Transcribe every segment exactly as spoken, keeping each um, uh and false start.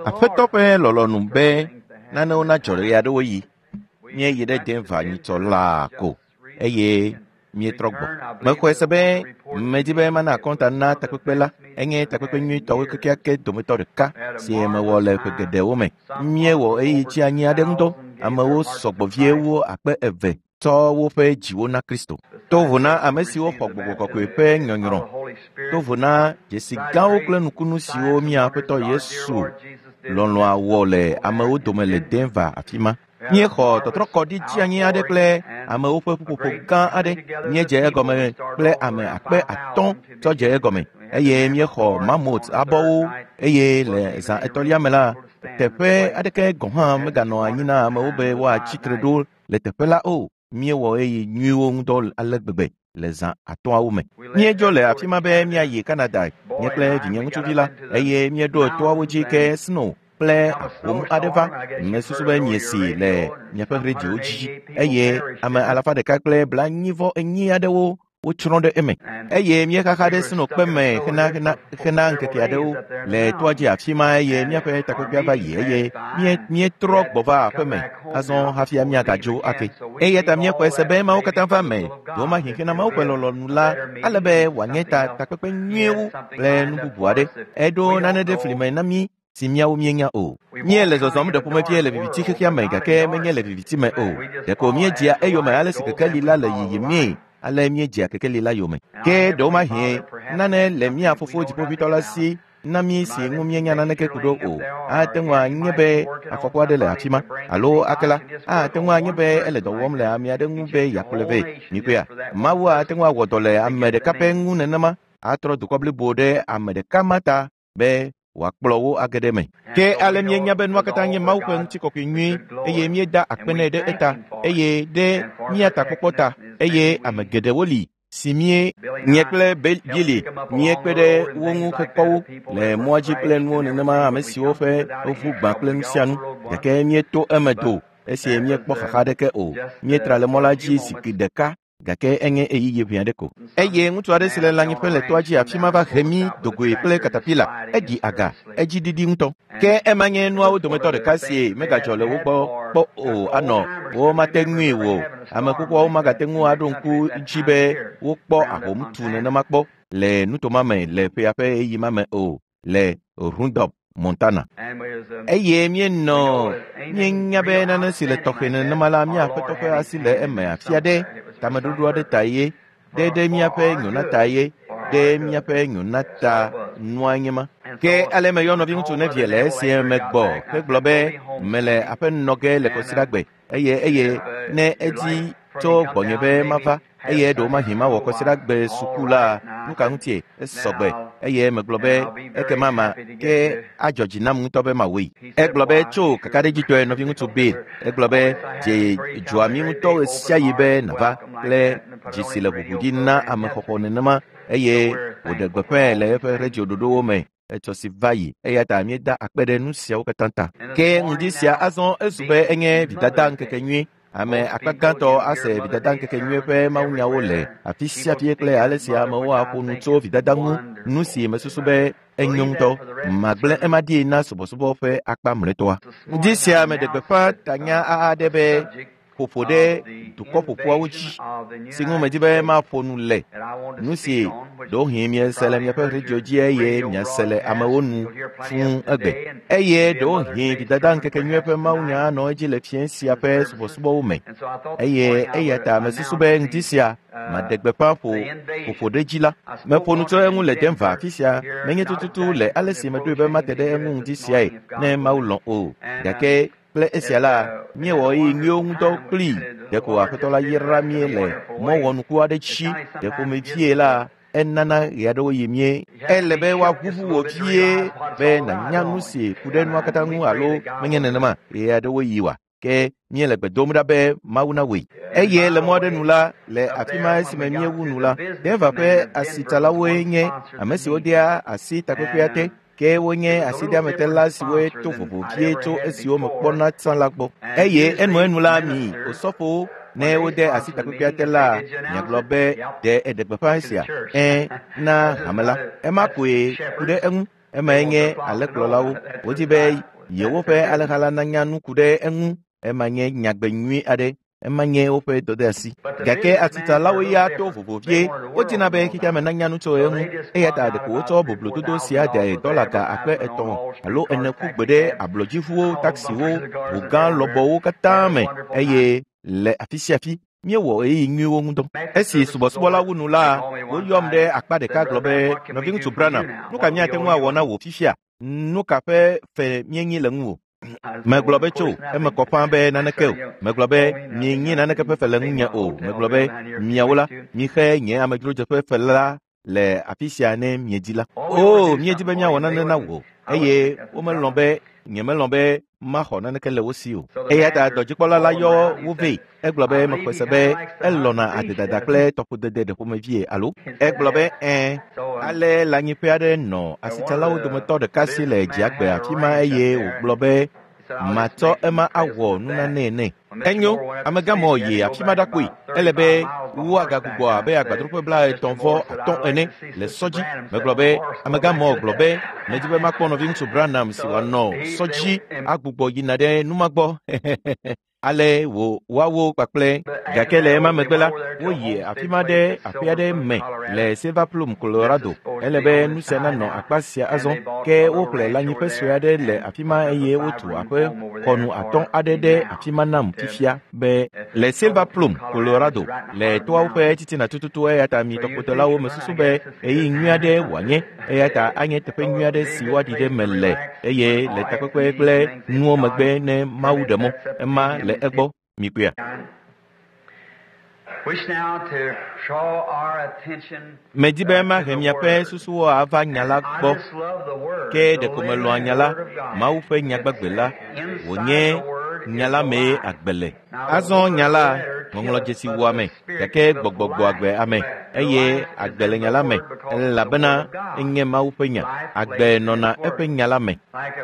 Aƒetɔ ƒe lɔlɔ̃nu be nanewo nadzɔ ɣeaɖewoɣi. Míeyi ɖe Denver nyitsɔ laa ko eye míetrɔ gbɔ. Mexɔe se be medi be mana akɔnta na takpekpe la. Enye takpekpe nyuitɔwo kekeake dometɔ ɖeka si mewɔ le ƒe geɖewo me. Míewɔ ɣeyiɣi tsianyi aɖe ŋutɔ. Amewo sɔgbɔ vie wu akpe eve tsɔ woƒe dziwo na Kristo. To vo na ame siwo xɔ Gbɔgbɔ Kɔkɔe ƒe nyɔnyrɔ. To vo na dzesi gãwo kple nukunu siwo mía Aƒetɔ Yesu lɔlɔ̃a wɔ le amewo dome le Denver afi ma. Míexɔ tɔtrɔkɔɖi tsianyi aɖe kple amewo ƒe ƒuƒoƒo gã aɖe. Míedze egɔme kple ame akpe atɔ̃ tsɔ dze egɔme eye míexɔ mammoth abɔwo eye le zã etɔ̃lia me la, teƒe aɖeke gɔ̃ hã meganɔ anyi na amewo be woatsi tre ɖo le teƒe la o. Míewɔ ɣeyiɣi nyuiwo ŋudɔ ale gbegbe le zã atɔ̃awo me. Míedzo le afi ma be míayi Canada, nye kple vinye ŋutsuvi la, eye míeɖo toawo dzi ke snow kple ahom aɖe va. Mesusu be miesi le miaƒe radiowo dzi eye ame alafa ɖeka kple blaenyi vɔ enyi aɖewo wotsrɔ̃ ɖe eme. Eye míexaxa ɖe snowkpe me hena hena hena ŋkeke aɖewo le toa dzi afi ma eye míaƒe takpekpea va yi eye mí míetrɔ gbɔ va aƒeme azɔ hafi míagadzo ake. Eya ta míexɔe se be mawo katã va me. Ɖewomahi hena Mawu ƒe lɔlɔ̃nu la, ale be wòanye ta takpekpe nyuiewo kple nu bubu aɖe. Eɖo nane ɖe fli me na mí si míawo míenya o. Míele zɔzɔm ɖe ƒomevie le viviti xexea me gake menye le viviti me o. Ɖeko míedzea eyome ale si kekeli la le yiyimee ale míedzea kekeli la yome. Ke ɖewomahi nane le mía Fofo Dziƒoʋĩtɔ la si na mí si ŋu míenya naneke ku ɖo o. Ate ŋu anye be afɔku aɖe le afi ma alo ake la, ate ŋu anye be ele dɔ wɔm le ame aɖe ŋu be yeakplɔe vɛ. Mikpɔea, Mawu ate ŋu awɔ dɔ le ame ɖeka ƒe ŋu nenema atrɔ dukɔ blibo ɖe ame ɖeka ma ta be wòakplɔ wo age ɖe eme. Ke ale míenya be nua katã nye Mawu ƒe ŋutikɔkɔe nyui eye míeda akpe nɛ ɖe eta eye ɖe mía takpɔkpɔ ta eye ame geɖewo li si mie nye kple Billy míekpe ɖe wo ŋu hekpɔ wo le mɔa dzi kple nuwo nenema ame siwo ƒe ʋu gbã kple nu sia nu gake míeto eme do esi míekpɔ xaxa aɖeke o. Míetra le mɔ la dzi zi ɖeka gake enye ɣeyiɣi ʋɛ aɖe ko. Eye ŋutsu aɖe si le lãnyiƒe le toa dzi afi ma va he mí dogoe kple katapila. Eɖi aga, edzi ɖiɖi ŋutɔ. Ke ema nye nuawo dometɔ ɖeka si megadzɔ le wo gbɔ kpɔ o anɔ womate ŋui o. Ame kukuawo magate ŋu aɖo ŋku dzi be wokpɔ ahom tu nenema kpɔ le nutoma me le ƒea ƒe ɣeyiɣi ma me o le Roundup, Montana. Eye míenɔ míenya be nane si le tɔxɛ nenema la, mía Aƒetɔ ƒe asi le eme afi aɖe, tameɖoɖo aɖe ta ye, ɖe ɖe míaƒe nyona ta ye, ɖe míaƒe nyona ta nua nye ma. Ke ale meyɔ nɔviŋutsu Nevie le esia megbɔ hegblɔ be mele aƒe nɔ ge le kɔsiɖagbe eye eye ne edi tso gbɔnye be mava eye ɖewomahi mawɔ kɔsiɖagbe suku la, nu ka ŋutie esɔgbe eye megblɔ be ekema ma ke adzɔ dzi nam ŋutɔ be mawɔe. Egblɔ be tso kakaɖedzitɔe nɔviŋutsu Bill. Egblɔ be dze dzɔa mí ŋutɔ ɣe sia ɣi be nàva kple dzi si le ʋuʋu ɖi na amexɔxɔ nenema eye wòɖe gbeƒãe le eƒe radio ɖoɖowo me etsɔ si va yi eya ta míeda akpe ɖe nu siawo katã ta. Ke ŋdi sia azɔ ezu be enye vidada ŋkeke nyui. Ame akpa gãtɔ ase vidada ŋkeke nyui ƒe mawunyawo le afi sia fi kple ale si amewo aƒo nu tso vidada ŋu nu si mesusu be enyo ŋutɔ. Magblẽ ema ɖi na subɔsubɔ ƒe akpa mlɔetɔa. Ŋdi sia meɖe gbeƒã tanya aɖe be ƒoƒo ɖe dukɔ ƒoƒuawo dzi si ŋu medi be maƒo nu le. Nu si ɖewohĩ miese le miaƒe radio dzi eye miase le amewo nu fũu egbe. Eye ɖewohĩ vidada ŋkeke nyui ƒe mawunya anɔ edzi le fiẽ sia ƒe subɔsubɔwo me. Eye eya ta mesusu be ŋdi sia maɖe gbeƒã ƒo ƒoƒo ɖe dzi la. Meƒo nu tso eŋu le Denver afi sia menye tututu le ale si meɖoe be mate ɖe eŋu ŋdi siae ne Mawu lɔ̃ o. Gake kple esia la, míewɔ ɣeyiɣi nyuiwo ŋudɔ kplii. Ɖeko Aƒetɔ la yra mí le mɔ wɔnuku aɖe dzi. Ɖeko mevie la, enana ɣeaɖewoɣi mie. Ele be woaʋuʋu wò vie be nànya nu si ku ɖe nua katã ŋu alo menye nenema ɣeaɖewoɣi oa. Ke míele gbe dom ɖa be Mawu nawɔe. Eye le mɔ aɖe nu la, le afi ma esime míewu nu la, Denver ƒe asitsalawoe nye ame siwo dea asi takpekpea te. Ke wonye asiɖiametela siwo to vovo vie tso esiwo mekpɔna tsã la gbɔ. Eye enuenu la mi osɔfowo ne wode asi takpekpea te la, miagblɔ be ɖe eɖe gbeƒã esia? Ɛ̃, na hame la. Ema koe ku ɖe eŋu. Emae nye alẽkplɔlawo. Wodi be yewoƒe alẽha la nanya nu ku ɖe eŋu. Ema nye nyagbe nyui aɖe. Ema nye woƒe dɔdeasi. Gake asitsalawo ya to vovo vie. Wodina be xexea me nanya nu tso eŋu. Eya ta ɖeko wotsɔ boblododo sia de dɔlar akpe etɔ̃ alo ene ƒu gbe ɖe ablɔdziʋuwo, taksiwo, ʋu gã lɔbɔwo katã me eye le afi sia afi míewɔ ɣeyiɣi nyuiwo ŋu dɔ. Esi subɔsubɔla wu nu la, woyɔm ɖe akpa ɖeka gblɔ be, nɔviŋutsu Branham, nu ka míate ŋu awɔ na wò fifia? Nu ka ƒe fe míenyi le ŋuwò? Megblɔ be tso, eme kɔ ƒãa be naneke o. Megblɔ be mienyi naneke ƒe fe le ŋunye o. Megblɔ be miawo la, mixe nye amedzrodzeƒe fe la le afi sia ne miedi la. O, míedi be míawɔ nane na wò eye womelɔ̃ be nyemelɔ̃ be maxɔ naneke le wo si o. Eya ta dɔdzikpɔla la yɔ wo vɛ. Egblɔ be mexɔe se be elɔ̃na adedada kple tɔƒodede ɖe ƒomevie alo? Egblɔ be ɛ̃. Ale lãnyiƒe aɖe nɔ asitsalawo dometɔ ɖeka si le dziagbe afi ma eye wògblɔ be matsɔ ema awɔ nunanae nɛ. Enyo, amegãmɔ yi afi ma ɖakpoe. Ele be woagagbugbɔ abe agbadroƒe blaetɔ̃ vɔ atɔ̃ ene le sɔ dzi. Megblɔ be amegãmɔ gblɔ be medi be makpɔ nɔviŋutsu Branham si wòanɔ sɔ dzi agbugbɔ yina ɖe nu ma gbɔ. Ale wò woawo kpakple gake le ema megbe la, woyi afi ma ɖe aƒe aɖe me le Silver Plume, Colorado. Ele be nu sia nanɔ akpa sia azɔ. Ke woƒle lãnyiƒe sue aɖe le afi ma eye wotu aƒe xɔnu atɔ̃ aɖe ɖe afi ma nam fifia be le Silver Plume, Colorado, le toawo ƒe titina tututu. Eya ta mi tɔƒodelawo mesusu be ɣeyiɣi nyui aɖe wòanye. Eya ta anye teƒe nyui aɖe si woaɖi ɖe me le eye le takpekpe kple nuwo megbe ne Mawu ɖe mɔ. Ema le egbɔ mikpɔea. Medi be mahe miaƒe susuwo ava nya la gbɔ. Ke ɖeko melɔ̃a nya la, Mawu ƒe nya gbagbe la, wònye nya la mee agbe le. Azɔ nya la, ŋɔŋlɔdzesi wɔ ame, gake gbɔgbɔ gbɔ agbe ame, eye agbe le nya la me, elabena enye Mawu ƒe nya. Agbe nɔna eƒe nya la me.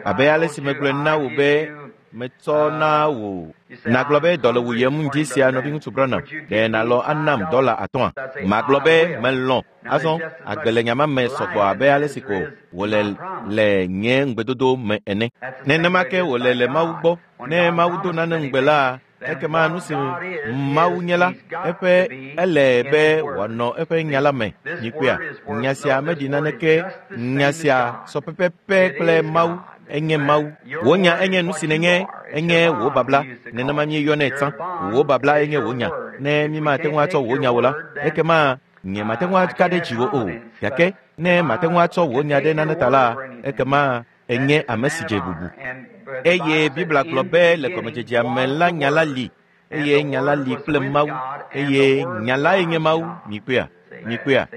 Abe ale si megblɔe na wò be metsɔ na wò. Nagblɔ be dɔ le wuyem ŋdi sia nɔviŋutsu Branham, ɖe nàlɔ̃ anam dɔla atɔ̃a? Magblɔ be melɔ̃. Azɔ agbe le nya ma me sɔgbɔ abe ale si ko wòle le nye ŋugbedodo me ene. Nenema ke wòle le Mawu gbɔ. Ne Mawu do nane ŋugbe la, ekema nu si Mawu nye la, eƒe ele be wòanɔ eƒe nya la me. Mikpɔea, nya sia meɖi naneke. Nya sia sɔ pɛpɛpɛ kple Mawu. Enye Mawu. Wò nya enye nu si nènye, enye wò babla. Nenema míeyɔnɛ tsã. Wò babla enye wò nya. Ne mímate ŋu atsɔ wò nya o la, ekema nye mate ŋu aka ɖe dziwò o. Gake ne mate ŋu atsɔ wò nya ɖe nane ta la, ekema enye ame si dze bubu. Eye Biblia gblɔ be le gɔmedzedzea me la nya la li, eye nya la li kple Mawu, eye nya lae nye Mawu. Mikpɔea, mikpɔea.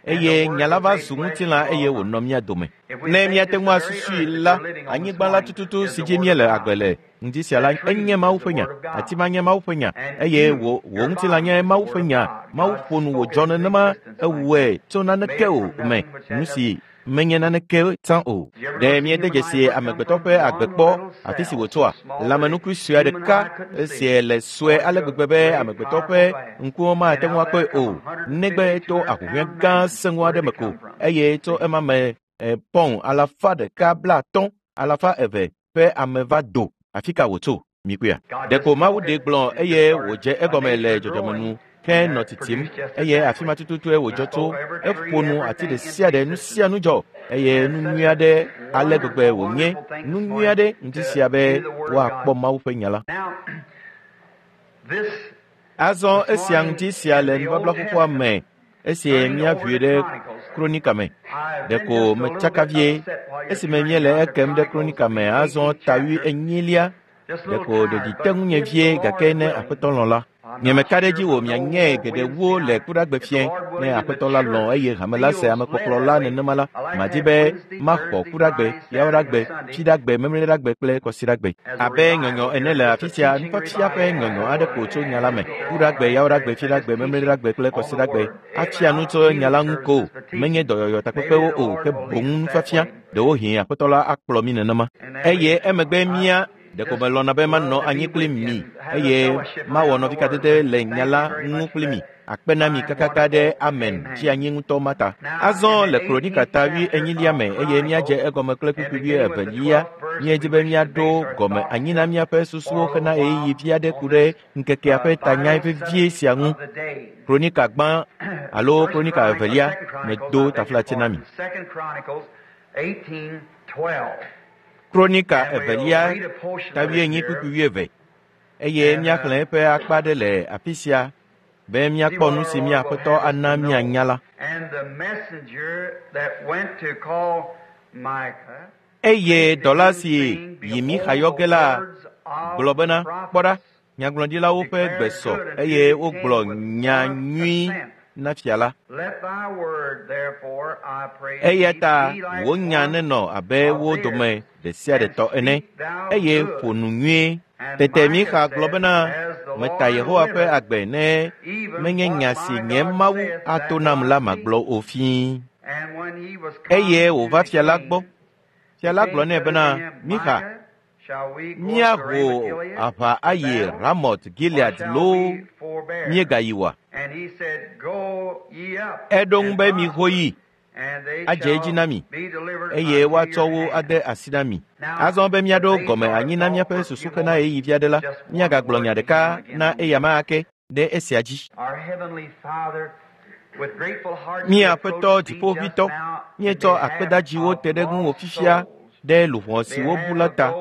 Eye nya la va zu ŋutilã eye wònɔ mía dome. Ne míate ŋu asusui la, anyigba la tututu si dzi míele agbe le ŋdi sia la, enye Mawu ƒe nya. Ati ma nye Mawu ƒe nya, eye wò wò ŋutilã nye Mawu ƒe nya. Mawu ƒo nu wòdzɔ nenema ewɔe tso naneke o me, nu si menye naneke tsã o. Ɖe míede dzesi amegbetɔ ƒe agbe kpɔ afi si wòtsoa? Lãmenukui sue ɖeka esie le sue ale gbegbe be amegbetɔ ƒe ŋkuwo mate ŋu akpɔe o, negbe to ahuhɔ̃e gã sẽŋu aɖe me ko, eye tso ema me pɔn alafa ɖeka blaatɔ̃ alafa eve ƒe ame va do. Afi ka wòtso? Mikpɔea. Ɖeko Mawu ɖe gblɔ eye wòdze egɔme le dzɔdzɔme nu ke nɔ titim eye afi ma tututue wòdzɔ tso. Eƒo nu ati ɖe sia ɖe, nu sia nu dzɔ eye nu nyui aɖe ale gbegbe wònye nu nyui aɖe ŋdi sia be woakpɔ Mawu ƒe nya la. Azɔ esia ŋdi sia le nubabla xoxoa me esi míaʋui ɖe kronika me. Ɖeko metsaka vie esime míele ekem ɖe kronika me azɔ ta wui enyilia. Ɖeko ɖeɖi te ŋunye vie gake ne Aƒetɔ lɔ̃ la, nyemeka ɖe edzi wò mianye geɖe wu le kuɖagbe fie. Ne Aƒetɔ la lɔ̃ eye hame la se amekpɔkplɔ la nenema la, madi be maxɔ kuɖagbe, yawoɖagbe, fiɖagbe, memleɖagbe kple kɔsiɖagbe. Abe nyɔnyɔ ene le afi sia, nufiafia ƒe nyɔnyɔ aɖe ko tso nya la me. Kuɖagbe, yawoɖagbe, fiɖagbe, memleɖagbe kple kɔsiɖagbe afia nu tso nya la ŋu ko. Menye dɔyɔyɔ takpekpewo o, ke boŋ nufiafia. Ɖewohĩ Aƒetɔ la akplɔ mí nenema. Eye emegbe mía Ɖeko melɔ̃na be manɔ anyi kpli mi eye mawɔ nɔvikadede le nya la ŋu kpli mi. Akpe na mi kakaka ɖe amen tsi anyi ŋutɔ ma ta. Azɔ le Kronika ta wui enyilia me eye míadze egɔme kple kpukpui wui evelia. Míedi be míaɖo gɔme anyi na míaƒe susuwo hena ɣeyiɣi vi aɖe ku ɖe ŋkekea ƒe tanya vevie sia ŋu. Kronika gbã alo Kronika evelia medo taflatse na mi. Kronika evelia ta wui enyi kpukpui wui eve eye míaxlẽ eƒe akpa ɖe le afi sia be míakpɔ nu si mía Aƒetɔ ana míanya la. Eye dɔla si yi Mixa yɔ ge la gblɔ bena, kpɔ ɖa, nyagblɔɖilawo ƒe gbe sɔ eye wogblɔ nya nyui na fia la. Eya ta wò nya nenɔ abe wo dome ɖe sia ɖe tɔ ene eye ƒo nu nyuie. Tete Mixa gblɔ bena, meta Yehowa ƒe agbe ne menye nya si nye Mawu ato nam la magblɔ o fĩi. Eye wòva fia la gbɔ. Fia la gblɔ nɛ bena, Mixa, míaho aʋa ayi Ramot Gilead loo míegayi oa? Eɖo ŋu be miho yi, adze edzi na mi, eye woatsɔ wo ade asi na mi. Azɔ be míaɖo gɔme anyi na míaƒe susu hena ɣeyiɣi vi aɖe la, míagagblɔ nya ɖeka na eyama ake ɖe esia dzi. Mía Aƒetɔ Dziƒoʋĩtɔ, míetsɔ akpedadziwo te ɖe ŋuwò fifia ɖe luʋɔ si wobu la ta,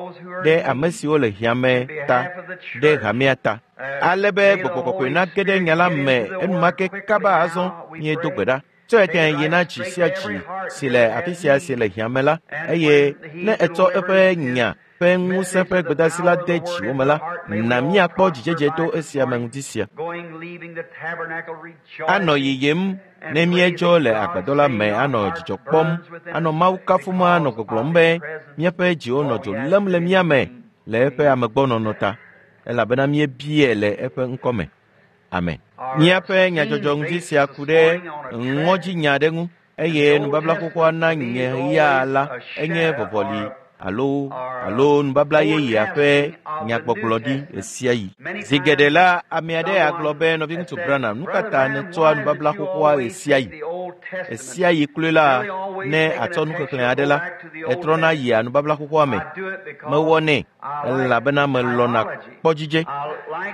ɖe ame siwo le hiã me ta, ɖe hamea ta. Ale be Gbɔgbɔ Kɔkɔe nage ɖe nya la me enumake kaba azɔ míedo gbe ɖa. Tsɔe tẽ yi na dzi sia dzi si le afi sia si le hiã me la, eye ne etsɔ eƒe nya ƒe ŋusẽ ƒe gbedeasi la de dziwò me la, na míakpɔ dzidzedze to esia me ŋuti sia. Anɔ yiyim ne míedzo le agbadɔ la me anɔ dzidzɔ kpɔm, anɔ Mawu kafum anɔ gbɔgblɔm be míaƒe dziwo nɔ dzo lém le mía me le eƒe amegbɔnɔnɔ ta, elabena míebiae le eƒe ŋkɔ me. Amen. Míaƒe nyadzɔdzɔ ŋuti sia ku ɖe ŋɔdzinya aɖe ŋu eye nubabla xoxoa na nye ya la enye vɔvɔli alo alo nubabla yeyea ƒe nyagbɔgblɔɖi ɣe sia ɣi. Zi geɖe la, ame aɖe agblɔ be nɔviŋutsu Branham, nu ka ta nètsɔa nubabla xoxoa ɣe sia ɣi? Ɣe sia ɣi kloe la, ne àtsɔ nuxexlẽ aɖe la, etrɔna yia nubabla xoxoa me. Mewɔnɛ elabena melɔ̃na kpɔdzidze.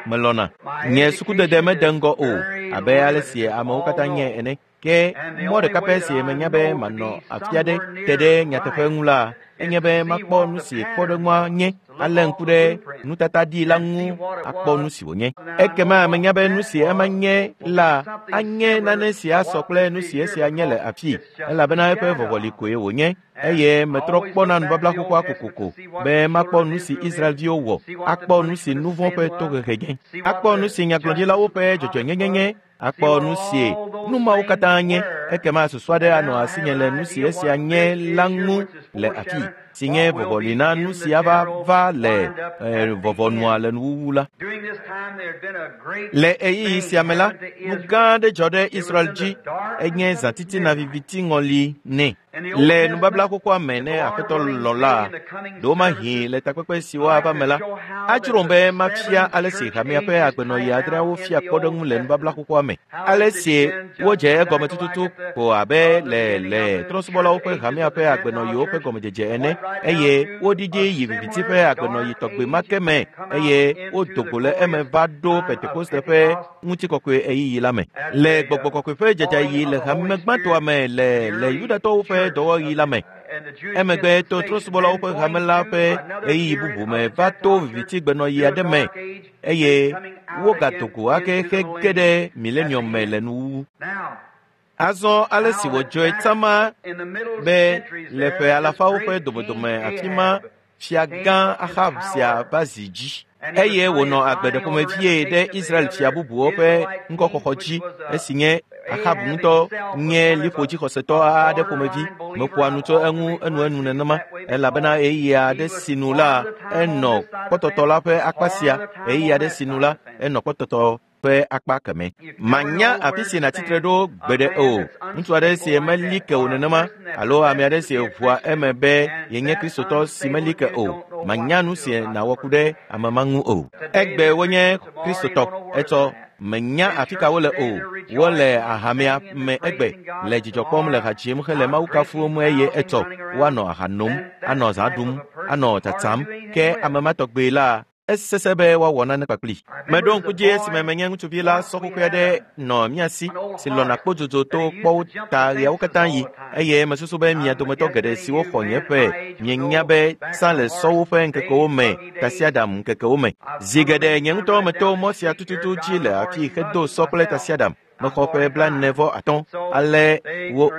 Melɔ̃na. Nye sukudede mede ŋgɔ o abe ale si amewo katã nye ene. Ke mɔ ɖeka pɛ si menya be manɔ afi aɖe te ɖe nyateƒe ŋu la, enye be makpɔ nu si kpɔɖeŋua nye, alé ŋku ɖe nutata ɖi la ŋu akpɔ nu si wònye. Ekema menya be nu si ema nye la anye nane si asɔ kple nu si esia nye le afii, elabena eƒe vɔvɔli koe wònye. Eye metrɔ kpɔna nubabla xoxoa kokoko be makpɔ nu si Israelviwo wɔ, akpɔ nu si nu vɔ̃ ƒe tohehe nye, akpɔ nu si nyagblɔɖilawo ƒe dzɔdzɔenyenye nye, akpɔ nu si nu mawo katã nye. Ekema susu aɖe anɔ asinye le nu si esia nye la ŋu le afii, si nye vɔvɔli na nu si ava va le vɔvɔnua le nuwuwu la. Le ɣeyiɣi sia me la, nu gã aɖe dzɔ ɖe Israel dzi, enye zãtitina viviti ŋɔli nɛ. Le nubabla xoxoa me ne Aƒetɔ lɔ̃ la, ɖewomahi le takpekpe siwo ava me la, adzrom be mafia ale si hamea ƒe agbenɔɣi adreawo fia kpɔɖeŋu le nubabla xoxoa me. Ale si wodze egɔme tututu ko abe le le trɔ̃subɔlawo ƒe hamea ƒe agbenɔɣiwo ƒe gɔmedzedze ene, eye woɖiɖi yi viviti ƒe agbenɔɣi tɔgbe ma ke me eye wodo go le eme va ɖo Pentekoste ƒe ŋutikɔkɔe ɣeyiɣi la me. Le Gbɔgbɔ Kɔkɔe ƒe dzadzaɣi le hame gbãtɔa me le le Yudatɔwo ƒe dɔwɔɣi la me. Emegbe to trɔ̃subɔlawo ƒe hame la ƒe ɣeyiɣi bubu me va to viviti gbenɔɣi aɖe me eye wogado go ake hege ɖe milenium me le nuwuwu. Azɔ ale si wòdzɔe tsama be le ƒe alafawo ƒe domedome afi ma fia gã Ahab sia va zi dzi eye wònɔ agbe ɖe ƒomevie ɖe Israel fia bubuwo ƒe ŋkɔxɔxɔ dzi esi nye Ahab ŋutɔ nye liƒodzixɔsetɔ aɖe ƒomevi. Meƒoa nu tso eŋu enuenu nenema elabena ɣeyiɣi aɖe si nu la enɔ kpɔtɔtɔ la ƒe akpa sia, ɣeyiɣi aɖe si nu la enɔ kpɔtɔtɔ ƒe akpa kemɛ. Manya afi si nàtsitre ɖo gbeɖe o. Ŋutsu aɖe si meli ke o nenema alo ame aɖe si ʋua eme be yenye Kristotɔ si meli ke o. Manya nu si nàwɔ ku ɖe ame ma ŋu o. Egbe wonye Kristotɔ etsɔ menya afi ka wole o. Wole ahamea me egbe le dzidzɔ kpɔm le ha dzim hele Mawu kafum eye etsɔ woanɔ aha nom, anɔ zã ɖum, anɔ tsatsam. Ke ame ma tɔgbe la esesẽ be woawɔ nane kpakpli. Meɖo ŋku dzi esime menye ŋutsuvi la sɔ xoxoe aɖe nɔ mía si si lɔna kpodzodzo to kpɔwo ta ɣeawo katã yi eye mesusu be mia dometɔ geɖe siwo xɔ nye ƒe mienya be tsã le sɔwo ƒe ŋkekewo me tasiaɖam ŋkekewo me. Zi geɖe nye ŋutɔ meto mɔ sia tututu dzi le afi hedo sɔ kple tasiaɖam. Mexɔ ƒe blaene vɔ atɔ̃. Ale wo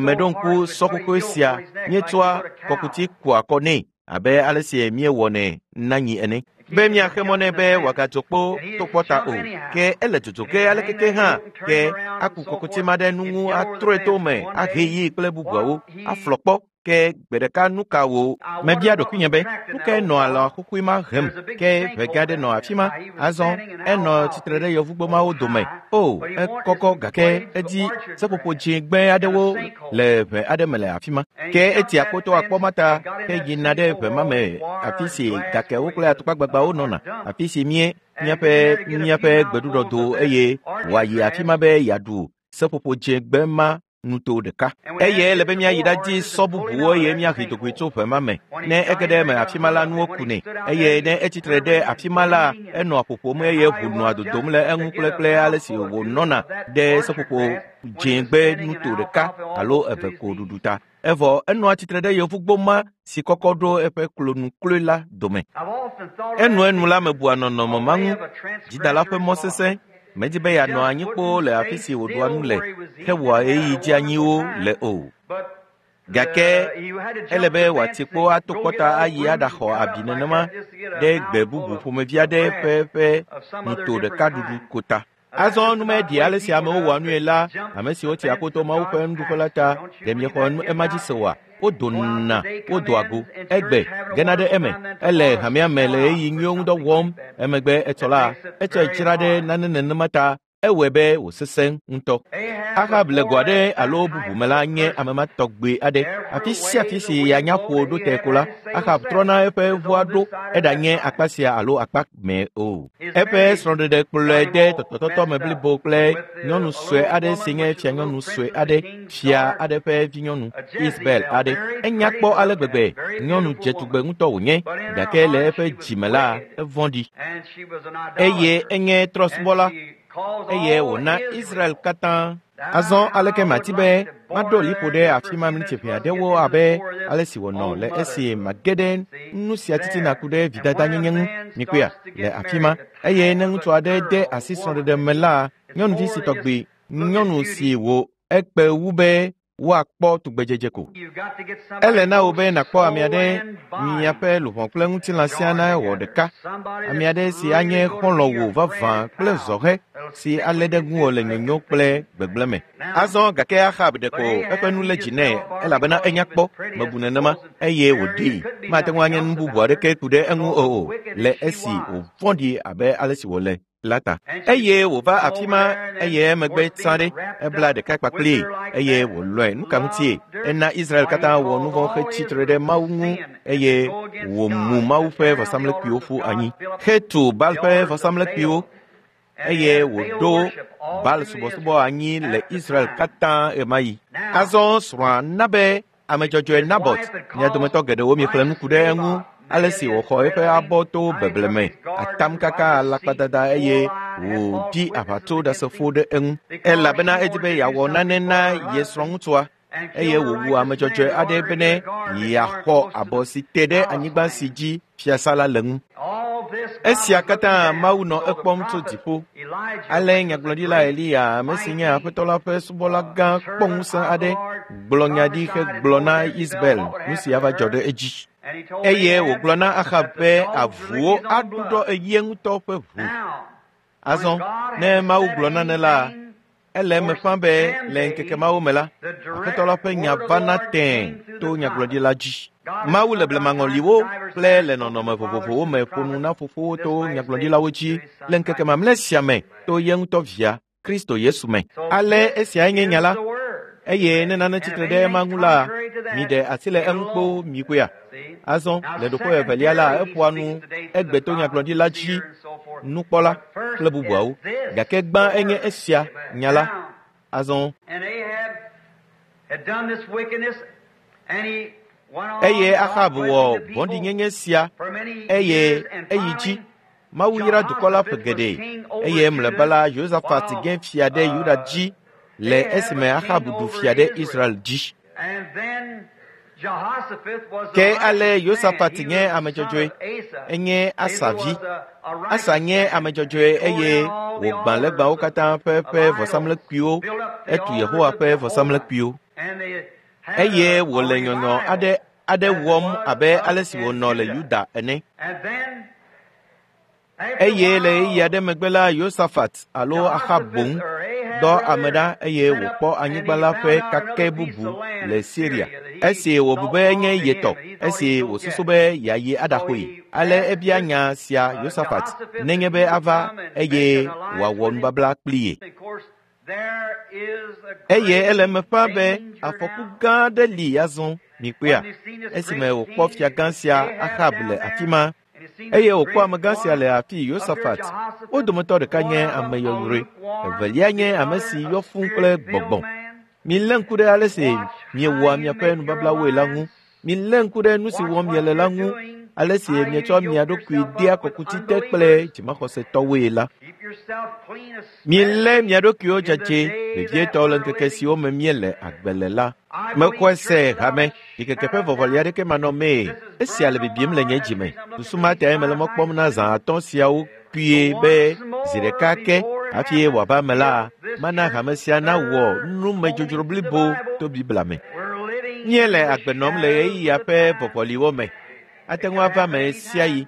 meɖo ŋku sɔ xoxoe sia míetsɔa kɔkuti kua kɔ nɛ abe ale si míewɔnɛ na nyi ene. Be míaxe mɔ nɛ be wòagadzo kpo to kpɔta o. Ke ele dzodzo ge alekeke hã ke aku kɔkuti ma ɖe nu ŋu atrɔe to me ahe yi kple bubuawo aflɔ kpɔ. Ke gbe ɖeka nu ka wo mebia ɖokuinye be nu kae nɔ alɔ xoxoe ma hem ke ʋe gã aɖe nɔ afi ma. Azɔ enɔ tsitre ɖe yevugbo mawo dome. O ekɔkɔ gake edi seƒoƒo dzĩ gbẽ aɖewo le ʋe aɖe me le afi ma. Ke etia kpoto akpɔ ma ta ke yina ɖe ʋe ma me afi si gakewo kple atukpagbagbawo nɔna afi si mie míaƒe míaƒe gbeɖuɖɔ do eye wòayi afi ma be yeaɖu seƒoƒo dzĩ gbẽ ma nuto ɖeka. Eye ele be míayi ɖadi sɔ bubuwo eye míahe dogoe tso ʋe ma me. Ne ege ɖe eme afi ma la nuwo kunɛ eye ne etsitre ɖe afi ma la enɔa ƒoƒom eye ʋu nɔa dodom le eŋu kple kple ale si wònɔna ɖe seƒoƒo dzĩ gbe nuto ɖeka alo eve ko ɖuɖu ta. Evɔ enɔa tsitre ɖe yevugbo ma si kɔkɔ ɖo eƒe klonu kloe la dome. Enuenu la mebua nɔnɔme ma ŋu. Dzidala ƒe mɔ sesẽ. Medi be yeanɔ anyi kpoo le afi si wòɖua nu le hewɔa ɣeyiɣi dzeanyiwo le o. Gake ele be wòati kpo ato kpɔta ayi aɖaxɔ abi nenema ɖe gbe bubu ƒomevi aɖe ƒe ƒe nuto ɖeka ɖuɖu ko ta. Azɔ numeɖi ale si amewo wɔa nue la, ame siwo tia kpoto Mawu ƒe nuɖuƒe la ta, ɖe miexɔ nu ema dzi se oa? Wodona, wodoa go, egbe gena ɖe eme, ele hamea me le ɣeyiɣi nyuiwo ŋudɔ wɔm. Emegbe etsɔ la, etsɔe dzra ɖe nane nenema ta ewɔe be wòsesẽ ŋutɔ. Ahab le go aɖe alo bubu me la nye ame ma tɔgbe aɖe. Afi sia afi si yeanya ƒo ɖo te ko la, Ahab trɔna eƒe ʋua ɖo eɖanye akpa sia alo akpa mɛ o. Eƒe srɔ̃ɖeɖe kplɔe de tɔtɔtɔtɔ me blibo kple nyɔnu sue aɖe si nye fianyɔnu sue aɖe, fia aɖe ƒe vinyɔnu, Isabel aɖe. Enya kpɔ ale gbegbe, nyɔnu dzetugbe ŋutɔ wònye, gake le eƒe dzime la, evɔ̃ɖi. Eye enye trɔ̃subɔla. Eye wòna Israel katã. Azɔ aleke mati be maɖo liƒo ɖe afi ma miniti ʋɛ aɖewo abe ale si wònɔ le esi mage ɖe nu sia titina ku ɖe vidadanyenye ŋu mikpɔea le afi ma. Eye ne ŋutsu aɖe de asi srɔ̃ɖeɖe me la, nyɔnuvi si tɔgbi nyɔnu si wò ekpe wu be woakpɔ tugbedzedze ko. Ele na wò be nàkpɔ ame aɖe miaƒe luʋɔ kple ŋutilã sia na wɔ ɖeka. Ame aɖe si anye xɔlɔ̃wò vavã kple zɔhɛ si alé ɖe ŋuwò le nyonyo kple gbegblẽ me. Azɔ gake Ahab ɖeko eƒe nu lé dzi nɛ elabena enya kpɔ mebu nenema eye wòɖii. Mate ŋu anye nu bubu aɖeke ku ɖe eŋu o le esi wòvɔ̃ɖi abe ale si wòle la ta. Eye wòva afi ma eye emegbe tsã ɖe ebla ɖeka kpakplie eye wòlɔe. Nu ka ŋutie? Ena Israel katã wɔ nu vɔ̃ hetsi tre ɖe Mawu ŋu eye wòmu Mawu ƒe vɔsamlekpuiwo ƒu anyi. Hetu Baal ƒe vɔsamlekpuiwo eye wòɖo Baal subɔsubɔ anyi le Israel katã ɣemaɣi. Azɔ srɔ̃a na be ame dzɔdzɔe Nabot, mia dometɔ geɖewo miexlẽ nu ku ɖe eŋu ale si wòxɔ eƒe abɔ to beble me, atamkaka alakpadada eye wòdi aʋatsoɖasefo ɖe eŋu. Elabena edi be yeawɔ nane na ye srɔ̃ŋutsua eye wòwu ame dzɔdzɔe aɖe bene yeaxɔ abɔ si te ɖe anyigba si dzi fiasã la le ŋu. Esia katã Mawu nɔ ekpɔm tso dziƒo. Ale nyagblɔɖila Eliya, ame si nye Aƒetɔ la ƒe subɔla gã kpɔ ŋusẽ aɖe, gblɔ nya ɖi hegblɔ na Isabel nu si ava dzɔ ɖe edzi. Eye wògblɔ na Ahab be avuwo aɖuɖɔ eye ŋutɔ ƒe ʋu. Azɔ ne Mawu gblɔ nane la, Ele eme ƒã be le ŋkeke mawo me la, Aƒetɔ la ƒe nya vana tẽe to nyagblɔɖila dzi. Mawu le blemaŋɔliwo kple le nɔnɔme vovovowo me ƒo nu na fofowo to nyagblɔɖilawo dzi le ŋkeke mamlɛ sia me to ye ŋutɔ via Kristo Yesu me. Ale esiae nye nya la, eye ne nane tsitre ɖe ema ŋu la, miɖe asi le eŋu kpoo mikpɔea. Azɔ le ɖoƒe evelia la, eƒoa nu egbe to nyagblɔɖila dzi, nukpɔla kple bubuawo. Gake gbã enye esia nya la. Azɔ eye Ahab wɔ vɔ̃ɖinyenye sia eye eyi dzi. Mawu yra dukɔ la ƒe geɖe eye mlɔeba la Yosafat ge fia ɖe Yuda dzi le esime Ahab ɖu fia ɖe Israel dzi. Ke ale Yosafat nye ame dzɔdzɔe, enye Asa vi. Asa nye ame dzɔdzɔe eye wògbã legbawo katã ƒe ƒe vɔsamlekpuiwo, etu Yehowa ƒe vɔsamlekpuiwo. Eye wòle nyɔnyɔ aɖe aɖe wɔm abe ale si wònɔ le Yuda ene. Eye le ɣeyiɣi aɖe megbe la, Yosafat alo Ahab boŋ dɔ ame ɖa eye wòkpɔ anyigba la ƒe kakɛ bubu le Siria. Esi wòbu be enye ye tɔ, esi wòsusu be yeayi aɖaxɔe. Ale ebia nya sia Yosafat nenye be ava eye wòawɔ nubabla kpli ye. Eye ele eme ƒã be afɔku gã aɖe li azɔ mikpɔea, esime wòkpɔ fiagã sia Ahab le afi ma eye wòkpɔ amegã sia le afi Yosafat. Wo dometɔ ɖeka nye ame yɔyrɔe, evelia nye ame si yɔ fũu kple gbɔgbɔ. Milé ŋku ɖe ale si miewɔa miaƒe nubablawoe la ŋu. Milé ŋku ɖe nu si wɔm miele la ŋu, ale si mietsɔ mia ɖokui dea kɔkuti te kple dzimaxɔsetɔwoe la. Milé mia ɖokuiwo dzadzɛ, vevietɔ le ŋkeke siwo me míele agbe le la. Mexɔe se hame, ɖikeke ƒe vɔvɔli aɖeke manɔmee. Esia le bibim le nye dzime. Susu ma tae mele mɔ kpɔm na zã atɔ̃ siawo kpuie be zi ɖeka ke hafi wòava eme la, mana hame sia nawɔ numedzodzro blibo to Biblia me. Míele agbe nɔm le ɣeyiɣia ƒe vɔvɔliwo me. Ate ŋu ava eme sia ɣi.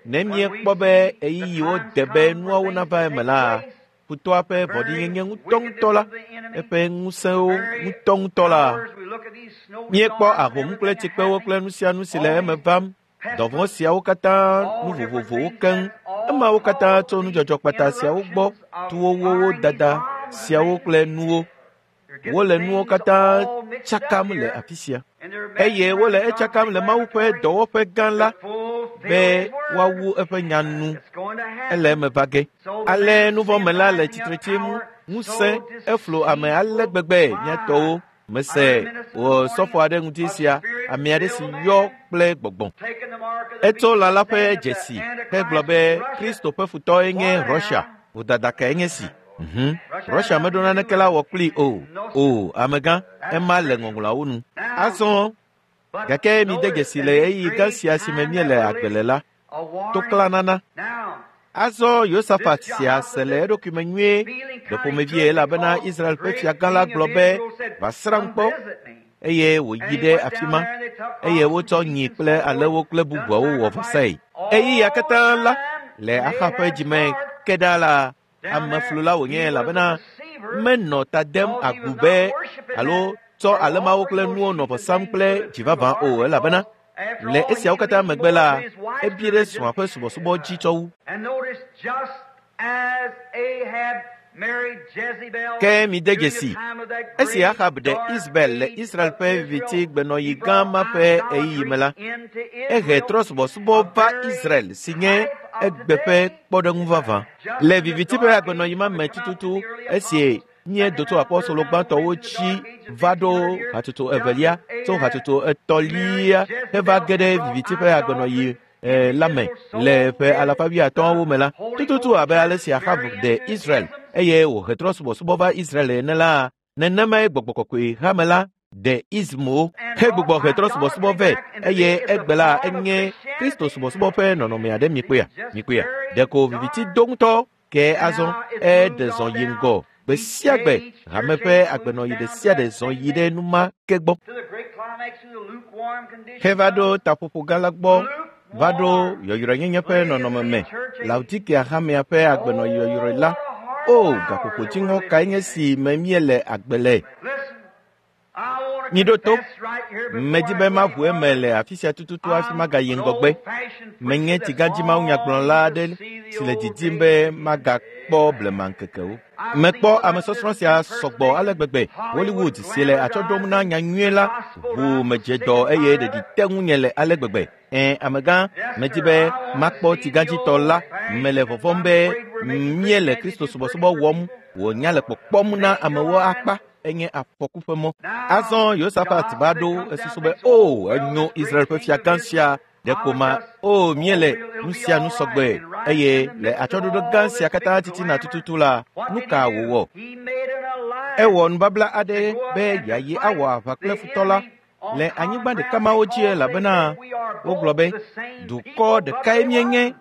Ne míekpɔ be ɣeyiɣiwo de be nuawo nava eme la, futɔa ƒe vɔ̃ɖinyenye ŋutɔŋutɔ la, eƒe ŋusẽwo ŋutɔŋutɔ la. Míekpɔ ahom kple tsikpewo kple nu sia nu si le eme vam, dɔvɔ̃ siawo katã, nu vovovowo keŋ. Emawo katã tso nudzɔdzɔ kpata siawo gbɔ, tuwowo dada siawo kple nuwo. Wole nuwo katã tsakam le afi sia. Eye wole etsakam le Mawu ƒe dɔwɔƒe gã la be woawu eƒe nya nu. Ele eme va ge. Ale nuvɔ̃mela le tsitre tsim, ŋusẽ eflo ame ale gbegbe mía tɔwo. Mese wɔ sɔfo aɖe ŋuti sia, ame aɖe si yɔ kple gbɔgbɔ. Etso lã la ƒe dzesi hegblɔ be Kristo ƒe futɔe nye Russia. Vodada kae nye si? Mhm. Russia meɖo naneke la wɔ kplii o. O, amegã, ema le ŋɔŋlɔawo nu. Azɔ, gake mide dzesi le ɣeyiɣi gã sia si me míele agbe le la, toklanana. Azɔ Yosafat sia se le eɖokui me nyuie le ƒomevie elabena Israel ƒe fiagã la gblɔ be va srãm kpɔ eye wòyi ɖe afi ma eye wotsɔ nyi kple alẽwo kple bubuawo wɔ vɔsae. Ɣeyiɣia katã la, le Ahab ƒe dzime ke ɖa la, ameflula wònye elabena menɔ ta dem agu be alo tsɔ alẽmawo kple nuwo nɔ vɔsam kple dzi vavã o elabena le esiawo katã megbe la, ebie ɖe srɔ̃a ƒe subɔsubɔ dzi tsɔ wu. Ke mide dzesi, esi Ahab ɖe Isabel le Israel ƒe vivitigbenɔɣi gã ma ƒe ɣeyiɣi me la, ehe trɔ̃subɔsubɔ va Israel si nye egbe ƒe kpɔɖeŋu vavã. Le viviti ƒe agbenɔɣi ma me tututu esi míedo tso apɔstolo gbãtɔwo dzi va ɖo hatsotso evelia tso hatsotso etɔ̃lia heva ge ɖe viviti ƒe agbenɔɣi la me le ƒe alafa wuiatɔ̃awo me la, tututu abe ale si Ahab ɖe Israel eye wòhe trɔ̃subɔsubɔ va Israel ene la, nenemae gbɔgbɔ kɔkɔe hame la ɖe Ismowo hegbugbɔ he trɔ̃subɔsubɔ vɛ eye egbe la enye Kristo subɔsubɔ ƒe nɔnɔme aɖe mikpɔea mikpɔea. Ɖeko viviti do ŋutɔ ke azɔ eɖe zɔ yi ŋgɔ gbe sia gbe hame ƒe agbenɔɣi ɖe sia ɖe zɔ yi ɖe nu ma ke gbɔ. Heva ɖo taƒoƒo gã la gbɔ va ɖo yɔyrɔenyenye ƒe nɔnɔme me. Laodikea hamea ƒe agbenɔɣi yɔyrɔe la O, gaƒoƒo dziŋɔ kae nye si me míele agbe le. Miɖo to. Medi be maʋu eme le afi sia tututu hafi magayi ŋgɔgbe. Menye tsigãdzimawunyagblɔla aɖe si le didim be magakpɔ blemaŋkekewo. Mekpɔ amesɔsrɔ̃ sia sɔgbɔ ale gbegbe. Hollywood si le atsɔ ɖom na nyanyuie la ʋu medze dɔ eye ɖeɖi te ŋunye le ale gbegbe. Ẽ, amegã, medi be makpɔ tsigãdzitɔ la. Mele vɔvɔ̃m be míele Kristo subɔsubɔ wɔm wònya le kpɔkpɔm na amewo akpa. Enye afɔku ƒe mɔ. Azɔ Yosafat va ɖo esusu be o enyo Israel ƒe fiagã sia ɖeko ma o míele nu sia nu sɔgbe eye le atsɔɖoɖo gã sia katã titina tututu la nu ka wòwɔ? Ewɔ nubabla aɖe be yeayi awɔ aʋa kple futɔ la le anyigba ɖeka mawo dzi elabena wogblɔ be dukɔ ɖekae míenye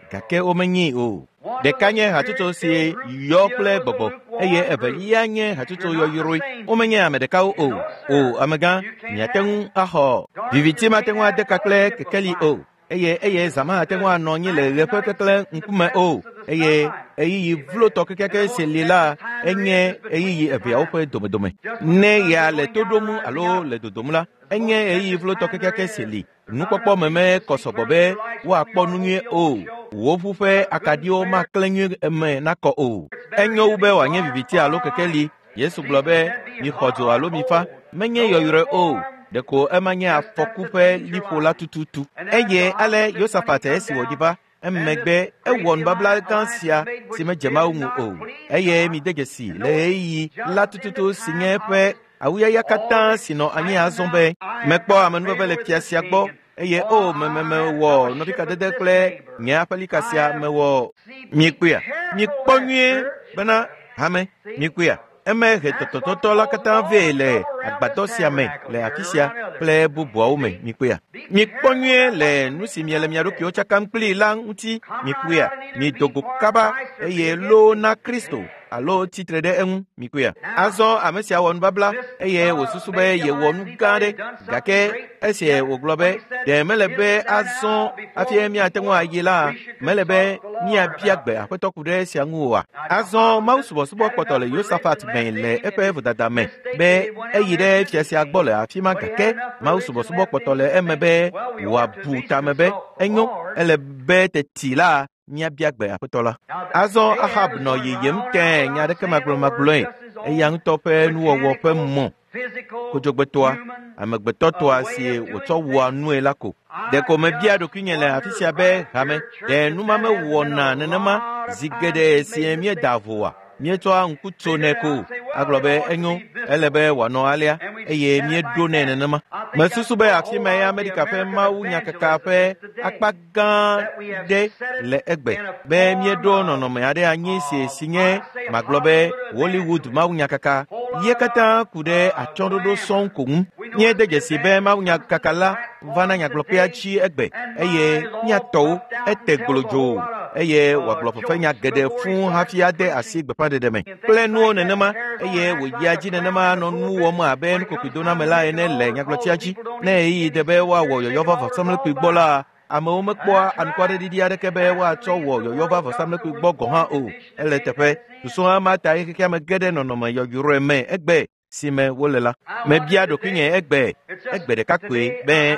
gake womenyii o. Ɖeka nye hatsotso si yɔ kple gbɔgbɔ eye evelia nye hatsotso yɔyrɔe. Womenye ame ɖekawo o. O, amegã, miate ŋu axɔ. Viviti mate ŋu ade ka kple kekeli o. Eye eye zã ate ŋu anɔ anyi le ɣe ƒe keklẽ ŋkume o. Eye ɣeyiɣi vlotɔ kekeake si li la enye ɣeyiɣi eveawo ƒe domedome. Ne ɣea le to ɖom alo le dodom la, enye ɣeyiɣi vlotɔ kekeake si li. Nukpɔkpɔ me mekɔ sɔgbɔ be woakpɔ nu nyuie o. Wò ʋu ƒe akaɖiwo maklẽ nyuie eme nakɔ o. Enyo wu be wòanye viviti alo kekeli. Yesu gblɔ be mixɔ dzo alo mifa. Menye yɔyrɔe o. Ɖeko ema nye afɔku ƒe liƒo la tututu. Eye ale Yosafat esi wòɖi va emegbe ewɔ nubabla gã sia si medze Mawu ŋu o. Eye mide dzesi le ɣeyiɣi la tututu si nye eƒe awuyaya katã si nɔ anyi azɔ be mekpɔ amenuveve le fia sia gbɔ eye o mememewɔ nɔvikadede kple nye aƒelika sia mewɔ. Mikpɔea? Mikpɔ nyuie bena hame mikpɔea? Eme he tɔtɔtɔtɔ la katã vɛ le agbadɔ sia me le afi sia kple bubuawo me mikpɔea? Mikpɔ nyuie le nu si miele mia ɖokuiwo tsakam kplii la ŋuti mikpɔea? Mido go kaba eye lo na Kristo alo tsitre ɖe eŋu mikpɔea? Azɔ ame sia wɔ nubabla eye wòsusu be yewɔ nu gã aɖe gake esi wògblɔ be ɖe mele be azɔ hafi míate ŋu ayi la mele be míabia gbe aƒetɔ ku ɖe esia ŋu oa? Azɔ Mawu subɔsubɔ kpɔtɔ le Yosafat me le eƒe vodada me be eyi ɖe fia sia gbɔ le afi ma gake Mawu subɔsubɔ kpɔtɔ le eme be wòabu tame be enyo ele be teti la míabia gbe aƒetɔ la. Azɔ Ahab nɔ yiyim tẽe nya aɖeke magblɔmagblɔe eya ŋutɔ ƒe nuwɔwɔ ƒe mɔ kodzogbetɔa amegbetɔtɔa si wòtsɔ wɔa nue la ko. Ɖeko mebia ɖokuinye le afi sia be hame ɖe numa mewɔna nenema zi geɖe si míeda voa míetsɔa ŋku tsonɛ ko agblɔ be enyo ele be wòanɔ alea eye míeɖonɛ nenema. Mesusu be afi ma ye Amerika ƒe mawunyakaka ƒe akpa gã ɖe le egbe be míeɖo nɔnɔme aɖe anyi si si nye magblɔ be Hollywood mawunyakaka ye katã ku ɖe atsyɔ̃ɖoɖo sɔŋ ko ŋu. Míede dzesi be mawunyakaka la vana nyagblɔƒea dzi egbe eye míatɔwo ete glodzo eye wòagblɔ fefenya geɖe fũu hafi ade asi gbeƒãɖeɖe me kple nuwo nenema eye wòyia dzi nenema nɔ nu wɔm abe nukokoedonamela ene le nyagblɔtia dzi. Ne ɣeyiɣi de be woawɔ yɔyɔ va vɔsamlekpui gbɔ la amewo mekpɔa anukwaɖeɖiɖi aɖeke be woatsɔ wɔ yɔyɔ va vɔsamlekpui gbɔ gɔ̃ hã o. Ele teƒe susu hã ma ta ye xexea me ge ɖe nɔnɔme yɔyrɔe me egbe si me wole la. Mebia ɖokuinye egbe egbe ɖeka koe be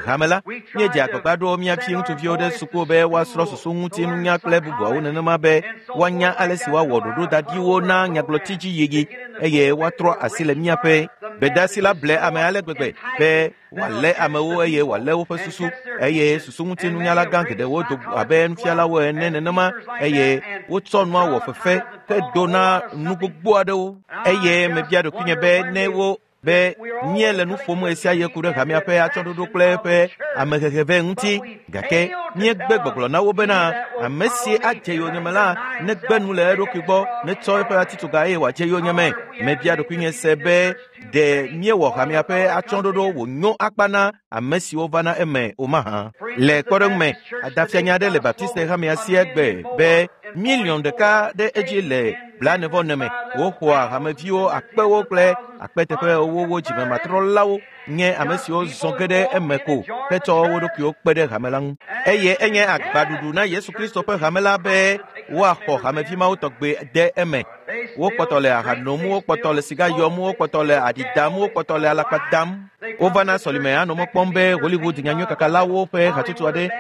hame la míedze agbagba ɖo míavi ŋutsuviwo ɖe suku be woasrɔ̃ susu ŋuti nunya kple bubuawo nenema be woanya ale si woawɔ ɖoɖo dadiwo na nyagblɔti dzi yiyi eye woatrɔ asi le míaƒe gbedeasi la ble ame ale gbegbe be wòalé amewo eye wòalé woƒe susu eye susu ŋuti nunyala gã geɖewo do abe nufialawo ene nenema eye wotsɔ nua wɔ fefe hedo na nu gbogbo aɖewo eye mebia ɖokuinye be ne wo be míele nu ƒom ɣe sia ɣi ku ɖe hamea ƒe atsyɔ̃ɖoɖo kple eƒe ameheheve ŋuti gake míegbe gbɔgblɔ na wo bena ame si adze yonyeme la negbe nu le eɖokui gbɔ netsɔ eƒe atitsoga eye wòadze yonyeme. Mebia ɖokuinye se be ɖe míewɔ hamea ƒe atsyɔ̃ɖoɖo wònyo akpa na ame siwo vana eme o mahã. Le kpɔɖeŋu me, adafianya aɖe le Baptiste hamea si egbe be miliɔn ɖeka ɖe edzi le Blaene-vɔ-ene me woxɔa hameviwo akpewo kple akpeteƒe ewowo dzimematrɔlawo nye ame siwo zɔ ge ɖe eme ko hetsɔ wo ɖokuiwo kpe ɖe hame la ŋu. Eye enye agbaɖuɖu na Yesu Kristo ƒe hame la be woaxɔ hamevi mawo tɔgbe de eme. Wokpɔtɔ le aha nom, wokpɔtɔ le siga yɔm, wokpɔtɔ le aɖi dam, wokpɔtɔ le alakpa dam. Wovana sɔlime anɔ mɔ kpɔm be Hollywood nyanyuikakalawo ƒe hatsotso aɖe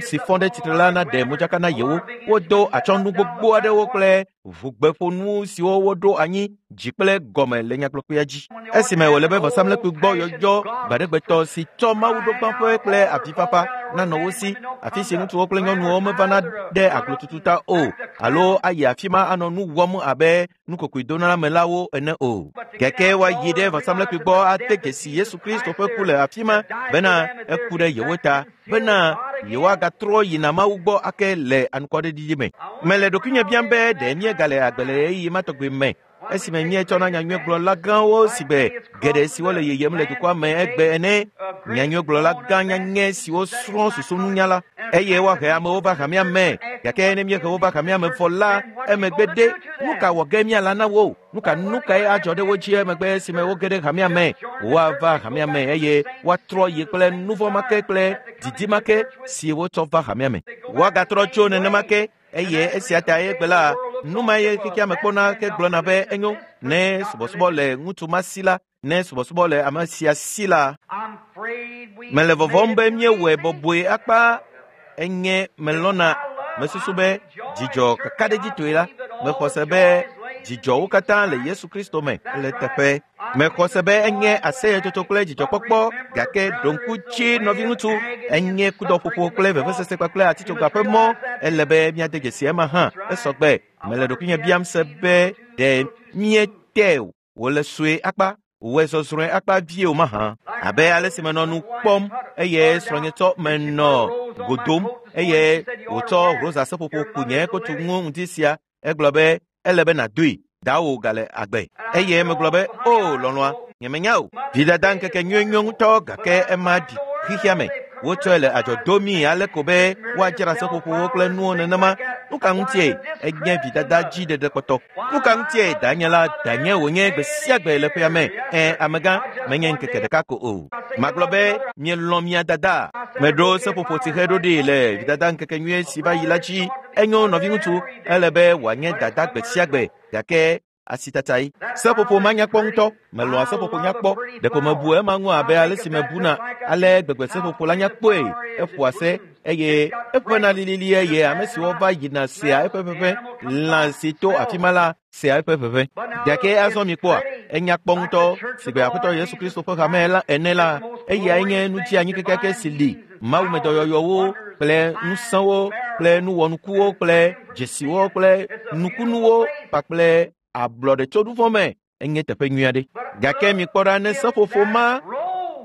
si fɔ ɖe tsitre la naɖe modzaka na yewo. Wodo atsyɔ̃nu gbogbo aɖewo kple ʋugbeƒonu siwo woɖo anyi dzi kple gɔme le nyagblɔkpea dzi. Esime wòle be vɔsamlekpui gbɔ yɔyɔ gbaɖegbetɔ si tsɔ Mawu ɖo gbãƒe kple avifafa nanɔ wo si, afi si ŋutsuwo kple nyɔnuwo mevana ɖe aglotutu ta o alo ayi afi ma anɔ nu wɔm abe nukokoedonamelawo ene o. Gake woayi ɖe vɔsamlekpui gbɔ ade dzesi Yesu Kristo ƒe ku le afi ma bena eku ɖe yewo ta bena yewoagatrɔ yina Mawu gbɔ ake le anukwaɖeɖiɖi me. Mele ɖokuinye biam be ɖe míegale agbe le ɣeyiɣi ma tɔgbi me esime míetsɔna nyanyuigblɔla gãwo si gbe geɖe siwo le yeyem le dukɔa me egbe ene, nyanyuigblɔla gã nyanyɛ siwo srɔ̃ susununya la, eye woahe amewo va hamea me. Gake ne míehe wo va hamea me vɔ la, emegbe ɖe nu ka wɔ ge míala na wo? Nu ka nu kae adzɔ ɖe wo dzi emegbe esime woge ɖe hamea me? Woava hamea me eye woatrɔ yi kple nu vɔ̃ ma ke kple didi ma ke si wotsɔ va hamea me. Woagatrɔ tso nenema ke eye esia ta egbe la nu ma ye xexea me kpɔna ke gblɔna be enyo ne subɔsubɔ le ŋutsu ma si la, ne subɔsubɔ le ame sia si la. Mele vɔvɔ̃m be míewɔe bɔbɔe akpa enye melɔ̃na mesusu be dzidzɔ kakaɖedzitɔe la mexɔ se be dzidzɔwo katã le Yesu Kristo me le teƒe. Mexɔ se be enye aseyetsotso kple dzidzɔkpɔkpɔ, gake ɖo ŋku dzi nɔviŋutsu, enye kudɔƒoƒo kple vevesese kpakple atitsoga ƒe mɔ. Ele be míade dzesi ema hã. Esɔgbe. Mele ɖokuinye biam se be ɖe míete wòle sue akpa, wòe zɔzrɔ̃e akpa vie o mahã. Abe ale si menɔ nu kpɔm eye srɔ̃nyetɔ menɔ go dom eye wòtsɔ rosa seƒoƒo ku nye kotu ŋu ŋdi sia, egblɔ be ele be nàdoe, dawò gale agbe. Eye megblɔ be, o lɔlɔ̃a, nyemenya o. Vidada ŋkeke nyuie nyo ŋutɔ gake ema ɖi xexea me. Wotsɔe le adzɔ domii ale ko be woadzra seƒoƒowo kple nuwo nenema. Nu ka ŋutie enye vidada dzi ɖeɖe kpɔtɔ? Nu ka ŋutie danye la danye wònye gbe sia gbe le ƒea me? Ẽ, amegã, menye ŋkeke ɖeka ko o. Magblɔ be mielɔ̃ mia dada. Meɖo seƒoƒo tsihe ɖo ɖi le vidada ŋkeke nyuie si va yi la dzi. Enyo nɔviŋutsu, ele be wòanye dada gbe sia gbe gake asitatae. Seƒoƒo ma nyakpɔ ŋutɔ. Melɔ̃a seƒoƒo nyakpɔ. Ɖeko mebu ema ŋu abe ale si mebuna ale gbegbe seƒoƒo la nyakpɔe. Eƒoa se eye eƒena lilili eye ame siwo va yina sea eƒe ʋeʋẽ. Lã si to afi ma la sea eƒe ʋeʋẽ. Gake azɔ mikpɔa, enyakpɔ ŋutɔ si gbe Aƒetɔ Yesu Kristo ƒe hame la ene la, eyae nye nu dzeanyi kekeake si li. Mawumedɔyɔyɔwo kple ŋusẽwo kple nuwɔnukuwo kple dzesiwo kple nukunuwo kpakple ablɔɖe tso nu vɔ̃ me enye teƒe nyui aɖe. Gake mikpɔ ɖa ne seƒoƒo ma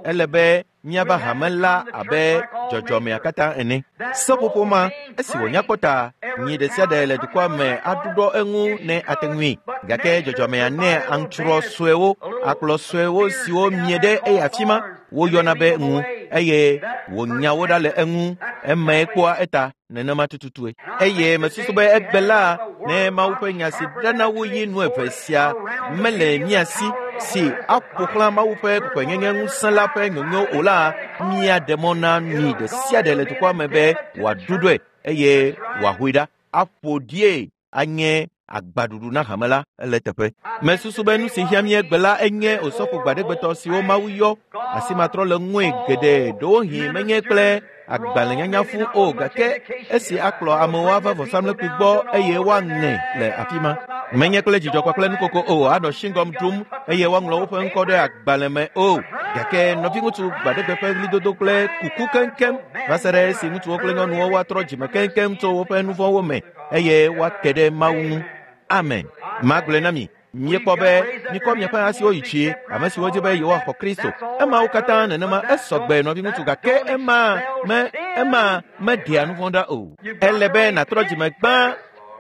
ele be míava hame la abe dzɔdzɔmea katã ene. Seƒoƒo ma esi wònya kpɔ ta, nyi ɖe sia ɖe le dukɔa me aɖuɖɔ eŋu ne ate ŋui. Gake dzɔdzɔmea ne aŋutrɔ suewo, akplɔ suewo siwo mie ɖe eye afi ma woyɔna be ŋu eye wònya wo ɖa le eŋu. Emae kpɔa eta nenema tututue. Eye mesusu be egbe la ne Mawu ƒe nya si ɖana wu yi nu eve sia mele mía si si aƒo xlã Mawu ƒe kɔkɔenyenye ŋusẽ la ƒe nyonyo o la, míaɖe mɔ na mi ɖe sia ɖe le dukɔa me be wòaɖuɖɔe eye wòahoe ɖa, aƒo ɖie anye agbaɖuɖu na hame la ele teƒe. Mesusu be nu si hiã mí egbe la enye osɔfo gbaɖegbetɔ siwo Mawu yɔ asimatrɔ le ŋue geɖe, ɖewohĩ menye kple agbalẽnyanya fũ o, gake esi akplɔ amewo ava vɔsamlekpui gbɔ eye woaŋe le afi ma. Menye kple dzidzɔ kpakple nukoko o, anɔ shingɔm ɖum eye woaŋlɔ woƒe ŋkɔ ɖe agbalẽ me o, gake nɔviŋutsu gbaɖegbe ƒe ɣlidodo kple kuku keŋkeŋ va se ɖe esi ŋutsuwo kple nyɔnuwo woatrɔ dzime keŋkeŋ tso woƒe nu vɔ̃wo me eye woake ɖe Mawu ŋu. Amen. Magblɔe na mi, míekpɔ be mikɔ miaƒe asiwo yi dzi, ame siwo di be yewoaxɔ Kristo. Emawo katã nenema esɔgbe nɔviŋutsu, gake ema me ema meɖea nu vɔ̃ ɖa o. Ele be nàtrɔ dzime gbã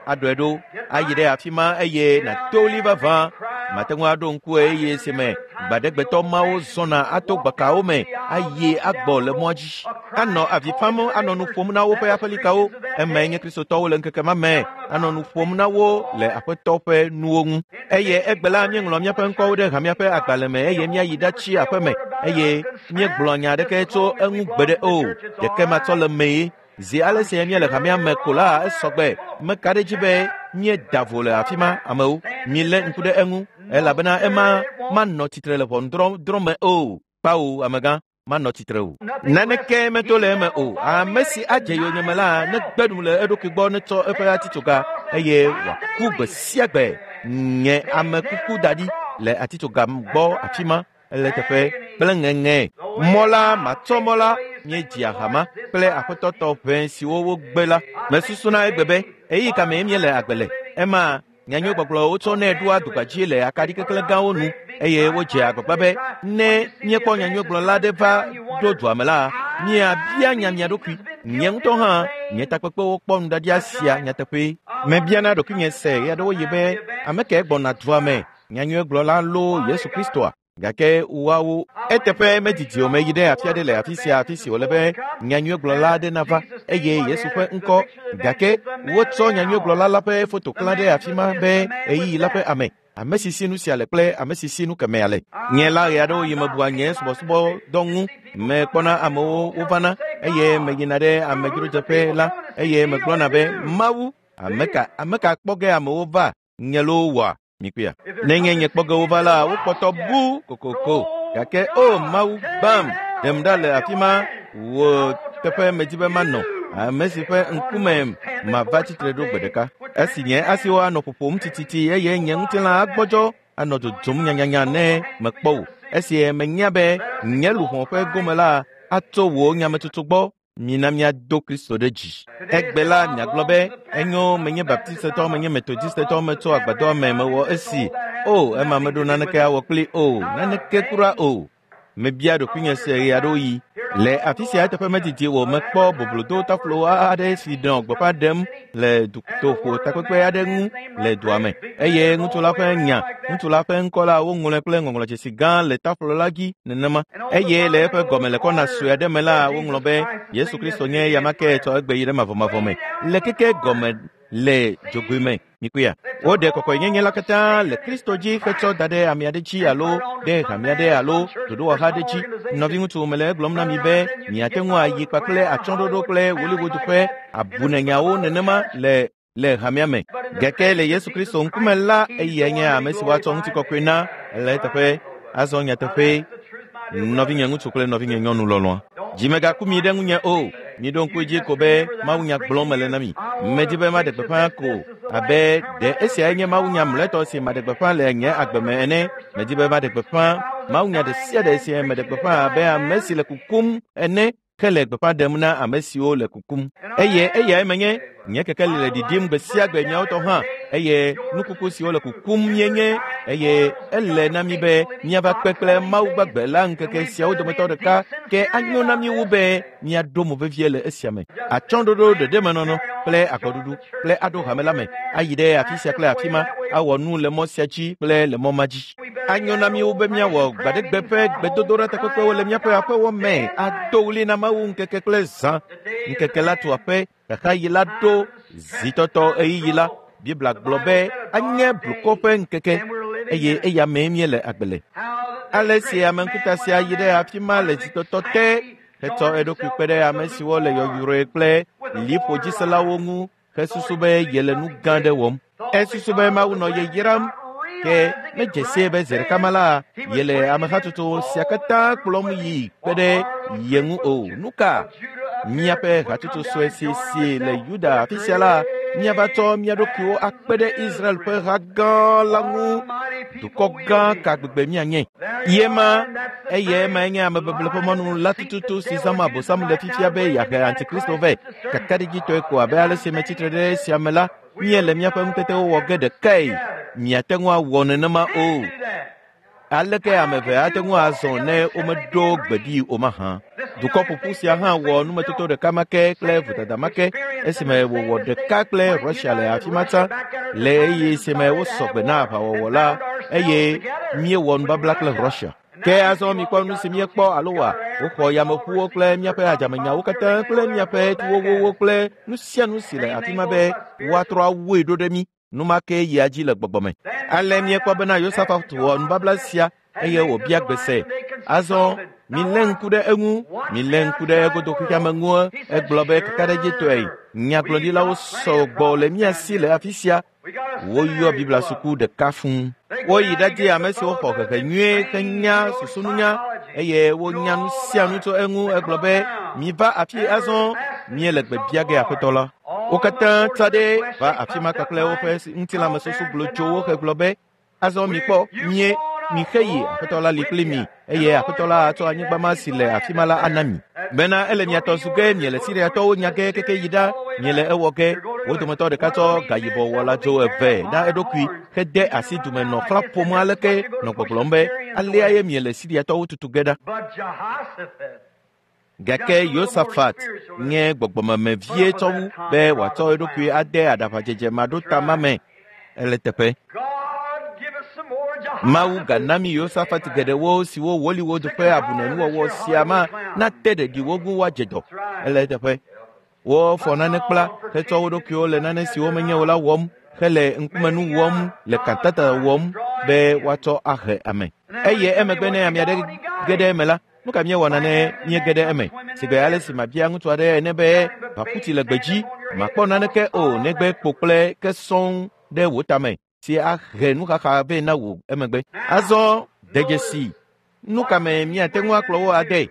aɖɔe ɖo, ayi ɖe afi ma eye nàto ɣli vavã Mate ŋu aɖo ŋku eye si me gbaɖegbetɔ mawo zɔna ato gbakawo me ayi agbɔ le mɔa dzi. Anɔ avi fam anɔ nu ƒom na woƒe aƒelikawo. Emae nye Kristotɔwo le ŋkeke ma me anɔ nu ƒom na wo le Aƒetɔ ƒe nuwo ŋu. Eye egbe la míeŋlɔ míaƒe ŋkɔwo ɖe hamea ƒe agbalẽ me eye míayi ɖatsi aƒe me eye míegblɔ nya aɖeke tso eŋu gbeɖe o. Ɖeke matsɔ le mee. Zi ale si míele hamea me ko la esɔgbe. Meka ɖe edzi be míeda vo le afi ma amewo. Milé ŋku ɖe eŋu elabena ema manɔ tsitre le ʋɔnudrɔ̃ me o. Kpawo amegã manɔ tsitre o. Naneke meto le eme o. Ame si adze yonyeme la negbe nu le eɖokui gbɔ netsɔ eƒe atitsoga eye wòaku gbe sia gbe. Nye ame kuku da ɖi le atitsoga gbɔ afi ma ele teƒe kple ŋeŋe. Mɔ la matsɔ mɔ la míedzia hama kple aƒetɔtɔ ʋɛ siwo wogbe la. Mesusuna egbe be eyi kame míele agbe le. Ema nyanyuigbɔgblɔ wotsɔ nɛ ɖoa dugbadzi le akaɖi keklẽ gãwo nu eye wodze agbagba be ne míekpɔ nyanyuigblɔla aɖe va ɖo dua me la, míabia nya mia ɖokui. Nye ŋutɔ hã nye takpekpewo kpɔ nuɖaɖia sia nyateƒe. Mebiana ɖokuinye se ɣeaɖewoɣi be ame kae gbɔna dua me nyanyuigblɔla loo Yesu Kristoa? Gake woawo eteƒe medidi o meyi ɖe afi aɖe le afi sia afi si wòle be nyanyuigblɔla aɖe nava eye Yesu ƒe ŋkɔ. Gake wotsɔ nyanyuigblɔla la ƒe foto klã ɖe afi ma be ɣeyiɣi la ƒe ame, ame si si nu sia le kple ame si si nu kemɛa le. Nye la ɣeaɖewoɣi mebua nye subɔsubɔdɔ ŋu. Mekpɔna amewo wovana eye meyina ɖe amedzrodzeƒe la eye megblɔna be Mawu, ame ka ame ka kpɔ ge amewo va nye loo wɔa? Mikpɔa. Nenye nye kpɔ ge wova la, wokpɔtɔ bu kokoko. Gake o Mawu gbam, ɖem ɖa le afi ma, wò teƒe medi be manɔ, ame si ƒe ŋkume mava tsitre ɖo gbe ɖeka. Esi nye asiwo anɔ ƒoƒom tititi eye nye ŋutilã agbɔdzɔ anɔ dzodzom nyanyanya ne mekpɔ wò. Esi menya be nye luʋɔ ƒe gome la atso wò nyametsotso gbɔ. Mina míado Kristo ɖe dzi. Egbe la miagblɔ be enyo menye Baptistetɔ, menye Metodistetɔ, metso agbadɔ me mewɔ esi. O, ema meɖo naneke awɔ kpli o, naneke kura o. Mebia ɖokuinye se ɣeaɖewoɣi. Le afi sia eteƒe medidi o mekpɔ boblodotaflo aɖe si nɔ gbeƒã ɖem le dutoƒo takpekpe aɖe ŋu le dua me. Eye ŋutsu la ƒe nya, ŋutsu la ƒe ŋkɔ la woŋlɔe kple ŋɔŋlɔdzesi gã le taflo la dzi nenema. Eye le eƒe gɔme le kɔna sue aɖe me la woŋlɔ be Yesu Kristo nye ya ma ke tsɔ egbe yi ɖe mavɔmavɔ me. Le keke gɔme le dzogoe me. Mikpɔa. Woɖe kɔkɔenyenye la katã le Kristo dzi hetsɔ da ɖe ame aɖe dzi alo ɖe hame aɖe alo ɖoɖowɔha aɖe dzi. Nɔviŋutsu mele egblɔm na mi be miate ŋu ayi kpakple atsyɔ̃ɖoɖo kple Hollywood ƒe abunenyawo nenema le le hamea me. Gake le Yesu Kristo ŋkume la eyae nye ame si woatsɔ ŋutikɔkɔe na le eteƒe. Azɔ nyateƒe, nɔvinye ŋutsu kple nɔvinye nyɔnu lɔlɔ̃a. Dzi megaku mi ɖe ŋunye o. Miɖo ŋku edzi ko be mawunya gblɔm mele na mi. Medi be maɖe gbeƒã ko abe ɖe esiae nye mawunya mlɔetɔ si maɖe gbeƒã le nye agbe me ene. Medi be maɖe gbeƒã mawunya ɖe sia ɖe si meɖe gbeƒã abe ame si le kukum ene ke le gbeƒã ɖem na ame siwo le kukum. Eye eyae menye nye kekeli le ɖiɖim gbe sia gbe miawo tɔ hã eye nukuku siwo le kukum míenye eye ele na mi be míava kpe kple Mawu gbagbe la ŋkeke siawo dometɔ ɖeka ke anyo na mi wu be míaɖo mo vevie le esia me. Atsyɔ̃ɖoɖo ɖeɖemenɔnɔ kple agɔɖuɖu kple aɖo hame la me ayi ɖe afi sia kple afi ma awɔ nu le mɔ sia dzi kple le mɔ ma dzi. Anyo na mi wu be míawɔ gbaɖegbe ƒe gbedodoɖa takpekpewo le míaƒe aƒewo me ado ɣli na Mawu ŋkeke kple zã. Ŋkeke la tu aƒe, xaxaɣi la ɖo, zitɔtɔ ɣeyiɣi la. Biblia gblɔ be anye blukɔ ƒe ŋkeke eye eya mee míele agbe le. Ale si ame ŋkuta sia yi ɖe afi ma le zitɔtɔ te hetsɔ eɖokui kpe ɖe ame siwo le yɔyrɔe kple liƒodziselawo ŋu hesusu be yele nu gã ɖe wɔm. Esusu be Mawu nɔ ye yram ke medze sie be zi ɖeka ma la yele amehatsotso sia katã kplɔm yi kpe ɖe ye ŋu o. Nu ka? Míaƒe hatsotso sue si si le Yuda afi sia la míava tsɔ mía ɖokuiwo akpe ɖe Israel ƒe ha gã la ŋu. Dukɔ gã ka gbegbe míanye. Ye ma eye emae nye amebeble ƒe mɔnu la tututu si zãm Abosam le fifia be yeahe Antikristo vɛ. Kakaɖedzitɔe ko abe ale si metsitre ɖe esia me la, míele míaƒe ŋutetewo wɔ ge ɖekae. Miate ŋu awɔ nenema o. Aleke ame eve ate ŋu azɔ ne womeɖo gbe ɖi o mahã? Dukɔ ƒoƒu sia hã wɔ numetoto ɖeka ma ke kple vodada ma ke esime wòwɔ ɖeka kple Russia le afi ma tsã. Le ɣeyiɣi si me wosɔ gbe na aʋawɔwɔ la, eye míewɔ nubabla kple Russia. Ke azɔ mikpɔ nu si míekpɔ alo wa woxɔ yameƒuwo kple míaƒe adzamenyawo katã kple míaƒe tuwowowo kple nu sia nu si le afi ma be woatrɔ awoe ɖo ɖe mí. Nu ma ke yia dzi le gbɔgbɔ me. Ale míekpɔ bena Yosafat wɔ nubabla sia eye wòbia gbe se. Azɔ milé ŋku ɖe eŋu, milé ŋku ɖe egodo xexeame ŋu. Egblɔ be kakaɖedzitɔe nyagblɔɖilawo sɔgbɔ le mía si le afi sia. Woyɔ Biblia suku ɖeka fũu. Woyi ɖadi ame siwo xɔ hehe nyuie henya susununya eye wonya nu sia nu tso eŋu. Egblɔ be miva afi azɔ míele gbe bia ge aƒetɔ la. Wo katã tsa ɖe va afi ma kpakple woƒe ŋutilãmesusu glotsowo hegblɔ be azɔ mikpɔ mie mixe yi aƒetɔ la li kpli mi eye aƒetɔ la atsɔ anyigba ma si le afi ma la ana mi. Bena ele mia tɔ zu ge miele Siriatɔwo nya ge keke yi ɖa miele ewɔ ge. Wo dometɔ ɖeka tsɔ gayibɔ wɔla dzo eve na eɖokui hede asi dume nɔ xlã ƒom aleke nɔ gbɔgblɔm be alea ye miele Siriatɔwo tutu ge ɖa. Gake Yosafat nye gbɔgbɔmeme vie tsɔ wu be wòatsɔ eɖokui ade aɖaʋadzedze maɖota ma me. Ele teƒe. Mawu gana mi Yosafat geɖewo siwo Hollywood ƒe abunenuwɔwɔ sia ma nate ɖeɖi wo ŋu woadze dɔ. Ele teƒe. Wofɔ nane kpla hetsɔ wo ɖokuiwo le nane siwo menye o la wɔm hele ŋkumenu wɔm le kantata wɔm be woatsɔ ahe ame. Eye emegbe ne ame aɖe ge ɖe eme la, nu ka míewɔna ne míege ɖe eme? Sigbe ale si mabia ŋutsu aɖe ene be va ƒu tsi le gbedzi, makpɔ naneke o negbe kpo kple ke sɔŋ ɖe wò tame si ahe nuxaxa vɛ na wò emegbe. Azɔ de dzesi nu ka me míate ŋu akplɔ wo ade.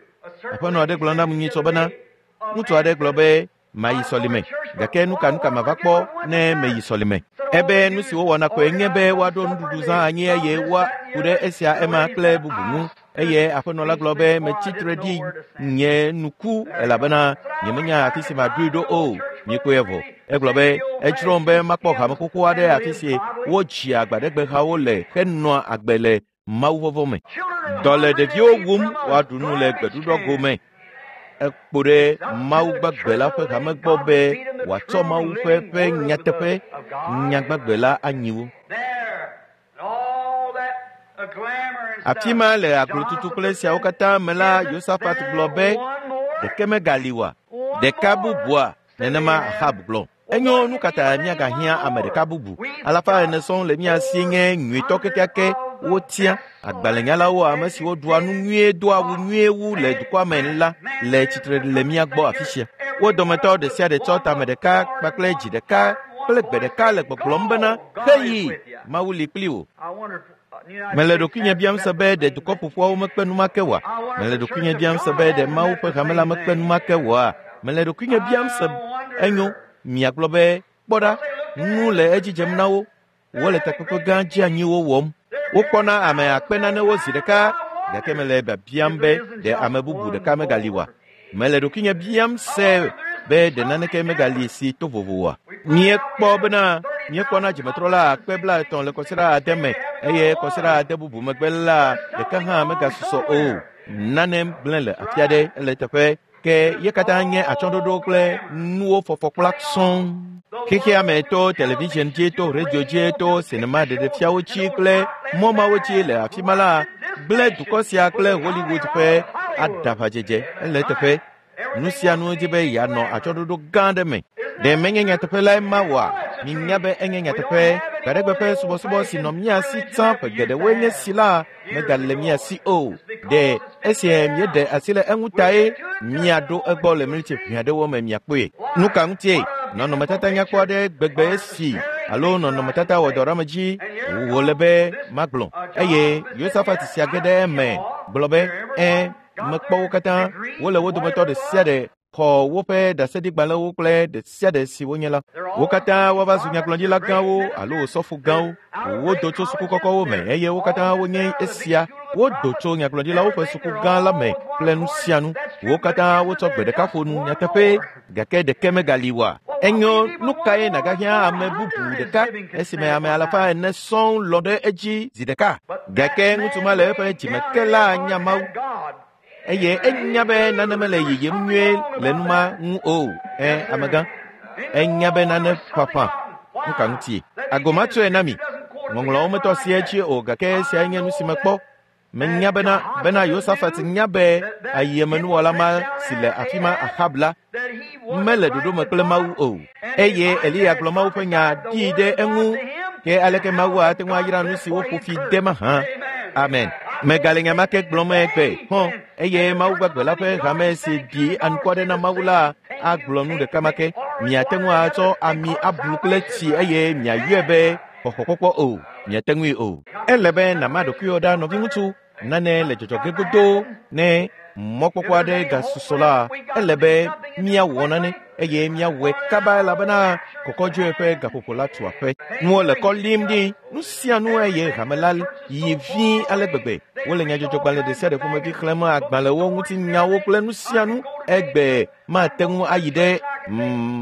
Aƒenɔ aɖe gblɔ nam nyitsɔ bena ŋutsu aɖe gblɔ be mayi sɔlime gake nu ka nu ka mava kpɔ ne meyi sɔlime. Ebe nu si wowɔna koe nye be woaɖo nuɖuɖu zã anyi eye woaku ɖe esia ema kple bubu ŋu. Eye aƒenɔ la gblɔ be metsi tre ɖi nye nuku elabena nyemenya afi si maɖoe ɖo o. Míekpɔe vɔ. Egblɔ be edzrom be makpɔ hame xoxo aɖe afi si wodzia gbaɖegbehawo le henɔa agbe le mawuvɔvɔ me. Dɔ le ɖeviwo wum woaɖu nu le gbeɖuɖɔ gome. Ekpo ɖe Mawu gbagbe la ƒe hame gbɔ be wòatsɔ Mawu ƒe ƒe nyateƒe nyagbagbe la anyi wo. Afi ma le aglotutu kple esiawo katã me la, Yosafat gblɔ be ɖeke megali oa, ɖeka bubua nenema Ahab gblɔ. Enyo nu ka ta míagahiã ame ɖeka bubu. Alafa ene sɔŋ le mía si nye nyuitɔ kekeake wotia. Agbalẽnyalawo ame siwo ɖua nu nyuie doa awu nyuie wu le dukɔa me la le tsitre le mía gbɔ afi sia. Wo dometɔ ɖe sia ɖe tsɔ tame ɖeka kpakple dzi ɖeka kple gbe ɖeka le gbɔgblɔm bena heyi Mawu li kpli wò. Mele ɖokuinye biam se be ɖe dukɔ ƒoƒuawo mekpe numake oa? Mele ɖokuinye biam se be ɖe Mawu ƒe hame la mekpe numake oa? Mele ɖokuinye biam se enyo miagblɔ be kpɔ ɖa nu le edzi dzem na wo. Wole takpekpe gã dzeanyiwo wɔm. Wokpɔna ame akpe nanewo zi ɖeka gake mele biabiam be ɖe ame bubu ɖeka megali oa? Mele ɖokuinye biam se be ɖe naneke megali si to vovo oa? Míekpɔ bena míekpɔna dzimetrɔla akpe blaetɔ̃ le kɔsiɖa ade me eye kɔsiɖa ade bubu megbe la ɖeka hã megasusɔ o. Nane gblẽ le afi aɖe ele teƒe ke ye katã nye atsyɔ̃ɖoɖo kple nuwo fɔfɔkpla sɔŋ. Xexea me to television dzi, to radio dzi, to sinema ɖeɖefiawo dzi kple mɔ mawo dzi le afi ma la gblẽ dukɔ sia kple Hollywood ƒe aɖaʋadzedze ele teƒe. Nu sia nu dzi be yeanɔ atsyɔ̃ɖoɖo gã aɖe me. Ɖe menye nyateƒe lae ma oa? Minya be enye nyateƒe. Gbaɖegbe ƒe subɔsubɔ si nɔ mía si tsã ƒe geɖewoe nye si la megale mía si o. Ɖe esie míeɖe asi le eŋu tae míaɖo egbɔ le mlitsi ʋɛ aɖewo me miakpɔe. Nu ka ŋutie? Nɔnɔmetata nyakpɔ aɖe gbegbe si alo nɔnɔmetata wɔdɔɖeamedzi wòle be magblɔ. Eye Yosafat sia ge ɖe eme gblɔ be ẽ mekpɔ wo katã wole wo dometɔ ɖe sia ɖe xɔ woƒe ɖaseɖigbalẽwo kple ɖe sia ɖe si wonye la. Wo katã woava zu nyagblɔɖila gãwo alo osɔfo gãwo. Wodo tso suku kɔkɔwo me eye wo katã wonye esia. Wodo tso nyagblɔɖilawo ƒe suku gã la me kple nu sia nu. Wo katã wotsɔ gbe ɖeka ƒo nu nyateƒe gake ɖeke megali oa. Enyo nu kae nagahiã ame bubu ɖeka esime ame alafa ene sɔŋ lɔ ɖe edzi zi ɖeka. Gake ŋutsu ma le eƒe dzime ke la nya Mawu. Eye enya be nane mele yiyim nyuie le nu ma ŋu o. Ẽ amegã, enya be nane ƒaƒã. Nu ka ŋutie? Agomatsɔe na mi. Ŋɔŋlɔawo metɔ asi edzi o gake esiae nye nu si mekpɔ. Menya bena bena Yosafat nya be ayiemenuwɔla ma si le afi ma Ahab la mele ɖoɖo me kple Mawu o. Eye Eliya gblɔ Mawu ƒe nya ɖii ɖe eŋu ke aleke Mawu ate ŋu ayra nu si woƒo fi de mahã. Amen. Megale nya ma ke gblɔm egbe hɔn eye Mawu gbagbe la ƒe hame si ɖi anukware na Mawu la agblɔ nu ɖeka ma ke. Miate ŋu atsɔ ami ablu kple tsi eye miayɔe be xɔxɔkpɔkpɔ o. Miate ŋui o. Ele be nàma ɖokuiwò ɖa nɔviŋutsu nane le dzɔdzɔ ge godoo ne mɔkpɔkpɔ aɖe gasusɔ la ele be míawɔ nane eye míawɔe kaba elabena kɔkɔdzoe ƒe gaƒoƒo la tu aƒe. Nuwo le kɔ lim ɖi nu sia nu eye hame la yi vi ale gbegbe. Wole nyadzɔdzɔgbalẽ ɖe sia ɖe ƒomevi xlẽm agbalẽwo ŋutinyawo kple nu sia nu egbe mate ŋu ayi ɖe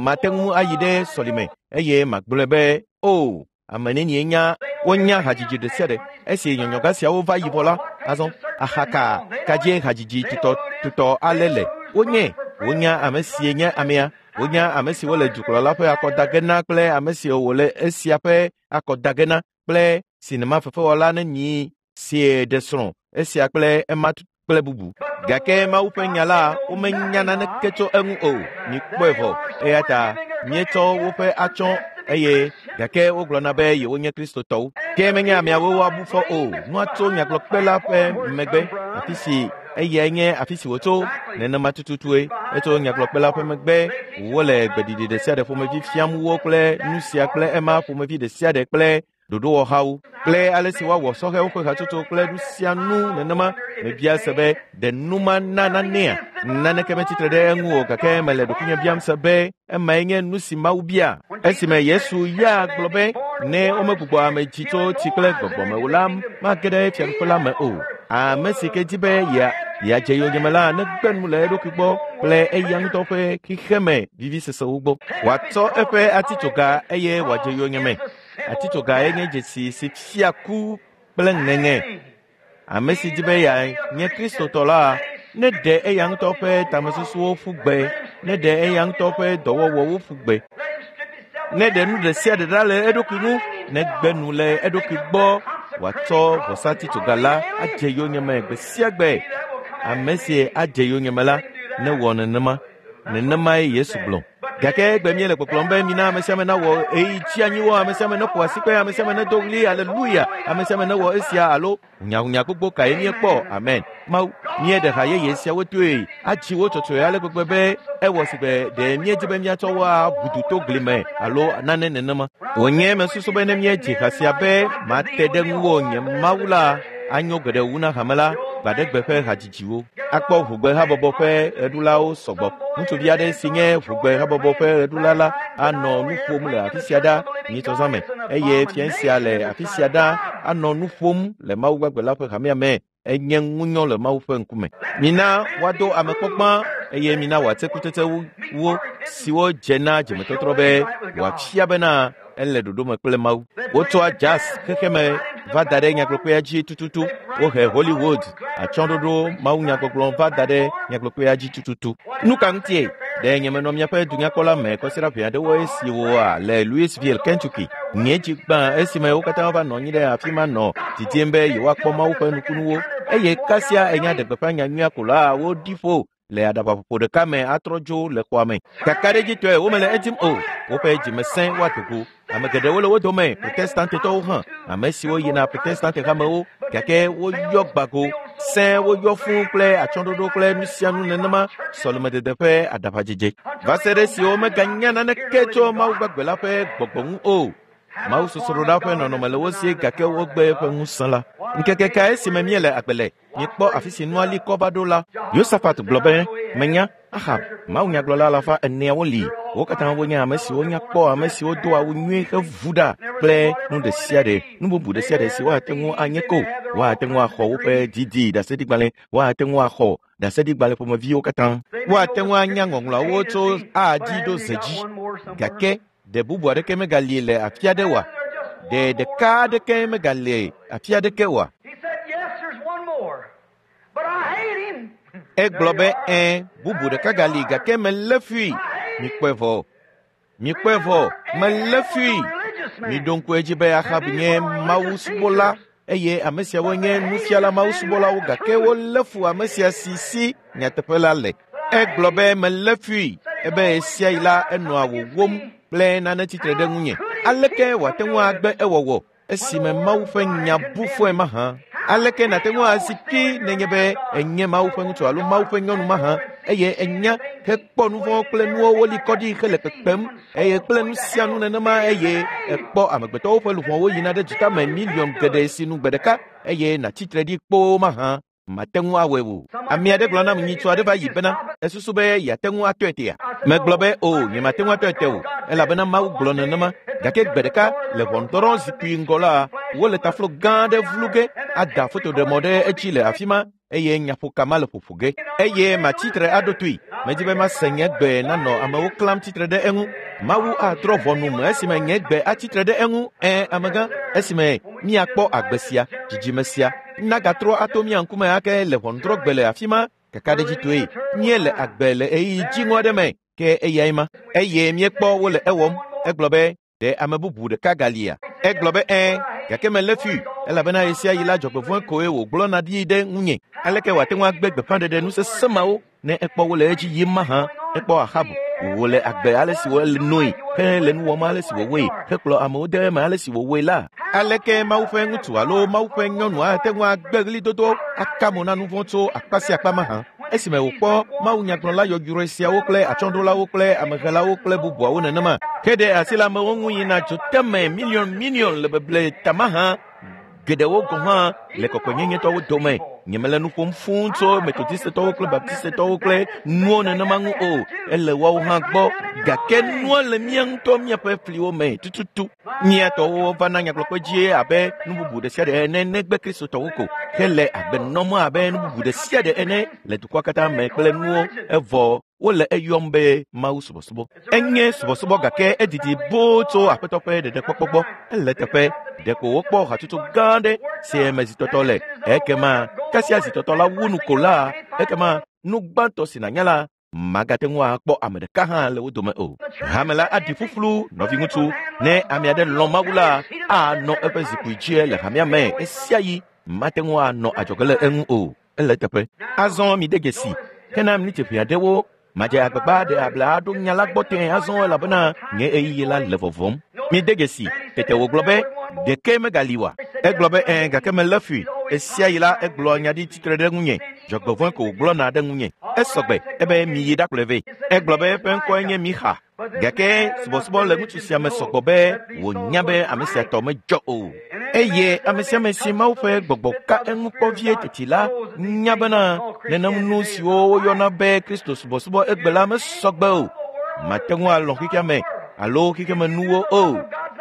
mate ŋu ayi ɖe sɔlime eye magblɔe be o ame nenie nya wonya hadzidzi ɖe sia ɖe. Esi nyɔnyɔga siawo va yi vɔ la azɔ axaka kadzie hadzidzi tutɔ tutɔ ale le. Wonye wonya ame sie nye amea wonya ame si wole dukplɔla ƒe akɔdage na kple ame si wòle esia ƒe akɔdage na kple sinema fefewɔla nenyi sie ɖe srɔ̃ esia kple ema kple bubu. Gake Mawu ƒe nya la womenya naneke tso eŋu o. Mikpɔe vɔ eya ta míetsɔ woƒe atsyɔ̃ eye gake wogblɔna be yewonye kristotɔwo. Ke menye ameawo woabu fɔ o. Nua tso nyagblɔkpe la ƒe megbe afi si eyae nye afi si wòtso nenema tututue etso nyagblɔkpe la ƒe megbe wole gbeɖiɖi ɖe sia ɖe ƒomevi fiam wo kple nu sia kple ema ƒomevi ɖe sia ɖe kple ɖoɖowɔhawo kple ale si woawɔ sɔhɛwo ƒe hatsotso kple nu sia nu nenema. Mebia se be ɖe nu ma na nanea naneke metsitre ɖe eŋu o gake mele ɖokuinye biam se be emae nye nu si Mawu bia. Esime Yesu ya gblɔ be ne womegbugbɔ ame dzi tso tsi kple gbɔgbɔ me o la mage ɖe fiaɖuƒe la me o. Ame si ke di be yea yeadze yonyeme la negbe nu le eɖokui gbɔ kple eya ŋutɔ ƒe xexeme vivisesewo gbɔ. Wòatsɔ eƒe atitsoga eye wòadze yonyeme. Atitsoga nye dzesi si fia ku kple ŋeŋe. Ame si di be yeanye kristotɔ la neɖe eya ŋutɔ ƒe tamesusuwo ƒu gbe, neɖe eya ŋutɔ ƒe dɔwɔwɔwo ƒu gbe, neɖe nu ɖe sia ɖe ɖa le eɖokui ŋu, negbe nu le eɖokui gbɔ wòatsɔ vɔsatitsoga la adze yonyeme gbe sia gbe. Ame si adze yonyeme la newɔ nenema. Nenemae Yesu gblɔ. Gake egbe míele gbɔgblɔm be mina ame sia ame nawɔ ɣeyiɣi tsi anyiwo, ame sia ame neƒo asikpe, ame sia ame nedo ɣli aleluya, ame sia ame newɔ esia alo hunyahunya gbogbo kae míekpɔ. Amen. Mawu, míeɖe ha yeye siawo toe atsi wo tsɔtsɔe ale gbegbe be ewɔ si be ɖe míedzi be míatsɔ wo abudu to gli me alo nane nenema. Wònye mesusu be ne míedzi ha sia be mate ɖe ŋuwò nye Mawu la anyo geɖe wu na hame la gbaɖegbe ƒe hadzidziwo. Akpɔ ʋugbe habɔbɔ ƒe ɣeɖulawo sɔgbɔ. Ŋutsuvi aɖe si nye ʋugbe habɔbɔ ƒe ɣeɖula la anɔ nu ƒom le afi sia ɖa nyitsɔzã me eye fia sia le afi sia ɖa anɔ nu ƒom le Mawu gbagbe la ƒe hamea me. Enye ŋunyɔ le Mawu ƒe ŋkume. Mina woado amekpɔgbã eye mina wòate kutsetsewo siwo dze na dzimetɔtrɔ be wòafia bena ele ɖoɖo me kple Mawu. Wotsɔa jazz xexeme va da ɖe nyagblɔkpea dzi tututu. Wohe Hollywood atsyɔ̃ɖoɖo mawunyagbɔgblɔ va da ɖe nyagblɔkpea dzi tututu. Nu ka ŋutie? Ɖe nyemenɔ miaƒe dunyakpɔla me kɔsiɖa ʋɛ aɖewo esi woa le Louisville, Kentucky. Nye dzi gbã esime wo katã va nɔ anyi ɖe afi ma nɔ didim be yewoakpɔ Mawu ƒe nukunuwo eye kasia enya ɖe gbeƒã nyanyuia ko la woɖi ƒo le aɖabaƒoƒo ɖeka me atrɔ dzo le xɔa me. Kakaɖedzitɔe womele edim o. Woƒe dzime sẽ woado go. Ame geɖewo le wo dome, protestantetɔwo hã, ame siwo yina protestante hamewo gake woyɔ gbago sẽ woyɔ fũu kple atsyɔ̃ɖoɖo kple nu sia nu nenema sɔlemedede ƒe aɖaʋadzedze. Va se ɖe esiwo meganya naneke tso Mawu gbagbe la ƒe gbɔgbɔ ŋu o. Mawu sosroɖa ƒe nɔnɔme le wo si gake wogbe eƒe ŋusẽ la. Ŋkeke kae esime míele agbe le? Míekpɔ afi si nua li kɔ va ɖo la. Yosafat gblɔ be, menya Ahab, mawunyagblɔla alafa eneawo li. Wo katã wonye ame siwo nya kpɔ, ame siwo do awu nyuie hevu ɖa kple nu ɖe sia ɖe, nu bubu ɖe sia ɖe si woate ŋu anye ko. Woate ŋu axɔ woƒe didi ɖaseɖigbalẽ, woate ŋu axɔ ɖaseɖigbalẽ ƒomeviwo katã. Woate ŋu anya ŋɔŋlɔawo tso A dzi ɖo Z dzi. Gake ɖe bubu aɖeke megali le afi aɖe oa? Ɖe ɖeka aɖeke megali afi aɖeke oa? Egblɔ be ɛ̃, bubu ɖeka gali gake melé fui. Mikpɔe vɔ. Mikpɔe vɔ, melé fui. Miɖo ŋku edzi be Ahab nye mawusubɔla eye ame siawo nye nufiala mawusubɔlawo gake wolé fu ame sia si si nyateƒe la le. Egblɔ be melé fui ebe ɣe la enɔa wòwom kple nane tsitre ɖe ŋunye. Aleke wòate ŋu agbe ewɔwɔ esime Mawu ƒe nya bu fɔe mahã? Aleke nàte ŋu azikpui nenye be enye Mawu ƒe ŋutsu alo Mawu ƒe nyɔnu mahã eye enya hekpɔ nu vɔ̃wo kple nuwo woli kɔ ɖi hele kpekpem eye kple nu sia nu nenema eye ekpɔ amegbetɔwo ƒe luʋɔwo yina ɖe dzitame miliɔn geɖe si nu gbe ɖeka eye nàtsitre ɖi kpoo mahã? Mate ŋu awɔe o. Ame aɖe gblɔ nam nyitsu aɖe va yi bena esusu be yeate ŋu atɔe tea. Megblɔ be o, nyemate ŋu atɔe te o, elabena Mawu gblɔ nenema. Gake gbe ɖeka le ʋɔnudɔdrɔ̃ zikpui ŋgɔ la, wole taflo gã aɖe vlu ge ada fotoɖemɔ ɖe edzi le afi ma eye nyaƒokama le ƒoƒo ge. Eye matsitre aɖo toe. Medi be mase nye gbe nanɔ amewo klãm tsitre ɖe eŋu. Mawu adrɔ̃ ʋɔnum esime nye gbe atsitre ɖe eŋu. Ẽ, amegã, esime míakpɔ agbe sia, dzidzime sia, nagatrɔ ato mía ŋkume ake le ʋɔnudrɔ̃gbe le afi ma kakaɖedzitɔe. Míele agbe le ɣeyiɣi dziŋɔ aɖe me ke eyae ma. Eye míekpɔ wole ewɔm. Egblɔ be ɖe ame bubu ɖeka galia? Egblɔ be ẽ, gake melé fui elabena ɣe sia ɣi la dzɔgbevɔ̃e koe wògblɔna ɖi ɖe ŋunye. Aleke wòate ŋu agbe gbeƒãɖeɖe nu sesẽ mawo ne ekpɔ wole edzi yim mahã? Ekpɔ Ahab wòle agbe ale si wòle noe hele nu wɔm ale si wòwɔe hekplɔ amewo de eme ale si wòwɔe la. Aleke Mawu ƒe ŋutsu alo Mawu ƒe nyɔnu ate ŋu agbe ɣlidodo aka mo na nu vɔ̃ tso akpa sia akpa mahã? Esime wòkpɔ mawunyagblɔla yɔyrɔe siawo kple atsyɔ̃ɖolawo kple amehelawo kple bubuawo nenema ke ɖe asi le amewo ŋu yina dzoteme miliɔn miliɔn le beble ta mahã geɖewo gɔ̃ hã le kɔkɔenyenyetɔwo dome. Nyemele nu ƒom fũu tso metodistetɔwo kple baptistetɔwo kple nuwo nenema ŋu o. Ele woawo hã gbɔ gake nua le mía ŋutɔ míaƒe fliwo me tututu. Mía tɔwo vana nyagblɔkpe dzie abe nu bubu ɖe sia ɖe ene negbe Kristotɔwo ko hele agbe nɔm abe nu bubu ɖe sia ɖe ene le dukɔa katã me kple nuwo evɔ wole eyɔm be Mawu subɔsubɔ. Enye subɔsubɔ gake edidi boo tso Aƒetɔ ƒe ɖeɖekpɔkpɔ gbɔ. Ele teƒe ɖeko wokpɔ hatsotso gã aɖe si me zitɔtɔ le. Ekema kasia zitɔtɔ la wu nu ko la, ekema nu gbãtɔ si nànya la, magate ŋu akpɔ ame ɖeka hã le wo dome o. Hame la aɖi ƒuƒlu nɔviŋutsu ne ame aɖe lɔ̃ Mawu la, anɔ eƒe zikpui dzi le hamea me ɣe sia ɣi. Mate ŋu anɔ adzɔge le eŋu o. Ele teƒe. Azɔ mi de dzesi hena mlitsi aɖewo. Madze agbagba ɖe abla aɖo nya la gbɔ tẽe azɔ elabena nye ɣeyiɣi la le vɔvɔm. Mi de dzesi tete wògblɔ be ɖeke megali oa? Egblɔ be ẽ, gake melé fui. Ɣe sia ɣi la egblɔ nya ɖi tsitre ɖe ŋunye. Dzɔgbevɔ̃e ko wògblɔna ɖe ŋunye. Esɔgbe ebe miyi ɖakplɔe vɛ. Egblɔ be eƒe ŋkɔe nye Mixa. Gake subɔsubɔ le ŋutsu sia me sɔgbɔ be wònya be ame sia tɔ medzɔ o. Eye ame sia ame si Mawu ƒe gbɔgbɔ ka eŋu kpɔ vie teti la nya bena nenem nu siwo woyɔna be Kristo subɔsubɔ egbe la mesɔgbe o. Mate ŋu alɔ̃ xexea me alo xexemenuwo o.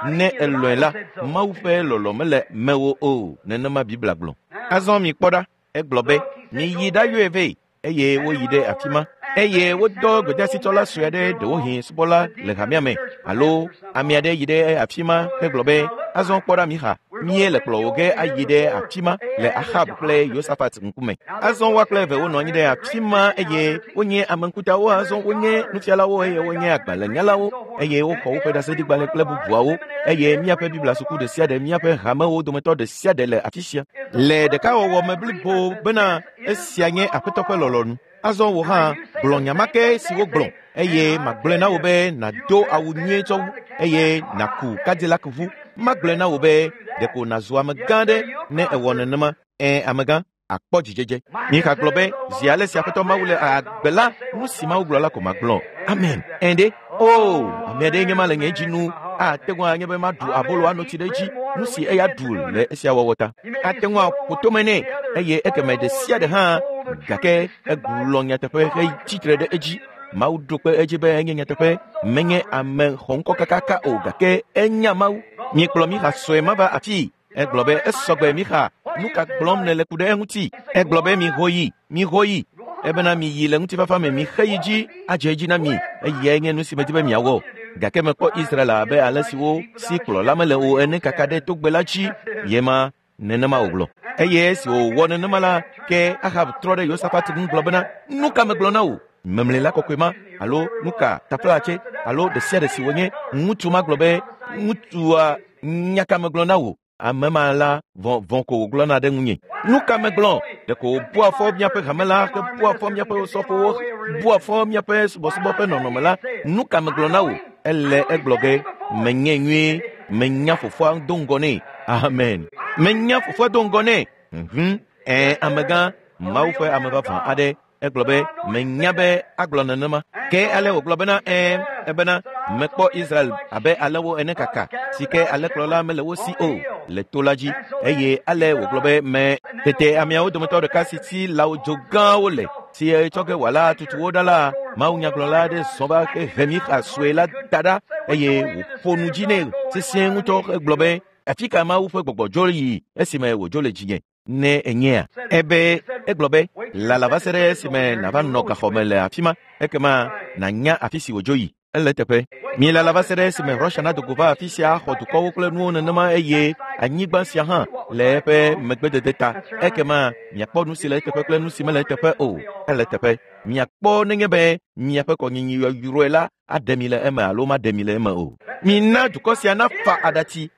Ne elɔ̃e la, Mawu ƒe lɔlɔ̃ mele mewò o. Nenema Biblia gblɔ. Azɔ mikpɔ ɖa. Egblɔ be miyi ɖayɔe vɛ eye woyi ɖe afi ma. Eye wodɔ gbedeasitsɔla sue aɖe ɖewohĩ subɔla le hamea me alo ame aɖe yi ɖe afi ma hegblɔ be azɔ kpɔ ɖa Mixa, míele kplɔwò ge ayi ɖe afi ma le Ahab kple Yosafat ŋkume. Azɔ woa kple eve wonɔ anyi ɖe afi ma eye wonye ame ŋkutawo, azɔ wonye nufialawo eye wonye agbalẽnyalawo eye woxɔ woƒe ɖaseɖigbalẽ kple bubuawo eye míaƒe Biblia suku ɖe sia ɖe míaƒe hamewo dometɔ ɖe sia ɖe le afi sia le ɖekawɔwɔ me blibo bena esia nye Aƒetɔ ƒe lɔlɔ̃nu. Azɔ wò hã gblɔ nya ma ke si wogblɔ eye magblɔe na wò be nàdo awu nyuie tsɔ wu eye nàku Cadillac ʋu. Magblɔe na wò be ɖeko nàzu amegã aɖe ne èwɔ nenema. Ẽ, amegã, akpɔ dzidzedze. Mixa gblɔ be zi ale si Aƒetɔ Mawu le agbe la, nu si Mawu gblɔ la ko magblɔ. Amen. Ẽ ɖe? O, ame aɖee nye ma le nye dzi nu. Ate ŋu anye be maɖu abolo ano tsi ɖe edzi. Nu si eya ɖu le esia wɔwɔ ta. Ate ŋu aƒo tome nɛ eye ekeme ɖe sia ɖe hã gake egblɔ nyateƒe hetsitre ɖe edzi. Mawu ɖo kpe edzi be enye nyateƒe, menye ame xɔŋkɔ kakaka o gake enya Mawu. Mikplɔ Mixa sue ma va afii. Egblɔ be esɔgbe Mixa, nu ka gblɔm nèle ku ɖe eŋuti? Egblɔ be miho yi, miho yi. Ebena miyi le ŋutifafa me, mixe yi dzi adze edzi na mi. Eyae nye nu si medi be miawɔ. Gake mekpɔ Israel abe ale si wo si kplɔla mele o ene kaka ɖe togbe la dzi. Yema nenema wògblɔ. Eye esi wòwɔ nenema la, ke Ahab trɔ ɖe Yosafat ŋu gblɔ bena, nu ka megblɔ na wò? Memlela kɔkɔe ma alo nuka taflatse alo ɖe sia ɖe si wònye ŋutsu ma gblɔ be ŋutsua nya ka megblɔ na wò ame ma la vɔ vɔ ko wògblɔna ɖe ŋunye. Nu ka megblɔ? Ɖeko wòbua fɔ míaƒe hame la, bua fɔ míaƒe sɔfowo, bua fɔ míaƒe subɔsubɔ ƒe nɔnɔme la. Nu ka megblɔ na wò? Ele egblɔ ge menye nyuie, menya fofoa do ŋgɔ nɛ. Amen. Menya fofoa do ŋgɔ nɛ. Mhm. Ɛ amegã Mawu ƒe ame vavã aɖe egblɔ be menya be agblɔ nenema. Ke ale wògblɔ bena ɛ ebena mekpɔ Israel abe alẽwo ene kaka si ke alẽkplɔla mele wo si o le to la dzi eye ale wògblɔ be me tete ameawo dometɔ ɖeka si si lãwodzo gãwo le si tsɔ ke wòala tutu wo ɖa la mawunyagblɔla aɖe zɔ va he Mixa sue la da ɖa eye wòƒo nu dzi nɛ sesĩe ŋutɔ egblɔ be afi ka Mawu ƒe gbɔgbɔ dzo yi esime wòdzo le dzinye ne enyea ebe egblɔ be lala va se ɖe esime nava nɔ gaxɔme le afi ma ekema nànya afi si wòdzo yi ele teƒe. Mielala va se ɖe esime Russia nado go va afi sia xɔ dukɔwo kple nuwo nenema eye anyigba sia hã le eƒe megbedede ta ekema miakpɔ nu si le eteƒe kple nu si mele eteƒe o ele teƒe. Miakpɔ nenye be miaƒe kɔnyinyi yɔyrɔe la aɖe mi le eme alo maɖe mi le eme o. Mina dukɔ sia nafa aɖatsi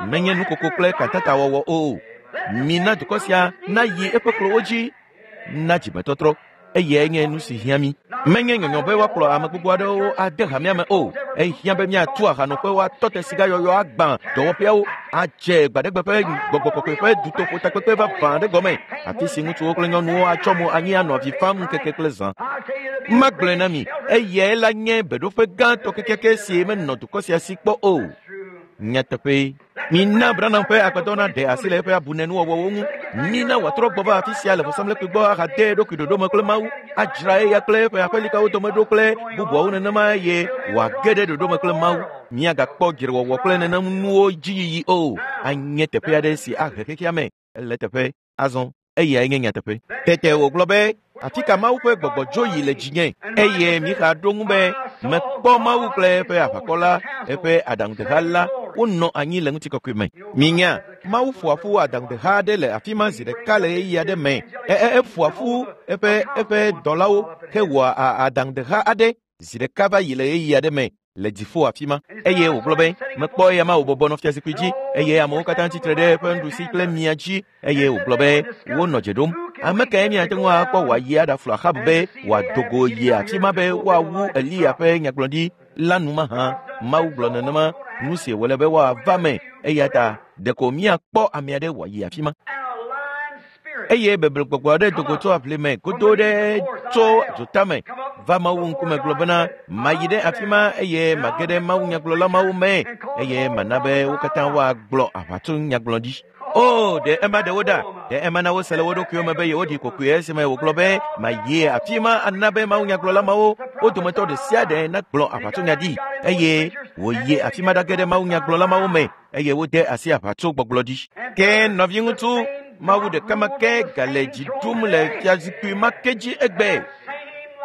menye nukoko kple katatawɔwɔ o. Mina dukɔ sia nayi eƒe kplɔwo dzi na dzimetɔtrɔ eyae nye nu si hiã mí. Menye nyɔnyɔ be woakplɔ ame gbogbo aɖewo ade hamea me o. Ehiã be míatu ahanoƒewo, atɔ te sigayɔyɔ, agbã dɔwɔƒeawo, adze gbaɖegbe ƒe gbɔgbɔ kɔkɔe ƒe dutoƒotakpekpe vavã aɖe gɔme, afi si ŋutsuwo kple nyɔnuwo atsɔ mo anyi anɔ avi fam ŋkeke kple zã. Magblɔe na mi, eyae la nye beɖoƒe gãtɔ kekeake si menɔ dukɔ sia si kpɔ o. Nyateƒe. Mina Branham ƒe agbadɔ naɖe asi le eƒe abunenuwɔwɔwo ŋu. Mina wòatrɔ gbɔ va afi sia le vɔsamlekpui gbɔ ahade eɖokui ɖoɖo me kple Mawu, adzra eya kple eƒe aƒelikawo dome ɖo kple bubuawo nenema eye wòage ɖe ɖoɖo me kple Mawu. Míagakpɔ dzrewɔwɔ kple nenem nuwo dzi yiyi o. Anye teƒe aɖe si ahe xexea me. Ele teƒe. Azɔ eyae nye nyateƒe. Tete wògblɔ be afi ka Mawu ƒe gbɔgbɔ dzo yi le dzinye eye Mixa ɖo ŋu be mekpɔ Mawu kple eƒe aʋakɔ la, eƒe aɖaŋudeha la wonɔ anyi le ŋutikɔkɔe me. Minya, Mawu ƒoa ƒu aɖaŋudeha aɖe le afi ma zi ɖeka le ɣeyiɣi aɖe me. E eƒoa ƒu eƒe eƒe dɔlawo hewɔa aɖaŋudeha aɖe zi ɖeka va yi le ɣeyiɣi aɖe me le dziƒo afi ma. Eye wògblɔ be mekpɔ eya ma wòbɔbɔ nɔ fiazikpui dzi eye amewo katã tsitre ɖe eƒe nuɖusi kple mia dzi eye wògblɔ be wonɔ dze ɖom. Ame kae miate ŋu akpɔ wòayi aɖaflu Ahab be wòado go yi afi ma be woawu Eliya ƒe nyagblɔɖi la nu mahã? Mawu gblɔ nenema nu si wòle be woava me eya ta ɖeko míakpɔ ame aɖe wòayi afi ma. Eye beblegbɔgbɔ aɖe do go tso aʋli me godo ɖe tso dzotame va Mawu ŋkume gblɔ bena mayi ɖe afi ma eye mage ɖe Mawu nyagblɔla mawo me eye mana be wo katã woagblɔ aʋatso nyagblɔɖi. O, ɖe ema ɖe wo ɖa, ɖe ema na wose le wo ɖokuiwo me be yewoɖi kokoe esime wògblɔ be mayi afi ma ana be Mawu nyagblɔla mawo wo dometɔ ɖe sia ɖe nagblɔ aʋatso nya ɖi eye wòyi afi ma ɖage ɖe Mawu nyagblɔla mawo me eye wode asi aʋatso gbɔgblɔ ɖi. Ke nɔviŋutsu Mawu ɖeka ma ke gale dzi ɖum le fiazikpui ma ke dzi egbe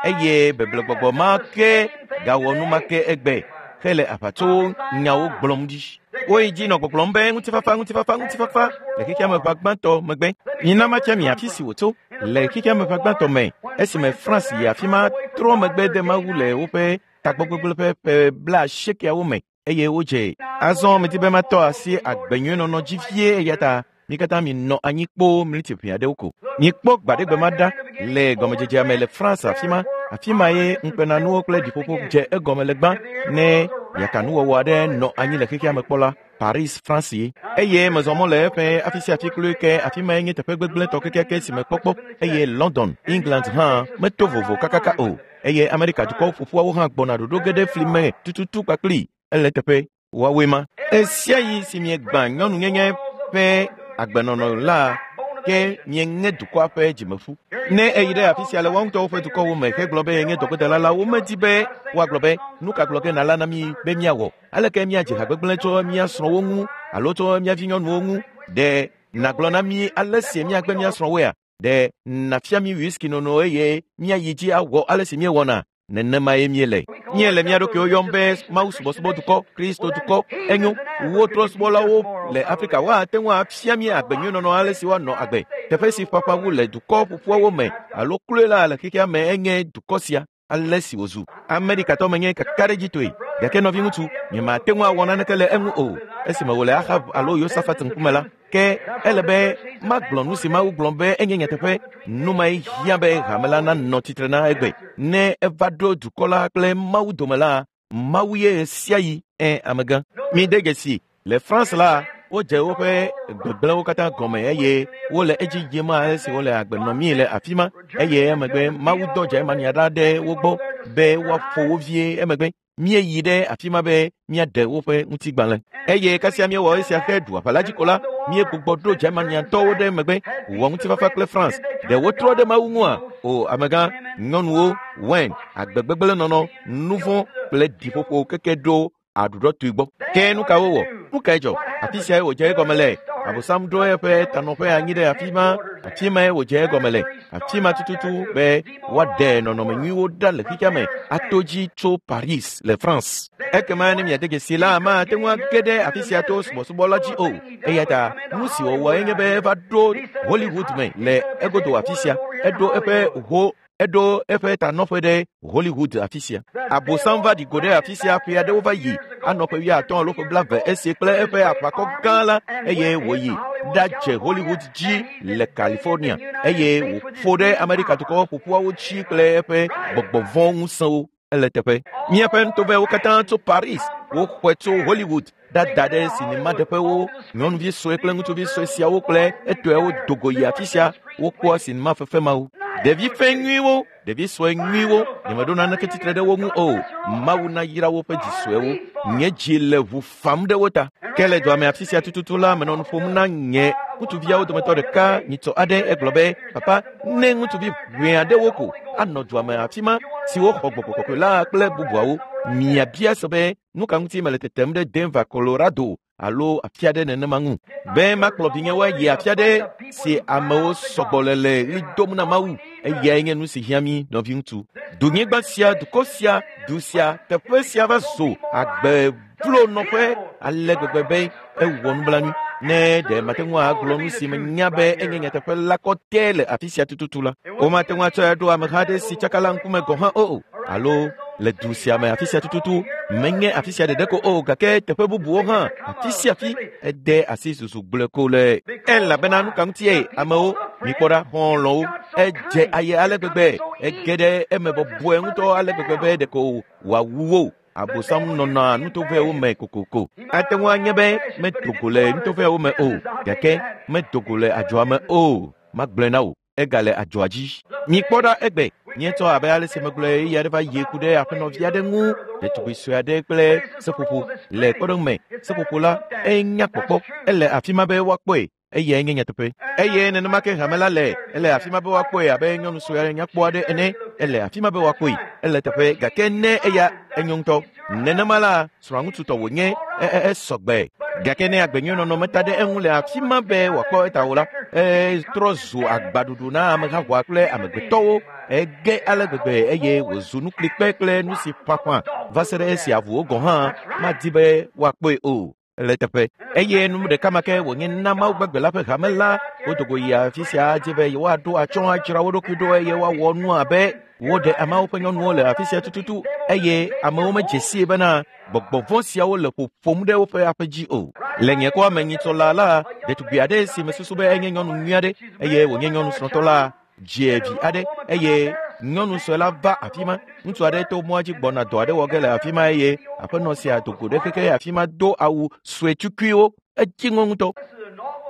eye beblegbɔgbɔ ma ke gawɔ nu ma ke egbe hele aʋatso nyawo gblɔm ɖi. Woyi dzi nɔ gbɔgblɔm be ŋutifafa, ŋutifafa, ŋutifafa le xexea me ʋa gbãtɔ megbe. Mina matia mi afi si wòtso le xexea me ʋa gbãtɔ me esime France yi afi ma trɔ megbe de Mawu le woƒe tagbɔgbegblẽ ƒe ƒe blaasiekeawo me eye wodze. Azɔ medi be matɔ asi agbenyuienɔnɔ dzi vie eya ta mi katã minɔ anyi kpoo miniti ʋɛ aɖewo ko. Mikpɔ gbaɖegbe ma ɖa le gɔmedzedzea me le France afi ma. Afi ma ye ŋukpenanuwo kple ɖiƒoƒo dze egɔme le gbã ne yakanuwɔwɔ aɖe nɔ anyi le xexea me kpɔ la Paris, France ye. Eye mezɔ mɔ le eƒe afi sia afi kloe ke afi mae nye teƒe gbegblẽtɔ kekeake si mekpɔ kpɔ eye London, England hã meto vovo kakaka o. Eye Amerika dukɔwo ƒoƒuawo hã gbɔna ɖoɖo ge ɖe fli me tututu kpakpli ele teƒe woawoe ma. Esia yi si miegbã nyɔnunyenye ƒe agbenɔnɔ la ke mieŋe dukɔa ƒe dzimeƒu. Ne eyi ɖe afi sia le woa ŋutɔwo ƒe dukɔwo me hegblɔ be yenye dɔgbedela la, womedi be woagblɔ be nu ka gblɔ ge nàla na mí be míawɔ. Aleke míadze ha gbegblẽ tso mía srɔ̃wo ŋu alo tso mía vinyɔnuwo ŋu? Ɖe nàgblɔ na mí ale si míagbe mía srɔ̃woea? Ɖe nàfia mí whisky nono eye míayi dzi awɔ ale si míewɔna? Nenemae míele. Míele mía ɖokuiwo yɔm be Mawu subɔsubɔ dukɔ, Kristo dukɔ. Enyo, wo trɔ̃subɔlawo le Afrika woate ŋu afia mí agbe nyui nɔnɔ ale si woanɔ agbe. Teƒe si ƒaƒã wu le dukɔ ƒoƒuawo me alo kloe la le xexea me enye dukɔ sia. Ale si wòzu. Amerikatɔ menye kakaɖedzitɔe. Gake nɔviŋutsu, nyemate ŋu awɔ naneke le eŋu o. Esime wòle Ahab alo Yosafat ŋkume la, ke ele be magblɔ nu si Mawu gblɔ be enye nyateƒe. Nu mae hiã be hame la nanɔ tsitre na egbe. Ne eva ɖo dukɔ la kple Mawu dome la, Mawu ye ɣe sia ɣi ẽ amegã. Mide dzesi, le France la, wodze woƒe gbegblẽwo katã gɔme eye wole edzi yim ale si wole agbe nɔmii le afi ma eye emegbe Mawu dɔ Germania ɖa ɖe wo gbɔ be woaƒo wo vie emegbe míeyi ɖe afi ma be míaɖe woƒe ŋutigbalẽ. Eye kasia míewɔ esia xe ɖu aʋa la dzi ko la, míegbugbɔ ɖo Germaniatɔwo ɖe megbe wɔ ŋutifafa kple France. Ɖe wotrɔ ɖe Mawu ŋua? O amegã, nyɔnuwo, wain, agbegbegblẽnɔnɔ, nuvɔ̃ kple ɖiƒoƒo keke ɖo aɖuɖɔtui gbɔ. Ke nu ka wowɔ? Nu kae dzɔ? Afi siae wòdze egɔme le. Abosam ɖo eƒe tanɔƒe anyi ɖe afi ma. Afi mae wòdze egɔme le. Afi ma tututu be woaɖe nɔnɔme nyuiwo ɖa le xexea me ato dzi tso Paris le France. Ekema ne miade dzesi la, mate ŋu age ɖe afi sia to subɔsubɔ la dzi o. Eya ta nu si wòwɔ enye be eva ɖo Hollywood me le egodo afi sia. Eɖo eƒe ho eɖo eƒe tanɔƒe ɖe Hollywood afi sia. Abosam va ɖi go ɖe afi sia ƒe aɖewo va yi anɔ ƒe wuiatɔ̃ alo ƒe blaeve esi kple eƒe aʋakɔ gã la eye wòyi ɖadze Hollywood dzi le California eye wòƒo ɖe Amerika dukɔ ƒoƒuawo dzi kple eƒe gbɔgbɔ vɔ̃ ŋusẽwo. Ele teƒe. Míaƒe nutovɛwo katã tso Paris, woxɔe tso Hollywood ɖada ɖe sinimaɖeƒewo. Nyɔnuvi sue kple ŋutsuvi sue siawo kple etɔewo do go yi afi sia wokpɔa sinima fefe mawo. Ɖevi fẽ nyuiwo, ɖevi sue nyuiwo, nyemeɖo naneke tsitre ɖe wo ŋu o. Mawu nayra woƒe dzi suewo. Nye dzi le ʋu fam ɖe wo ta. Ke le dua me afi sia tututu la, menɔ nu ƒom na nye ŋutsuviawo dometɔ ɖeka nyitsɔ aɖe egblɔ be, papa, ne ŋutsuvi ʋɛ aɖewo ko anɔ dua me afi ma siwo xɔ gbɔgbɔ kɔkɔe la kple bubuawo, miabia se be nu ka ŋuti mele tetem ɖe Denver, Colorado alo afi aɖe nenema ŋu be makplɔ vinyewo ayi afi aɖe si amewo sɔgbɔ le le ɣli dom na Mawu. Eyae nye nu si hiã mí nɔviŋutsu. Dunyigba sia, dukɔ sia, du sia, teƒe sia va zu agbe vlo nɔƒe ale gbegbe be ewɔ nublanui. Ne ɖe mate ŋu agblɔ nu si menya be enye nyateƒe la kɔtɛ le afi sia tututu la, womate ŋu atsɔe aɖo ameha aɖe si tsaka la ŋkume gɔ̃ hã o, alo le du sia me afi sia tututu menye afi sia ɖeɖe ko o, gake teƒe bubuwo hã afi sia afi ede asi zuzu gblɔe ko le. Elabena nu ka ŋutie amewo mikpɔ ɖa xɔlɔ̃wo edze aye ale gbegbe ege ɖe eme bɔbɔe ŋutɔ ale gbegbe be ɖeko wòawu wo. Abosam nɔna nutovɛwo me kokoko. Ate ŋu anye be medo go le nutovɛwo me o, gake medo go le adzɔa me o. Magblɔe na wò, egale adzɔa dzi. Mikpɔ ɖa egbe. Míetsɔ abe ale si megblɔe ɣeyiɣi aɖe va yi ku ɖe aƒenɔvi aɖe ŋu, ɖetugbi sue aɖe kple seƒoƒo. Le kpɔɖeŋu me, seƒoƒo la enya kpɔkpɔ, ele afi ma be woakpɔe. Eyae nye nyateƒe. Eye nenema ke hame la le, ele afi ma be woakpɔe abe nyɔnu sue aɖe nyakpɔ aɖe ene, ele afi ma be woakpɔe, ele teƒe. Gake ne eya enyo ŋutɔ, nenema la srɔ̃ŋutsu tɔ wònye, esɔgbe. Gake ne agbenyuinɔnɔ meta ɖe eŋu le afi ma be wòakpɔ eta o la, etrɔ zu agbaɖuɖu na amehahoa kple amegbetɔwo. Ege ale gbegbe eye wòzu nuklikpe kple nu si ƒaƒã va se ɖe esi avuwo gɔ̃ hã madi be woakpɔe o. Le teƒe. Eye nu ɖeka ma ke wònye na Mawu gbagbe la ƒe hame la, wodo go yi afi sia dzi be yewoaɖo atsyɔ̃ adzra wo ɖokui ɖo eye woawɔ nu abe woɖe ameawo ƒe nyɔnuwo le afi sia tututu eye amewo medze sii bena gbɔgbɔ vɔ̃ siawo le ƒoƒom ɖe woƒe aƒe dzi o. Le nye kɔa me nyitsɔ la la, ɖetugbi aɖe si mesusu be enye nyɔnu nyui aɖe eye wònye nyɔnu srɔ̃tɔ la dze vi aɖe eye nyɔnu sue la va afi ma. Ŋutsu aɖe to mɔa dzi gbɔna dɔ aɖe wɔ ge le afi ma eye aƒenɔ sia do go ɖe xexe afi ma do awu sue tukuiwo. Edzi ŋɔ ŋutɔ.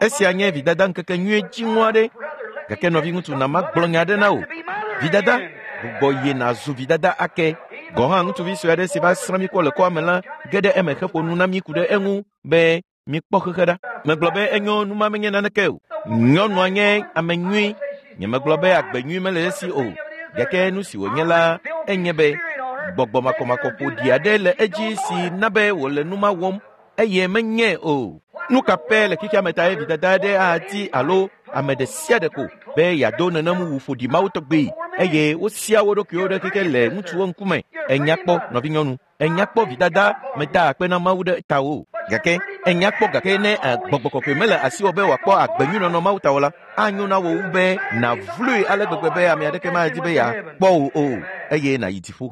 Esia nye vidada ŋkeke nyui dziŋɔ aɖe. Gake nɔviŋutsu na magblɔ nya aɖe na wò. Vidada, gbugbɔ yi nàzu vidada ake. Gɔ̃ hã ŋutsuvi sue aɖe si va srã mí kpɔ le kɔa me la ge ɖe eme heƒo nu na mí ku ɖe eŋu be mikpɔ xexe ɖa. Megblɔ be enyo nu ma menye naneke o. Nyɔnua nye ame nyui. Nyemegblɔ be agbe nyui mele esi o. Gake nu si wònye la enye be gbɔgbɔ makɔmakɔ ƒoɖi aɖe le edzi si na be wòle nu ma wɔm eye menyae o. Nu ka pɛ le xexea me tae vidada aɖe adi alo ame ɖe sia ɖe ko be yeado nenem wu ƒoɖi mawo tɔgbi eye wosia wo ɖokuiwo ɖe xexe le ŋutsuwo ŋkume. Enya kpɔ nɔvinyɔnu, enya kpɔ vidada meda akpe na Mawu ɖe ta o. Gake enya kpɔ gake ne gbɔgbɔ kɔkɔe mele asiwò be wòakpɔ agbenyuinɔnɔ Mawu ta o la, anyo na wò wu be nàvlui ale gbegbe be ame aɖeke madi be yeakpɔ wò o eye nàyi dziƒo.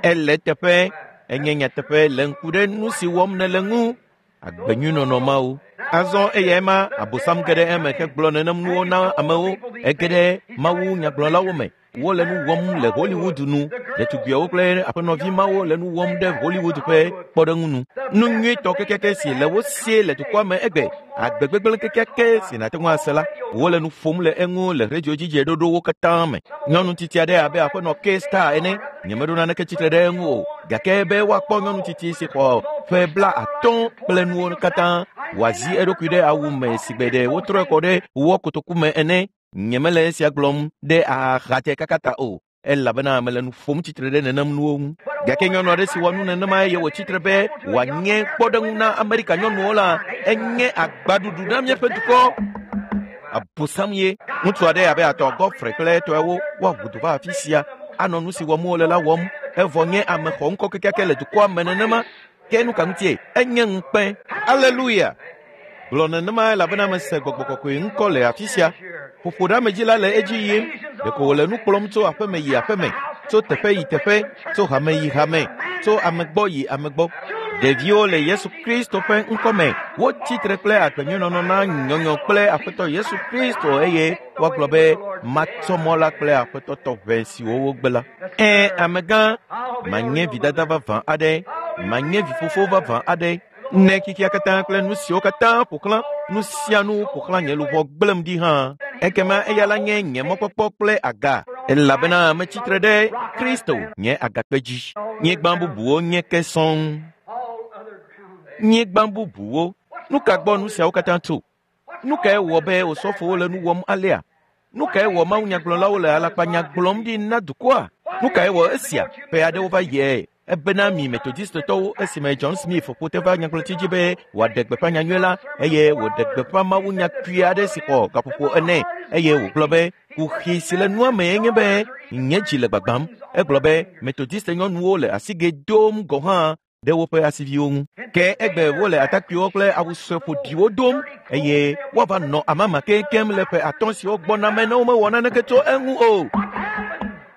Ele teƒe enye nyateƒe le ŋku ɖe nu si wɔm nèle ŋu. Agbenyuinɔnɔ Mawu. Azɔ eyae ma Abosam ge ɖe eme hegblɔ nenem nuwo na amewo. Ege ɖe Mawu nyagblɔlawo me. Wole nu wɔm le Hollywood nu. Ɖetugbiawo kple aƒenɔvi mawo le nu wɔm ɖe Hollywood ƒe kpɔɖeŋu nu. Nu nyuitɔ kekeake si le wo sie le dukɔa me egbe, agbe gbegblẽ kekeake si nàte ŋu ase la, wole nu ƒom le eŋu le radio dzidzeɖoɖowo katã me. Nyɔnu tsitsi aɖe abe aƒenɔ K Star ene, nyemeɖo naneke tsitre ɖe eŋu o, gake be woakpɔ nyɔnu tsitsi si xɔ ƒe bla atɔ̃ kple nuwo katã wòazi eɖokui ɖe awu me si gbe ɖe wotrɔe kɔ ɖe wɔ kotoku me ene. Nyemele esia gblɔm ɖe ahatse kakata o, elabena mele nu ƒom tsitre ɖe nenem nuwo ŋu. Gake nyɔnu aɖe si wɔ nu nenema eye wòtsitre be wòanye kpɔɖeŋu na Amerika nyɔnuwo la, enye agbaɖuɖu na míaƒe dukɔ. Abosam ye. Ŋutsu aɖe abe atɔ Godfrey kple etɔewo woaʋu du va afi sia anɔ nu si wɔm wole la wɔm. Evɔ nye ame xɔ ŋkɔ kekeake le dukɔa me nenema. Ke nu ka ŋutie? Enye ŋukpe. Aleluya. Gblɔ nenema elabena mese gbɔgbɔ kɔkɔe ŋkɔ le afi sia. Ƒoƒoɖeamedzi la le edzi yim. Ɖeko wòle nu kplɔm tso aƒeme yi aƒeme, tso teƒe yi teƒe, tso hame yi hame, tso ame gbɔ yi ame gbɔ. Ɖeviwo le Yesu Kristo ƒe ŋkɔme. Wotsi tre kple agbenyuinɔnɔ na nyɔnyɔ kple Aƒetɔ Yesu Kristo eye woagblɔ be matsɔ mɔ la kple Aƒetɔ tɔʋe siwo wogbe la. Ẽ, amegã, manye vidada vavã aɖe, manye vifofo vavã aɖe. Ne xexea katã kple nu siwo katã ƒo xlã, nu sia nu ƒo xlã nye luʋɔ gblẽm ɖi hã. Ekema eya la nye nye mɔkpɔkpɔ kple aga, elabena metsitre ɖe Kristo nye agakpe dzi. Nyigba bubuwo nye ke sɔŋ. Nyigba bubuwo. Nu ka gbɔ nu siawo katã tso? Nu kae wɔ be osɔfowo le nu wɔm alea? Nu kae wɔ mawunyagblɔlawo le alakpanya gblɔm ɖi na dukɔa? Nu kae wɔ esia? Ƒe aɖewo va yie ebena mi Methodistetɔwo esime John Smith ƒo te va nyagblɔtsi dzi be wòaɖe gbeƒã nyanyui la eye wòɖe gbeƒã mawunyakui aɖe si xɔ gaƒoƒo ene eye wògblɔ be kuxi si le nua mee nye be nye dzi le gbagbam. Egblɔ be Methodiste nyɔnuwo le asigɛ dom gɔ̃ hã ɖe woƒe asiviwo ŋu. Ke egbe wole atakpuiwo kple awu sue ƒoɖiwo dom eye woava nɔ amama keŋkeŋ le ƒe atɔ̃ siwo gbɔna me ne womewɔ naneke tso eŋu o.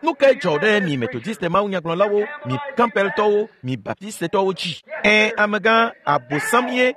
Nu kae dzɔ ɖe mi Methodiste mawunyagblɔlawo, mi Campbelltɔwo, mi Baptistetɔwo dzi? Ẽ, amegã, Abosam ye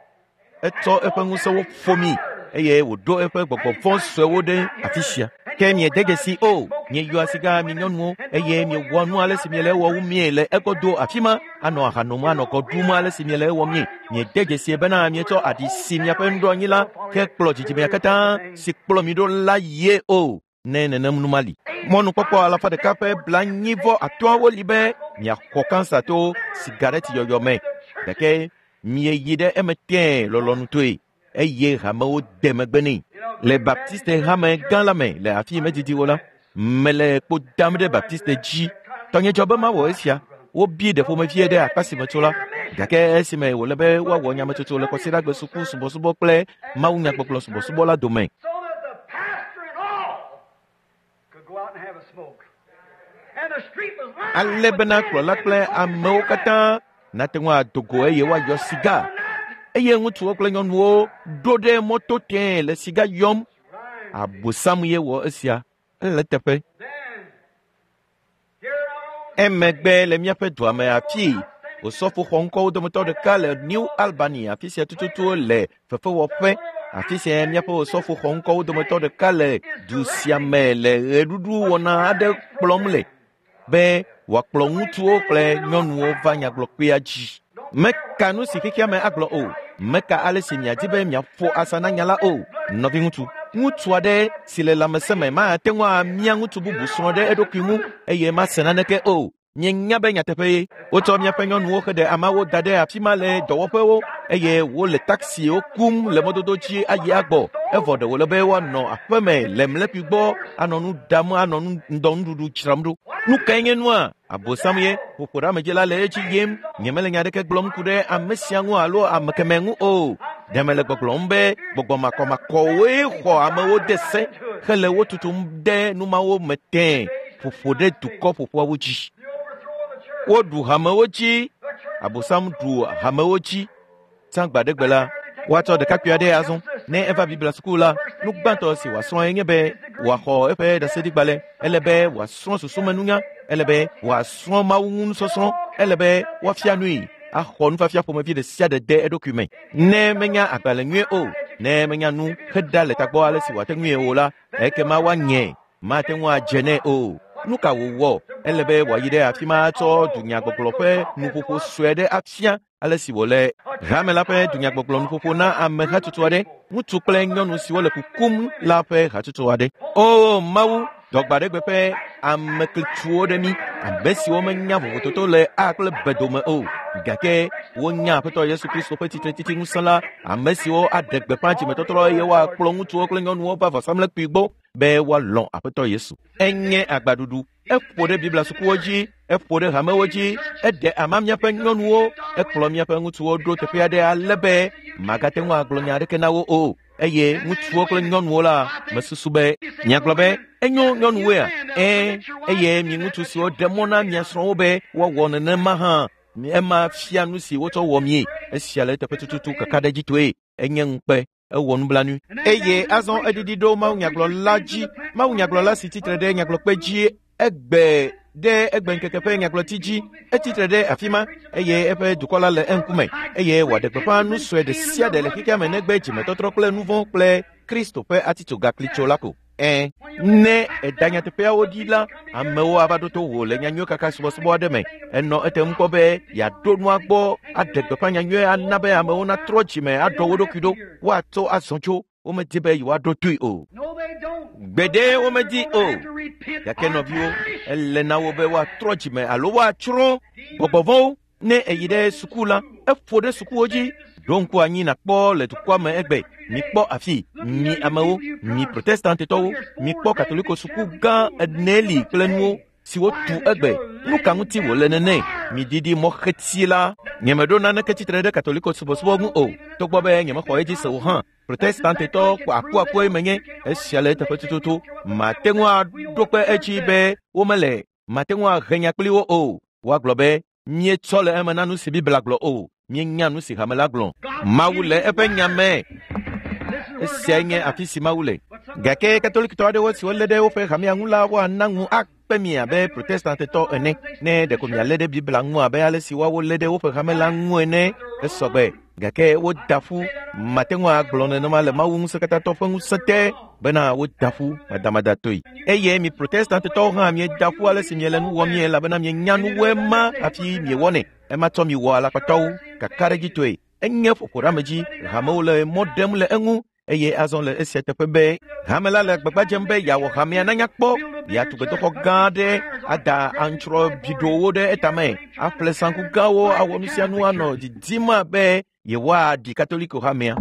etsɔ eƒe ŋusẽwo ƒo mi eye wòɖo eƒe gbɔgbɔ vɔ̃ suewo ɖe afi sia. Ke miede dzesi o, mieyɔa siga mi nyɔnuwo eye miewɔa nu ale si miele ewɔ wu mie le egodo afi ma, anɔ aha nom anɔ kɔ ɖum ale si miele ewɔ mie. Miede dzesi bena mietsɔ aɖi si miaƒe nuɖoanyi la hekplɔ dzidzimea katã si kplɔ mi ɖo la yie o. Ne nenem nu ma li. Mɔnukpɔkpɔ alafa ɖeka ƒe blaenyi vɔ atɔ̃awo li be miaxɔ kansa to sigareti yɔyɔ me. Gake mieyi ɖe eme tẽe lɔlɔ̃nutɔe eye hamewo de megbe nɛ. Le Baptiste hame gã la me le afi medidi o la, mele kpo dam ɖe Baptiste dzi. Tɔnye dzɔ be mawɔ esia. Wobi ɖe ƒomevie ɖe akpa si metso la. Gake esime wòle be woawɔ nyametsotso le kɔsiɖagbe suku subɔsubɔ kple mawunyagbɔgblɔ subɔsubɔ la dome. So that the pastor and all could go out and have a smoke. And the street was lined Ale with bena men kplɔla kple smoking amewo katã nate ŋu ado go eye woayɔ siga. Eye ŋutsuwo kple nyɔnuwo ɖo ɖe mɔto tẽe le siga yɔm. Abosam ye wɔ esia. Ele teƒe. Then, here on Emegbe le míaƒe dua me afi, osɔfo xɔŋkɔwo dometɔ ɖeka le New Albany, afi sia tututu le fefewɔƒe. Afi sia míaƒe osɔfo xɔŋkɔwo dometɔ ɖeka le du sia me le ɣeɖuɖu wɔna aɖe kplɔm le be wòakplɔ ŋutsuwo kple nyɔnuwo va nyagblɔkpea dzi. Meka nu si xexea me agblɔ o. Meka ale si miadi be miaƒo asa na nya la o. Nɔviŋutsu, ŋutsu aɖe si le lãmesẽ me mate ŋu amia ŋutsu bubu srɔ̃ ɖe eɖokui ŋu eye mase naneke o. Mienya be nyateƒe ye. Wotsɔ miaƒe nyɔnuwo heɖe ameawo da ɖe afi ma le dɔwɔƒewo eye wole taxiwo kum le mɔdodo dzi ayi agbɔ. Evɔ ɖe wòle be woanɔ aƒeme le mlekpui gbɔ anɔ nu ɖam anɔ nu ŋdɔnuɖuɖu dzram ɖo. Nu kae nye nua? Abosam ye. Ƒoƒoɖeamedzi la le edzi yim. Nyemele nya aɖeke gblɔm ku ɖe ame sia ŋu alo ame kemɛ ŋu o. Ɖe mele gbɔgblɔm be gbɔgbɔ makɔmakɔwoe xɔ amewo de se hele wo tutum ɖe nu mawo me tẽe ƒoƒo ɖe dukɔ ƒoƒoawo dzi. the overthrow of the church. Woɖu hamewo dzi. The church Abosam ɖu hamewo dzi. Tsã gbe aɖe gbe la, woatsɔ ɖekakpui aɖe azɔ. Ne eva Biblia suku la, nu gbãtɔ si wòasrɔ̃e nye be wòaxɔ eƒe ɖaseɖigbalẽ. Ele be wòasrɔ̃ susumenunya, ele be wòasrɔ̃ Mawu ŋu nusɔsrɔ̃, ele be woafia nui, axɔ nufiafia ƒomevi ɖe sia ɖe de eɖokui me. Ne menya agbalẽ nyuie o, ne menya nu heda le tagbɔ ale si wòate ŋui o la, ekema woanyɛ, mate ŋu adze nɛ o. Nu ka wòwɔ? Ele be wòayi ɖe afi ma atsɔ dunyagbɔgblɔ ƒe nuƒoƒo sue aɖe afia ale si wòle. Hame la ƒe dunyagbɔgblɔ nuƒoƒo na ame hatsotso aɖe, ŋutsu kple nyɔnu siwo le kukum la ƒe hatsotso aɖe. O Mawu, dɔgba ɖe gbe ƒe ame klitsuwo ɖe mí, ame siwo menya vovototo le A kple B dome o, gake wonya Aƒetɔ Yesu Kristo ƒe tsitretsitsi ŋusẽ la, ame siwo aɖe gbeƒã dzimetɔtrɔ eye woakplɔ ŋutsuwo kple nyɔnuwo va vɔsamlekpui gbɔ be woalɔ̃ Aƒetɔ Yesu. Enye agbaɖuɖu. Eƒo ɖe Biblia sukuwo dzi, eƒo ɖe hamewo dzi, eɖe ama míaƒe nyɔnuwo, ekplɔ míaƒe ŋutsuwo ɖo teƒe aɖe ale be magate ŋu agblɔ nya aɖeke na wo o. Eye ŋutsuwo kple nyɔnuwo la, mesusu be miagblɔ be enyo nyɔnuwoea? Ɛ̃, eye mi ŋutsu siwo ɖe mɔ na mia srɔ̃wo be woawɔ nenema hã, ema fia nu si wotsɔ wɔ mie. Esia le eteƒe tututu kakaɖedzitɔe. Enye ŋukpe. Ewɔ nublanui. Eye azɔ eɖiɖi ɖo mawunyagblɔla dzi. Mawunyagblɔla si tsitre ɖe nyagblɔkpe dzi egbe ɖe egbeŋkeke ƒe nyagblɔti dzi. Etsitre ɖe afi ma eye eƒe dukɔ la le eŋkume eye wòaɖe gbeƒã nu sue ɖe sia ɖe le xexea me negbe dzimetɔtrɔ kple nu vɔ̃ kple Kristo ƒe atitsogaklitso la ko. Ɛ̃, ne èda nyateƒeawo ɖi la, amewo ava ɖo to wò le nyanyui kaka subɔsubɔ aɖe me. Enɔ etem kpɔ be yeaɖo nua gbɔ aɖe gbeƒã nyanyui ana be amewo natrɔ dzime aɖɔ wo ɖokui ɖo, woatso azɔ tso. Womedi be yewoaɖo toe o. Gbeɖe womedi o. Gake nɔviwo, ele na wo be woatrɔ dzime alo woatsrɔ̃ gbɔgbɔ vɔ̃wo. Ne èyi ɖe suku la, eƒo ɖe sukuwo dzi. Ɖo ŋku anyi nàkpɔ le dukɔa me egbe. Mikpɔ afi, mi amewo, mi protestantitɔwo, mikpɔ katoliko suku gã ene li kple nuwo siwo tu egbe. Nu ka ŋuti wòle nene? Miɖiɖi mɔxeti la. Nyemeɖo naneke tsitre ɖe katoliko subɔsubɔ ŋu o, togbɔ be nyemexɔ edzi se o hã. Protestantitɔ akuakue menye. Esia le eteƒe tututu. Mate ŋu aɖo kpe edzi be womele, mate ŋu ahe nya kpli wo o. Woagblɔ be míetsɔ le eme na nu si Biblia gblɔ o. Míenya nu si hame la gblɔ. Mawu le eƒe nya me. Esiae nye afi si Mawu le. Gake katolikitɔ aɖewo siwo lé ɖe woƒe hamea ŋu la woana ŋu akpe mi abe protestantitɔ ene. Ne ɖeko mialé ɖe Biblia ŋu abe ale si woawo lé ɖe woƒe hame la ŋu ene, esɔgbe. Gake woda ƒu. Mate ŋu agblɔ nenema le Mawu ŋusẽkatãtɔ ƒe ŋusẽ te bena woda ƒu madamadatɔe. Eye mi protestantitɔwo hã mieda ƒu ale si miele nu wɔm mie elabena mienya nuwoe ma hafi miewɔnɛ. Ema tsɔ mi wɔ alakpatɔwo kakaɖedzitɔe. Enye ƒoƒoɖeamedzi. Hamewo le mɔ ɖem le eŋu eye azɔ le esia teƒe be hame la le agbagba dzem be yeawɔ hamea nanya kpɔ, yeatu gbedoxɔ gã aɖe, ada aŋutsrɔbiɖowo ɖe etame, aƒle saŋku gãwo, awɔ nu sia nu anɔ didim abe yewoaɖi katoliko hamea.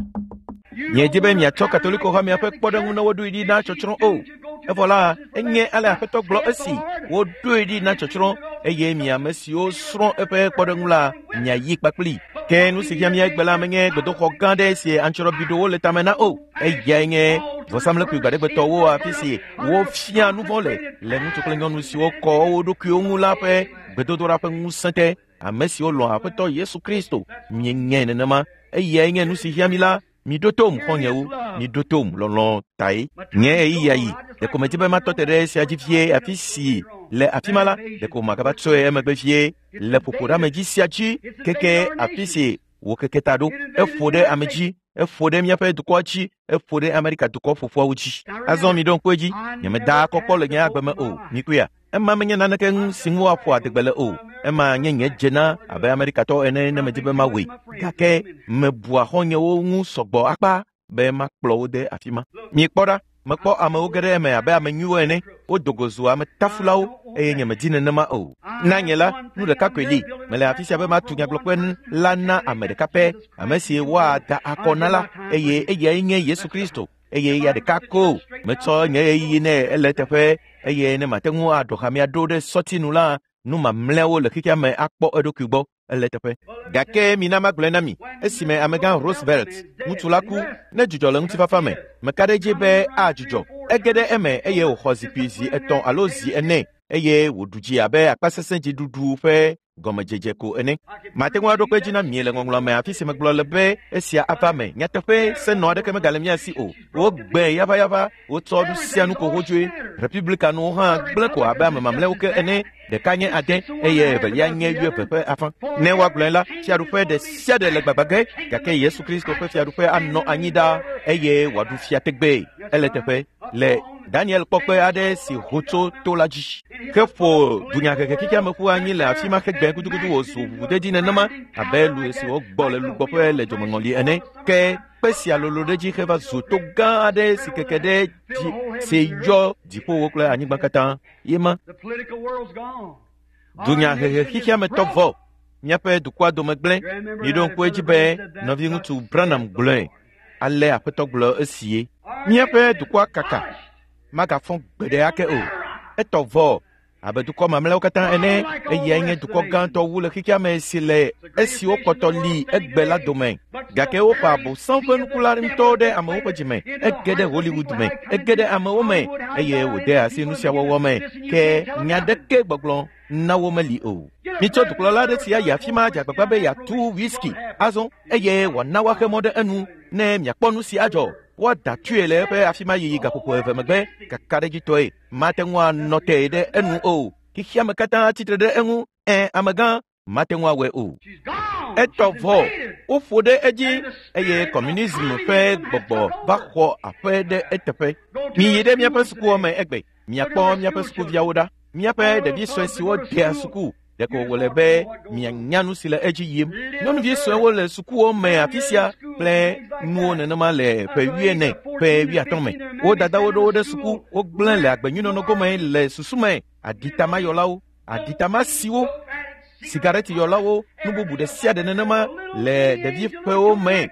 Nye di be miatsɔ katoliko hamea ƒe kpɔɖeŋu ne woɖoe ɖi na tsɔtsrɔ̃ o. Evɔ la, enye ale Aƒetɔ gblɔ esi woɖoe ɖi na tsɔtsrɔ̃ eye mi ame siwo srɔ̃ eƒe kpɔɖeŋu la miayi kpakpli. Ke nu si hiã mía egbe la menye gbedoxɔ gã aɖe si aŋutsrɔbiɖowo le tame na o. Eyae nye vɔsamlekpui gbaɖegbetɔwo afi si wofia nu vɔ̃ le le ŋutsu kple nyɔnu siwo kɔ wo ɖokuiwo ŋu la ƒe gbedodoɖa ƒe ŋusẽ te. Ame siwo lɔ̃ Aƒetɔ Yesu Kristo, mienyae nenema. Eyae nye nu si hiã mi la. Miɖo tom xɔ̃nyewo, miɖo tom lɔlɔ̃ tae. Nye ɣeyiɣi ayi. Ɖeko medi be matɔ te ɖe esia dzi vie afi si le afi ma la, ɖeko magava tsɔe emegbe vie le ƒoƒoɖeamedzi sia dzi keke afi si wòkeke ta ɖo. Eƒo ɖe ame dzi, eƒo ɖe míaƒe dukɔa dzi, eƒo ɖe Amerika dukɔ ƒoƒuawo dzi. Azɔ miɖo ŋku edzi, nyemeda akɔ kpɔ le nye agbe me o. Mikuia, ema menye naneke ŋu si ŋu woaƒo adegbe le o. Ema nye nye dzena abe Amerikatɔ ene ne medi be mawɔe. Gake mebua xɔ̃nyewo ŋu sɔgbɔ akpa be makplɔ wo de afi ma. Mikpɔ ɖa, mekpɔ amewo ge ɖe eme abe ame nyuiwo ene. Wodo go zu ame tafulawo eye nyemedi nenema o. Na nye la, nu ɖeka koe li. Mele afi sia be matu nyagblɔkpe la na ame ɖeka pɛ, ame si woada akɔ na la, eye eyae nye Yesu Kristo. Eye eya ɖeka ko metsɔ nye ɣeyiɣi nɛ ele eteƒe eye ne mate ŋu aɖɔ hamea ɖo ɖe sɔti nu la, nu mamlɛawo le xexea me akpɔ eɖokui gbɔ. Ele eteƒe. Gake mina magblɔe na mi, esime amegã Roosevelt, ŋutsu la ku, ne dzudzɔ le ŋutifafa me, meka ɖe edzi be adzudzɔ. Ege ɖe eme eye wòxɔ zikpui zi etɔ̃ alo zi ene eye wòɖu dzi abe akpasesẽ dziɖuɖu ƒe gɔmedzedze ko ene. Mate ŋu aɖo kpe edzi na mi le ŋɔŋlɔ me afi si megblɔ le be esia ava me. Nyateƒe senɔ aɖeke megale mía si o. Wogbe yaʋayaʋa, wotsɔ nu sia nu ko wodzoe. Republikanuwo hã gblẽ ko abe ame mamlɛwo ke ene. Ɖeka nye ade eye evelia nye wuieve ƒe afã. Ne woagblɔe la, fiaɖuƒe ɖe sia ɖe le gbagba ge, gake Yesu Kristo ƒe fiaɖuƒe anɔ anyi ɖaa eye wòaɖu fia tegbee. Ele teƒe le Daniel kpɔkpe aɖe si ho tso to la dzi. Heƒo dunyahehe xexeame ƒu anyi le afi ma hegbe gudugudu wòzu ʋuʋudedi nenema abe lu si wogbɔ le lugbɔƒe le dzomeŋɔli ene. Ke kpe sia lolo ɖe edzi heva zu to gã aɖe si keke ɖe dzi si yɔ dziƒowo kple anyigba katã. Ye ma. Dunyahehe xexeame tɔ vɔ. Míaƒe dukɔa dome gblẽ. Miɖo ŋku edzi be nɔviŋutsu Branham gblɔe. Ale aƒetɔ gblɔ esie. Míaƒe dukɔa kaka. Magafɔ gbe ɖe ake o. Etɔ vɔ abe dukɔ mamlɛawo katã ene. Eyae nye dukɔ gãtɔ wu le xexeame si le esiwo kpɔtɔ li egbe la dome. Gake woƒe abosam ƒe nuku la ŋutɔ ɖe amewo ƒe dzime. Ege ɖe Hollywood me, ege ɖe amewo me eye wòde asi nu sia wɔwɔ me. Ke nya ɖeke gbɔgblɔ na wo meli o. Mitsɔ dukplɔla aɖe si ayi afi ma dze agbagba be yeatu whisky azɔ eye wòana woaxe mɔ ɖe enu ne miakpɔ nu si adzɔ. Woada tue le eƒe afi ma yiyi gaƒoƒo eve megbe kakaɖedzitɔe. Mate ŋu anɔ te ɖe enu o. Xexeame katã tsitre ɖe eŋu. Ẽ, amegã, mate ŋu awɔe o. Etɔ vɔ, woƒo ɖe edzi eye kɔmunism ƒe gbɔgbɔ va xɔ aƒe ɖe eteƒe. Miyi ɖe míaƒe sukuwo me egbe. Miakpɔ míaƒe sukuviawo ɖa. Míaƒe ɖevi sue siwo dea suku. Ɖeko wòle be mianya nu si le edzi yim. Nyɔnuvi suewo le sukuwo me afi sia kple nuwo nenema le ƒe wuiene, ƒe wuiatɔ̃ me. Wo dadawo ɖo wo ɖe suku, wogblẽ le agbenyuinɔnɔ gome le susu me. Aditamayɔlawo, aditamasiwo, sigaretiyɔlawo, nu bubu ɖe sia ɖe nenema le ɖevi ƒewo me.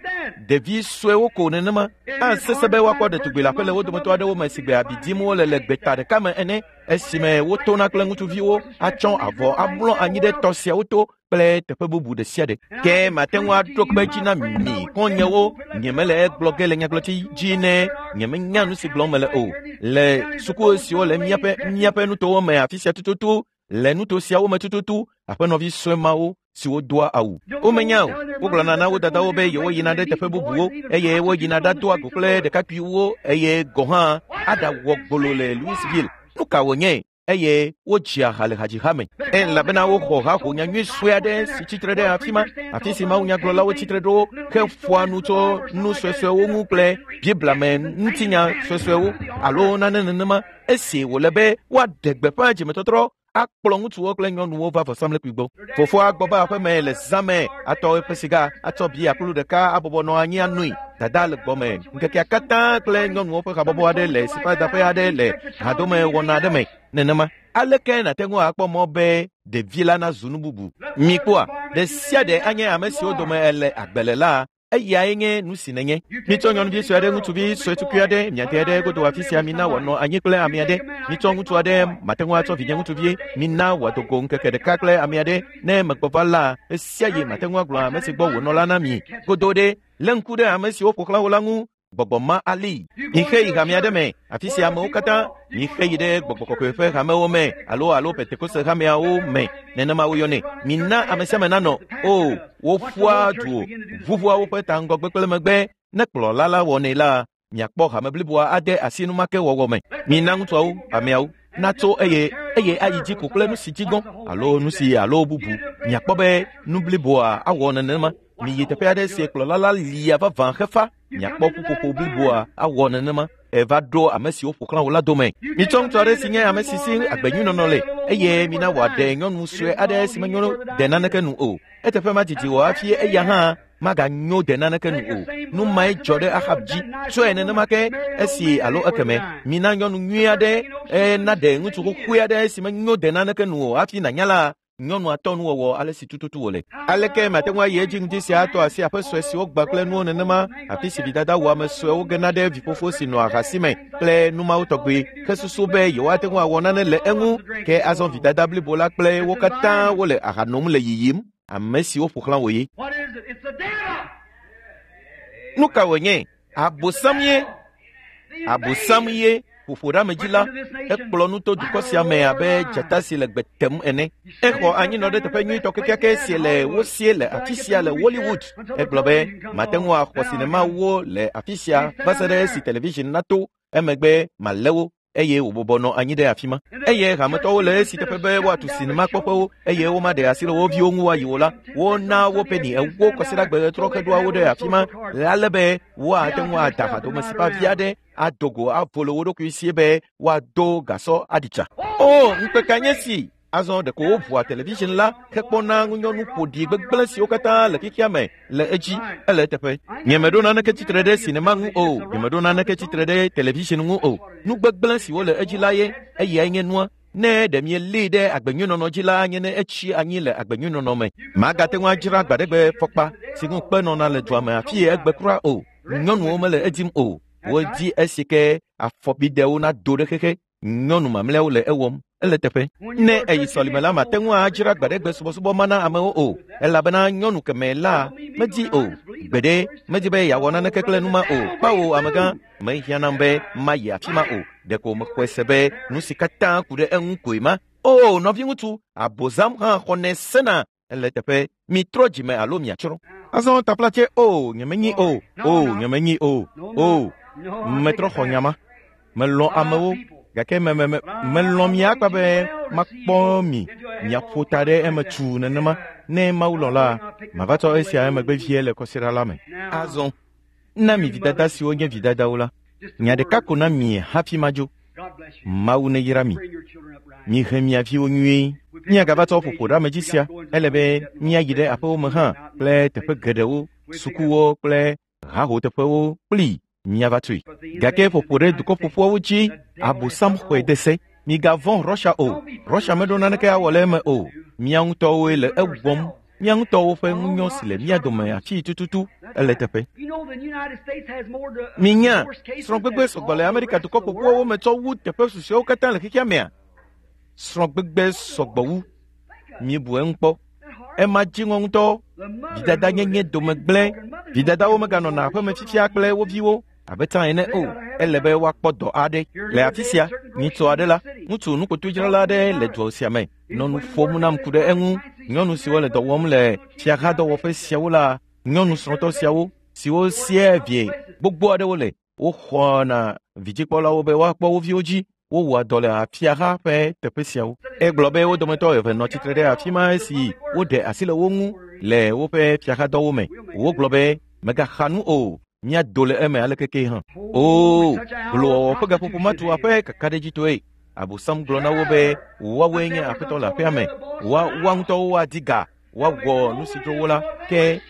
Ɖevi suewo ko nenema. Asese be woakpɔ ɖetugbi le aƒe le wo dometɔ aɖewo me si gbe abi dim wole le gbeta ɖeka me ene. Esime wotona kple ŋutsuviwo atsɔ avɔ amlɔ anyi ɖe tɔ siawo to kple teƒe bubu ɖe sia ɖe. Ke mate ŋu aɖo kpe dzi na mi xɔ̃nyewo. Nyemele egblɔ ge le nyagblɔtsi dzi ne nyemenya nu si gblɔm mele o. Le suku siwo le míaƒe míaƒe nutowo me afi sia tututu, le nuto siawo me tututu, aƒenɔvi sue mawo siwo doa awu. Womenya o. Wogblɔna na wo dadawo be yewoyina ɖe teƒe bubuwo eye woyina ɖadoa go kple ɖekakpuiwo eye gɔ̃ hã aɖawɔ gbolo le Louisville. Nu ka wònye? Eye wodzia ha le hadziha me. Elabena woxɔ haƒonya nyui sue aɖe si tsitre ɖe afi ma, afi si mawunyagblɔlawo tsitre ɖo heƒoa nu tso nu suesuewo ŋu kple Biblia me ŋutinya suesuewo alo nane nenema. Esi wòle be woaɖe gbeƒã dzimetɔtrɔ akplɔ ŋutsuwo kple nyɔnuwo va vɔsamlekpui gbɔ. Fofoa gbɔ va aƒeme le zã me atɔ eƒe siga, atsɔ bia kplu ɖeka abɔbɔ nɔ anyi anoe. Dada le gbɔme ŋkekea katã kple nyɔnuwo ƒe habɔbɔ aɖe le sifadaƒe aɖe le hadome wɔna aɖe me nenema. Aleke nàte ŋu akpɔ mɔ be ɖevi la nazu nu bubu? Mikpɔa, ɖe sia ɖe anye ame siwo dome ele agbe le la, eyae nye nu si nenye. Mitsɔ nyɔnuvi sue aɖe, ŋutsuvi sue tukui aɖe, miate ɖe godo afi sia mina wòanɔ anyi kple ame aɖe. Mitsɔ ŋutsu aɖe, mate ŋu atsɔ vinye ŋutsuvie, mina wòado go ŋkeke ɖeka kple ame aɖe. Ne megbɔ va la, esia yi mate ŋu agblɔ ame si gbɔ wònɔ la na mi. Godo ɖe, lé ŋku ɖe ame siwo ƒo xlã wo la ŋu. Gbɔgbɔ ma ali. Mixe yi hame aɖe me, afi sia amewo katã, mixe yi ɖe gbɔgbɔ kɔkɔe ƒe hamewo me alo alo Pentekoste hameawo me nenema woyɔnɛ. Mina ame sia ame nanɔ. O, woƒua du ʋuʋua woƒe ta ŋgɔgbe kple megbe. Ne kplɔla la wɔnɛ la, miakpɔ hame bliboa ade asi enumake wɔwɔ me. Mina ŋutsuawo, ameawo natso eye eye ayi dzi ko kple nu si dzi gɔ̃ alo nu si alo bubu. Miakpɔ be nu bliboa awɔ nenema. Miyi teƒe aɖe si kplɔla la lia vavã hefa. Miakpɔ ƒuƒoƒo bliboa awɔ nenema. Eva ɖo ame siwo ƒo xlã wo la dome. Mitsɔ ŋutsu aɖe si nye ame si si agbenyuinɔnɔ le eye mina wòaɖe nyɔnu sue aɖe si menyo de naneke nu o. Eteƒe madidi o hafi eya hã maganyo de naneke nu o. Nu mae dzɔ ɖe Ahab dzi. Tsɔe nenema ke esi alo ekeme. Mina nyɔnu nyui aɖe naɖe ŋutsu xoxoe aɖe si menyo de naneke nu o hafi nànya la, nyɔnua tɔ nuwɔwɔ ale si tututu wòle. Aleke mate ŋu ayi edzi ŋdi sia atɔ asi aƒe sue siwo gbã kple nuwo nenema, afi si vidada wɔ ame suewo gena ɖe vifofo si nɔ ahasi me kple nu mawo tɔgbi hesusu be yewoate ŋu awɔ nane le eŋu. Ke azɔ vidada blibo la kple wo katã wole aha nom le yiyim. Ame siwo ƒo xlã wò ye. Nu ka wònye? Abosam ye. Abosam ye. Ƒoƒoɖeamedzi la, ekplɔ nu to dukɔ sia me abe dzata si le gbe tem ene. Exɔ anyinɔ ɖe teƒe nyuitɔ kekeake si le wo sie le afi sia le Hollywood. Egblɔ be mate ŋu axɔ sinemawo le afi sia va se ɖe esi television nato emegbe malé wo eye wòbɔbɔ nɔ anyi ɖe afi ma. Eye hametɔwo le esi teƒe be woatu sinemakpɔƒewo eye womaɖe asi le wo viwo ŋu woayi o la, wona wo peni ewo kɔsiɖagbe ɣetrɔ xeɖoawo ɖe afi ma ale be woate ŋu ada hadomesiƒe aɖe ado go avo le wo ɖokui sie be woado gasɔ aɖi tsa. O, ŋkpeka nye si! Azɔ ɖeko woʋua television la hekpɔna ŋunyɔnu ƒoɖi gbegblẽ siwo katã le xexea me le edzi. Ele eteƒe. Nyemeɖo naneke tsitre ɖe sinema ŋu o. Nyemeɖo naneke tsitre ɖe television ŋu o. Nu gbegblẽ siwo le edzi la ye eyae nye nua. Ne ɖe mielée ɖe agbenyuinɔnɔ dzi la anye ne etsi anyi le agbenyuinɔnɔ me. Magate ŋu adzra gbaɖegbe fɔkpa si ŋu kpe nɔna le dua me afi egbe kura o. Nyɔnuwo mele edim o. Wodi esi ke afɔbidewo nado ɖe xexe. Nyɔnu mamlɛawo le ewɔm. Ele teƒe. Ne eyi sɔlime la mate ŋu adzra gbaɖegbe subɔsubɔ ma na amewo o, elabena nyɔnu keme la medi o. Gbeɖe medi be yeawɔ naneke kple numa o. Kpawo amegã mehiã nam be mayi afi ma o. Ɖeko mexɔe se be nu si katã ku ɖe eŋu koe ma. O nɔviŋutsu, abosam hã xɔnɛ sena. Ele teƒe. Mitrɔ dzime alo miatsrɔ̃. Azɔ taplatse o, nyemenyi o. O, nyemenyi o. O, metrɔ xɔ nyama. Melɔ̃ amewo. Gake me me me melɔ̃ mi akpa be makpɔ mi miaƒo ta ɖe eme tu nenema. Ne Mawu lɔ̃ la, mava tsɔ esia emegbe vie le kɔsiɖa la me. Azɔ, na mi vidada siwo nye vidadawo la, nya ɖeka ko na mi hafi madzo. Mawu neyra mi. Mihe mia viwo nyuie. Míagava tsɔ ƒoƒoɖeamedzi sia. Ele be míayi ɖe aƒewo me hã kple teƒe geɖewo, sukuwo kple hahoteƒewo kpli míava tui. Gake ƒoƒo ɖe dukɔ ƒoƒoawo dzi, abosam xɔe de se. Migavɔ̃ Russia o. Russia meɖo naneke awɔ le eme o. Mía ŋutɔwoe le ewɔm. Mía ŋutɔwo ƒe ŋunyɔ si le mía dome afii tututu ele teƒe. Minya, srɔ̃gbegbe sɔgbɔ le Amerika dukɔ ƒoƒoawo me tsɔ wu teƒe susɔewo katã le xexea mea? Srɔ̃gbegbe sɔgbɔ wu. Míebu eŋu kpɔ. Ema dziŋɔ ŋutɔ. Vidada nyenye dome gblẽ. Vidadawo meganɔna aƒeme fifia kple wo viwo abe tsã ene o. Ele be woakpɔ dɔ aɖe. Le afi sia, nyitɔ aɖe la, ŋutsu nukotoedzrala aɖe le dua sia me nɔ nu ƒom nam ku ɖe eŋu. Nyɔnu siwo le dɔ wɔm le fiahadɔwɔƒe siawo la, nyɔnu srɔ̃tɔ siawo siwo sie vie gbogbo aɖewo le, woxɔna vidzikpɔlawo be woakpɔ wo viwo dzi. Wowɔa dɔ le afiaha ƒe teƒe siawo. Egblɔ be wo dometɔ eve nɔ tsitre ɖe afi ma esi woɖe asi le wo ŋu le woƒe fiahadɔwo me. Wogblɔ be megaxa nu o, míado le eme aleke ke hã. O, gblɔwɔwɔ ƒe gaƒoƒo ma tu aƒe kakaɖedzitɔe. Abosam gblɔ na wo be woawoe nye aƒetɔ le aƒea me. Woa woa ŋutɔwo woadi ga, woawɔ nu si dzro wo la, ke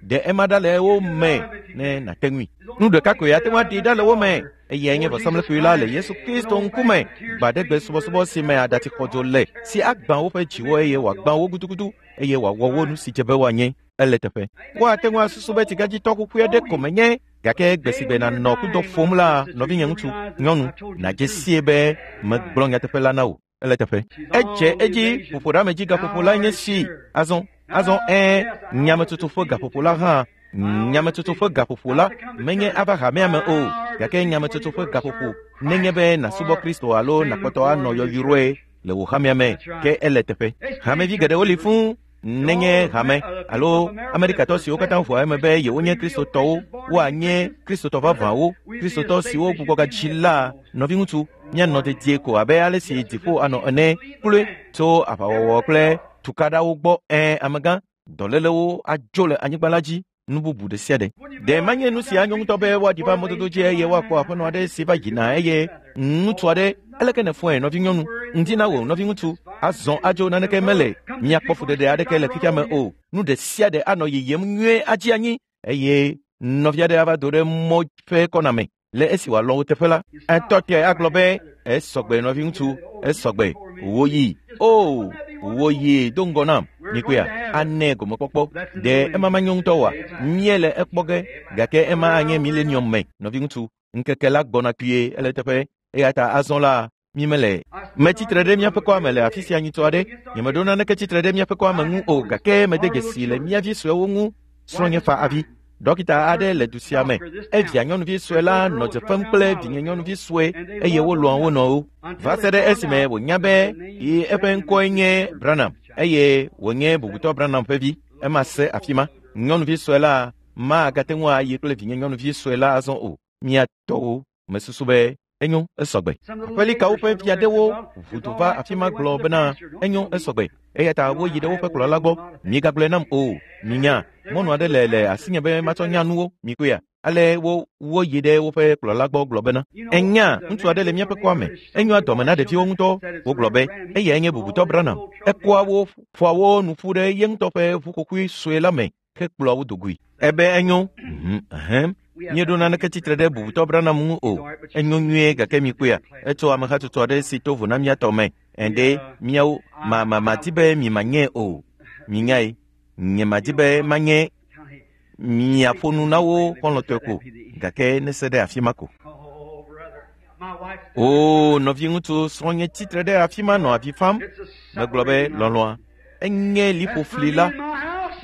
ɖe ema ɖa le wo me ne nàte ŋui. Nu ɖeka koe ate ŋu aɖee ɖa le wo me. Eyae nye vɔsamlekpui la le Yesu Kristo ŋkume. Gbaɖegbe subɔsubɔ si me aɖatsi xɔdzo le, si agbã woƒe dziwo eye wòagbã wo gudugudu eye wòawɔ wo nu si dze be woanye. Ele teƒe. Woate ŋu asusu be tsigadzitɔ kuku aɖe ko menye, gake gbe si gbe nànɔ kudɔ ƒom la, nɔvinye ŋutsu, nyɔnu, nàdze sie be megblɔ nyateƒe la na wò. Ele teƒe. Edze edzi ƒoƒoɖeamedzi gaƒoƒo la nye si. Azɔ, azɔ ɛ̃, nyametsotso ƒe gaƒoƒo la hã. Nyametsotso ƒe gaƒoƒo la menye ava hamea me o, gake nyametsotso ƒe gaƒoƒo nenye be nàsubɔ Kristo alo nàkpɔtɔ anɔ yɔyrɔe le wò hamea me, ke ele teƒe. Hamevi geɖewo li fũu. Nenye hame alo Amerikatɔ siwo katã ʋua eme be yewonye Kristotɔwo, woanye Kristotɔ vavãwo, Kristotɔ siwo gbugbɔgadzi la, nɔviŋutsu, míanɔ dedie ko abe ale si dziƒo anɔ ene, kloe tso aʋawɔwɔ kple tukaɖawo gbɔ. Ɛ̃, amegã, dɔlélewo adzo le anyigba la dzi, nu bubu ɖe sia ɖe. Ɖe manye nu si anyo ŋutɔ be woaɖi va mɔdodo dzi eye woakpɔ aƒenɔ aɖe si va yina eye ŋutsu aɖe, aleke nèfɔe nɔvinyɔnu, ŋdi na wò nɔviŋutsu, azɔ adzo naneke mele miakpɔ fuɖeɖe aɖeke le xexea me o. Nu ɖe sia ɖe anɔ yiyim nyuie adzi anyi eye nɔvi aɖe ava do ɖe mɔ ƒe kɔna me le esi wòalɔ̃ wo teƒe la. Etɔ te agblɔ be esɔgbe nɔviŋutsu, esɔgbe, woyi. O, woyi do ŋgɔ nam. Mikpɔea, ane gomekpɔkpɔ. Ɖe ema manyo ŋutɔ oa? Míele ekpɔ ge, gake ema anye milenium me, nɔviŋutsu. Ŋkeke la gbɔna kpuie ele teƒe. Eya ta azɔ la, mímele. Metsitre ɖe míaƒe kɔa me le afi sia nyitɔ aɖe. Nyemeɖo naneke tsitre ɖe míaƒe kɔa me ŋu o, gake mede dzesi le mía vi suewo ŋu. Srɔ̃nye fa avi. Dɔkita aɖe le du sia me. Evia nyɔnuvi sue la nɔ dze fem kple vinye nyɔnuvi sue eye wolɔ̃a wo nɔewo. Va se ɖe esime wònya be yi eƒe ŋkɔe nye Branham eye wònye bubutɔ Branham ƒe vi. Ema se afi ma. Nyɔnuvi sue la magate ŋu ayi kple vinye nyɔnuvi sue la azɔ o. Mia tɔwo mesusu be enyo esɔgbe. Aƒelikawo ƒe vi aɖewo ʋu du va afi ma gblɔ bena enyo esɔgbe. Eya ta woyi ɖe woƒe kplɔla gbɔ. Migagblɔe nam o. Minya mɔnu aɖe le le asinye be matsɔ nya nuwo mikpɔea. Ale wo woyi ɖe woƒe kplɔla gbɔ gblɔ bena enya ŋutsu aɖe le míaƒe kɔa me. Enyoa dɔme na ɖeviwo ŋutɔ. Wogblɔ be eyae nye bubutɔ Branham. Ekɔa wo ƒoa wo nu ƒu ɖe ye ŋutɔ ƒe ʋukokoe sue la me hekplɔa wo dogoe. Ebe enyo hɛm. Míeɖo naneke tsitre ɖe bubutɔ Branham ŋu o. Enyo nyuie gake mikpɔea. Etso amehatsotso aɖe si to vo na mía tɔ me. Ende míawo ma ma madi be mimanye o. Minyae. Nye madi be manye miaƒo nu na wo xɔlɔ̃tɔe ko gake ne se ɖe afi ma ko. O nɔviŋutsu srɔ̃nye tsitre ɖe afi ma nɔ avi fam. Megblɔ be lɔlɔ̃a enye liƒofli la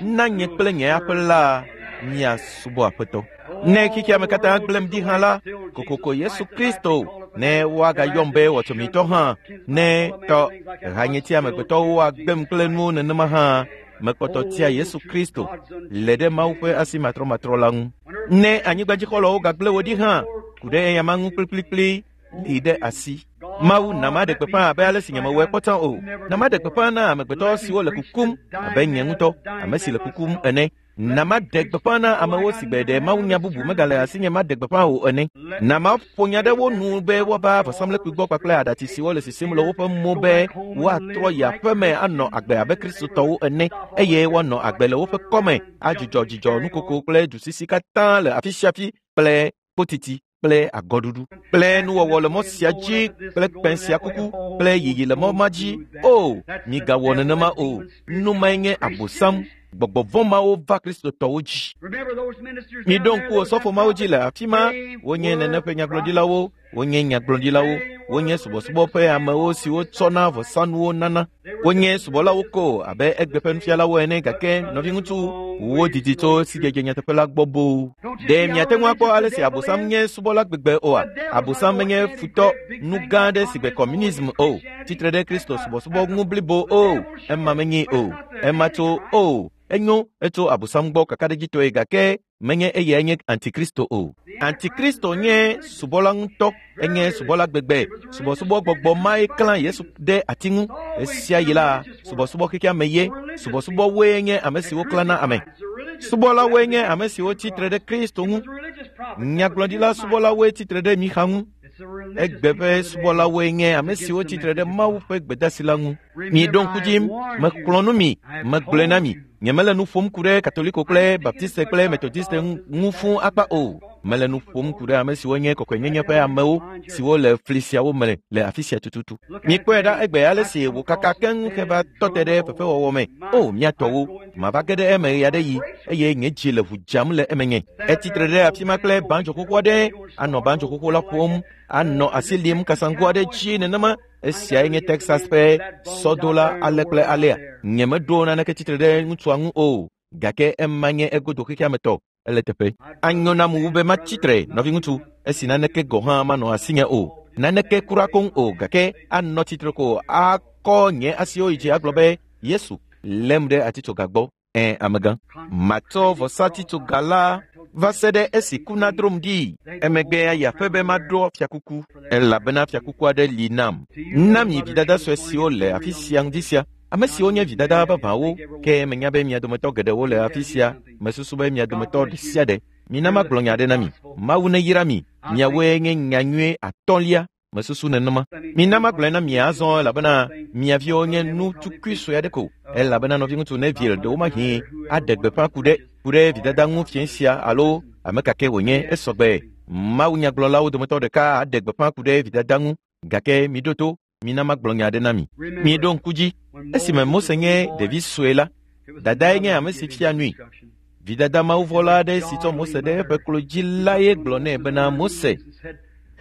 na nye kple nye aƒe la míasubɔ Aƒetɔ. Ne xexeame katã gblẽm ɖi hã la, kokoko Yesu Kristo ne woagayɔm be wɔtɔmitɔ hã, ne tɔ hanyeti amegbetɔwo agbem kple nuwo nenema hã, mekpɔtɔ tia Yesu Kristo le ɖe Mawu ƒe asi matrɔmatrɔ la ŋu. Ne anyigbadzixɔlɔ̃wo gagblẽ wo ɖi hã, ku ɖe eyama ŋu kplikplikpli li ɖe asi. Mawu na maɖe gbeƒã abe ale si nyemewɔe kpɔ tsã o. Na maɖe gbeƒã na amegbetɔ siwo le kukum abe nye ŋutɔ, ame si le kukum ene. Na maɖe gbeƒã na amewo si gbe ɖe mawunya bubu megale asinye maɖe gbeƒã o ene. Na maƒo nya ɖe wo nu be woava vɔsamlekpui gbɔ kpakple aɖatsi siwo le sisim le woƒe mo be woatrɔ yi aƒeme anɔ agbe abe Kristotɔwo ene eye woanɔ agbe le woƒe kɔme adzudzɔ dzidzɔ nukoko kple dusisi katã le afi sia afi kple kpotiti kple agɔɖuɖu kple nuwɔwɔ le mɔ sia dzi kple kpẽ sia kuku kple yiyi le mɔ ma dzi. O, migawɔ nenema o. Nu mae nye Abosam. Gbɔgbɔ vɔ̃ mawo va Kristotɔwo dzi. Miɖo ŋku osɔfo mawo dzi le afi ma. Wonye nene ƒe nyagblɔɖilawo, wonye nyagblɔɖilawo, wonye subɔsubɔ ƒe amewo siwo tsɔna vɔsanuwo nana. Wonye subɔlawo ko abe egbe ƒe nufialawo ene gake nɔviŋutsu wo didi tso sidzedze nyateƒe la gbɔ boo. Ɖe miate ŋu akpɔ ale si Abosam nye subɔla gbegbe oa? Abosam menye futɔ nu gã aɖe si gbe communism o. Tsitre ɖe Kristo subɔsubɔ ŋu blibo o. Ema menye o. Ema tso o. Enyo etso Abosam gbɔ kakaɖedzitɔe gake menye eyae nye Antikristo o. Antikristo nye subɔla ŋutɔ, enye subɔla gbegbe. Subɔsubɔ gbɔgbɔ mae klã Yesu ɖe ati ŋu. Esia yi la, subɔsubɔ xexeame ye. Subɔsubɔwoe nye ame siwo klãna ame. Subɔlawoe nye ame siwo tsitre ɖe Kristo ŋu. Nyagblɔɖila subɔlawoe tsitre ɖe Mixa ŋu. Egbe ƒe subɔlawoe nye ame siwo tsitre ɖe Mawu ƒe gbedasi la ŋu. Miɖo ŋku dzi, mexlɔ̃ nu mi, megblɔe na mi. Nyemele nu ƒom ku ɖe Katoliko kple Baptiste kple Methodiste ŋu fũu akpa o. Mele nu ƒom ku ɖe ame siwo nye kɔkɔenyenye ƒe amewo siwo le fli siawo me le afi sia tututu. Mikpɔe ɖa egbe ale si wòkaka keŋ heva tɔ te ɖe fefewɔwɔ me. O, mía tɔwo, mava ge ɖe eme ɣe aɖe yi eye nye dzi le ʋu dzam le emenye. Etsitre ɖe afi ma kple banjo xoxo aɖe, anɔ banjo xoxo la ƒom, anɔ asi lim kasaŋku aɖe dzi nenema. Esiae nye Texas ƒe sɔdola ale kple alea. Nyemeɖo naneke tsitre ɖe ŋutsua ŋu o, gake ema nye egodo xexeame tɔ. Ele teƒe. Anyo nam wu be matsitre, nɔviŋutsu, esi naneke gɔ̃ hã manɔ asinye o. Naneke kura koŋ o, gake anɔ tsitre ko akɔ nye asiwo yi dzi agblɔ be Yesu lém ɖe atitsoga gbɔ. Ẽ, amegã. Matsɔ vɔsatitsoga la va se ɖe esi ku nadrom ɖi. Emegbe ayi aƒe be maɖɔ fiakuku, elabena fiakuku aɖe li nam. Na mi vidada sue siwo le afi sia ŋdi sia, ame siwo nye vidada vavãwo, ke menya be mia dometɔ geɖewo le afi sia. Mesusu be mia dometɔ ɖe sia ɖe. Mina magblɔ nya aɖe na mi. Mawu neyra mi. Miawoe nye nya nyui atɔ̃lia. Mesusu nenema. Mina magblɔe na mi azɔ elabena mia viwo nye nu tukui sue aɖe ko. Elabena nɔviŋutsu Neville ɖewomahi aɖe gbeƒã ku ɖe ku ɖe vidada ŋu fiẽ sia alo ame kake wònye esɔgbe. Mawunyagblɔlawo dometɔ ɖeka aɖe gbeƒã ku ɖe vidada ŋu gake miɖo to. Mina magblɔ nya aɖe na mi. Miɖo ŋku dzi. Esime Mose nye ɖevi sue la, dadae nye ame si fia nui. Vidada mawuvɔla aɖe si tsɔ Mose ɖe eƒe klo dzi la ye gblɔ nɛ bena Mose,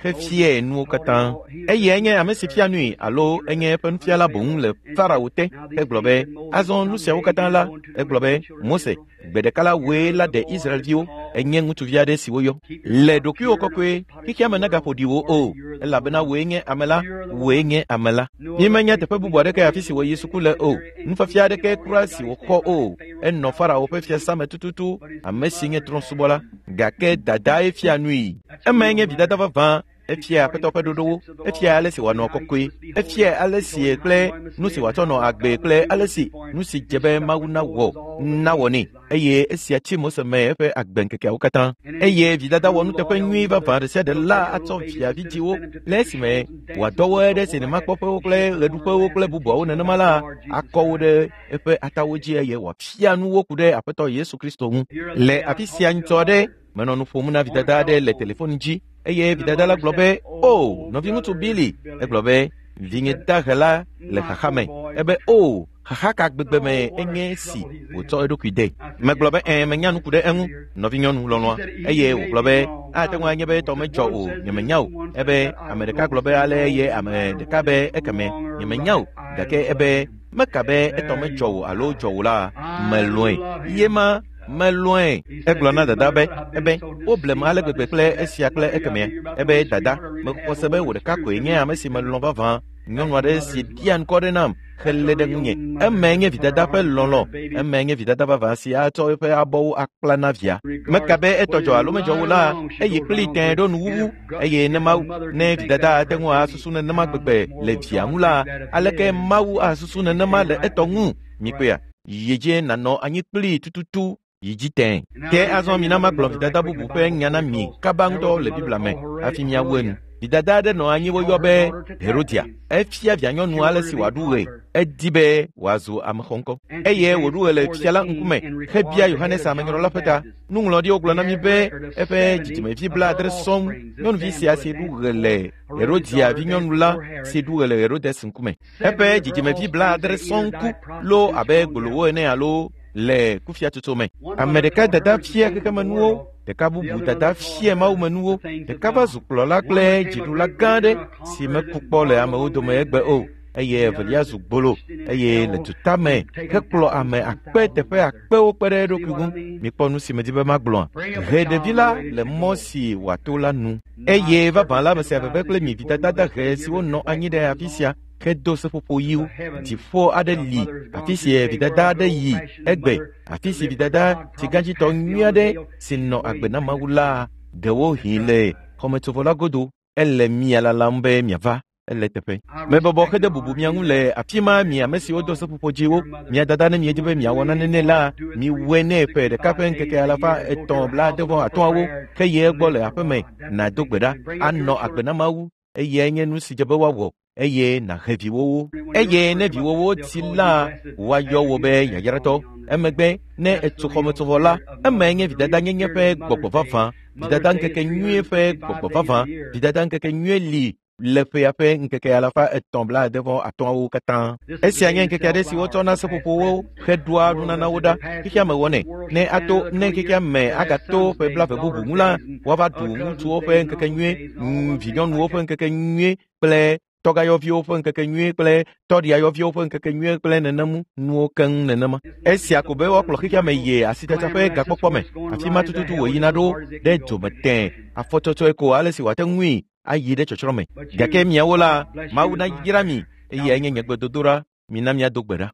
Hefiae nuwo katã. Eyae nye ame si fia nui alo enye eƒe nufiala boŋ le Farao te. Egblɔ be, azɔ nu siawo katã la, egblɔ be, Mose, gbe ɖeka la wòe la ɖe Israelviwo, enye ŋutsuvi aɖe si woyɔ. Le ɖokuiwò kɔkɔe, xexea me nagaƒo ɖi wò o, elabena wòe nye ame la, wòe nye ame la. Mímenya teƒe bubu aɖeke afi si wòyi suku le o, nufiafia aɖeke kura si wòxɔ o. Enɔ Farao ƒe fiasã me tututu, ame si nye trɔ̃subɔla, gake dadae fia nui. Emae nye vidada vavã. Efia Aƒetɔ ƒe ɖoɖowo, efia ale si wòanɔ kɔkɔe, efia ale si kple nu si wòatsɔ nɔ agbe kple ale si nu si dze be Mawu nawɔ nawɔ nɛ. Eye esia tsi Mose me eƒe agbeŋkekeawo katã. Eye vidada wɔ nuteƒe nyui vavã ɖe sia ɖe la atsɔ via vidziwo le esime wòadɔ wo ɖe sinimakpɔƒewo kple ɣeɖuƒewo kple bubuawo nenema la, akɔ wo ɖe eƒe atawo dzi eye wòafia nu wo ku ɖe Aƒetɔ Yesu Kristo ŋu. Le afi sia ŋutɔ aɖe, menɔ nu ƒom na vidada aɖe le telefoni dzi eye vidada la gblɔ be, o, nɔviŋutsu Billy, egblɔ be, vinye dahe la le xaxa me. Ebe, o, xaxa ka gbegbe me enye esi wòtsɔ eɖokui de. Megblɔ be, ẽ, menya nu ku ɖe eŋu, nɔvinyɔnu lɔlɔ̃a. Eye wògblɔ be, ate ŋu anye be etɔ medzɔ o, nyemenya o. Ebe, ame ɖeka gblɔ be ale eye ame ɖeka be ekeme, nyemenya o. Gake ebe, meka be etɔ medzɔ o alo dzɔ o la, melɔ̃e. Ye ma melɔ̃e. Egblɔ na dada be, ebe, woblem ale gbegbe kple esia kple ekemea. Ebe, dada, mexɔ se be wò ɖeka koe nye ame si melɔ̃ vavã. Nyɔnu aɖe si ɖia ŋkɔ ɖe nam helé ɖe ŋunye. Emae nye vidada ƒe lɔlɔ̃. Emae nye vidada vavã si atsɔ eƒe abɔwo akpla na via. Meka be etɔ dzɔ alo medzɔ o la, eyi kplii tẽe ɖo nuwuwu. Eye ne Mawu, ne vidada ate ŋu asusu nenema gbegbe le via ŋu la, aleke Mawu asusu nenema le etɔ ŋu? Mikpɔea? Yi dzi nànɔ anyi kplii tututu yi dzi tẽe. Ke azɔ mina magblɔ vidada bubu ƒe nya na mi kaba ŋutɔ le Biblia me hafi miawu enu. Vidada aɖe nɔ anyi woyɔ be Herodia. Efia vianyɔnu ale si wòaɖu ɣe. Edi be wòazu ame xɔŋkɔ. Eye wòɖu ɣe le fia la ŋkume hebia Yohanes amenyrɔla ƒe ta. Nuŋlɔɖiwo gblɔ na mi be eƒe dzidzimevi blaadre sɔŋ nyɔnuvi sia si ɖu ɣe le Herodia vinyɔnu la si ɖu ɣe le Herodes ŋkume. Eƒe dzidzimevi blaadre sɔŋ ku loo abe gbolowo ene alo le kufiatsotso me. Ame ɖeka dada fia xexemenuwo, ɖeka bubu dada fia mawumenuwo, ɖeka va zu kplɔla kple dziɖula gã aɖe si meku kpɔ le amewo dome egbe o, eye evelia zu gbolo eye le dutame hekplɔ ame akpe teƒe akpewo kpe ɖe eɖokui ŋu. Mikpɔ nu si medi be magblɔa. He ɖevi la le mɔ si wòato la nu. Eye vavã la mesia veve kple mi vidada dahe siwo nɔ anyi ɖe afi sia hedo seƒoƒo ɣiwo. Dziƒo aɖe li afi si vidada aɖe yi egbe, afi si vidada tsigãdzitɔ nyui aɖe si nɔ agbe na Mawu la ɖewohĩ le xɔmetsovɔ la godo. Ele mia lalam be miava. Ele teƒe. Mebɔbɔ hede bubu mia ŋu le afi ma mi ame siwo do seƒoƒo dziwo. Mia dada ne miedi be miawɔ nane nɛ la, miwɔe nɛ ƒe ɖeka ƒe ŋkeke alafa etɔ̃ blaade-vɔ atɔ̃awo heye egbɔ le aƒeme nàdo gbe ɖa anɔ agbe na Mawu. Eyae nye nu si dze be woawɔ. Eye nàhe viwòwo. Eye ne viwòwo tsi la, woayɔ wò be yayratɔ. Emegbe ne ètso xɔmetsovɔ la, emae nye vidada nyenye ƒe gbɔgbɔ vavã, vidada ŋkeke nyui ƒe gbɔgbɔ vavã. Vidada ŋkeke nyui li le ƒea ƒe ŋkeke alafa etɔ̃ blaade-vɔ atɔ̃awo katã. Esia nye ŋkeke aɖe si wotsɔna seƒoƒowo heɖoa nunanawo ɖa. Xexea me wɔnɛ. Ne ato ne xexea me agato ƒe blaeve bubu ŋu la, woava ɖu ŋutsuwo ƒe ŋkeke nyui, vinyɔnuwo ƒe ŋkeke nyui kple tɔgayɔviwo ƒe ŋkeke nyui kple tɔɖiayɔviwo ƒe ŋkeke nyui kple nenemu nuwo keŋ nenema. Esia ko be woakplɔ xexea me yi asitsatsa ƒe gakpɔkpɔ me. Afi ma tututu wòyina ɖo ɖe dzome tẽe, afɔtsɔtsɔe ko ale si wòate ŋui ayi ɖe tsɔtsrɔ̃ me. Gake miawo la, Mawu nayra mi eye enye nye gbedodoɖa. Mina miado gbe ɖa.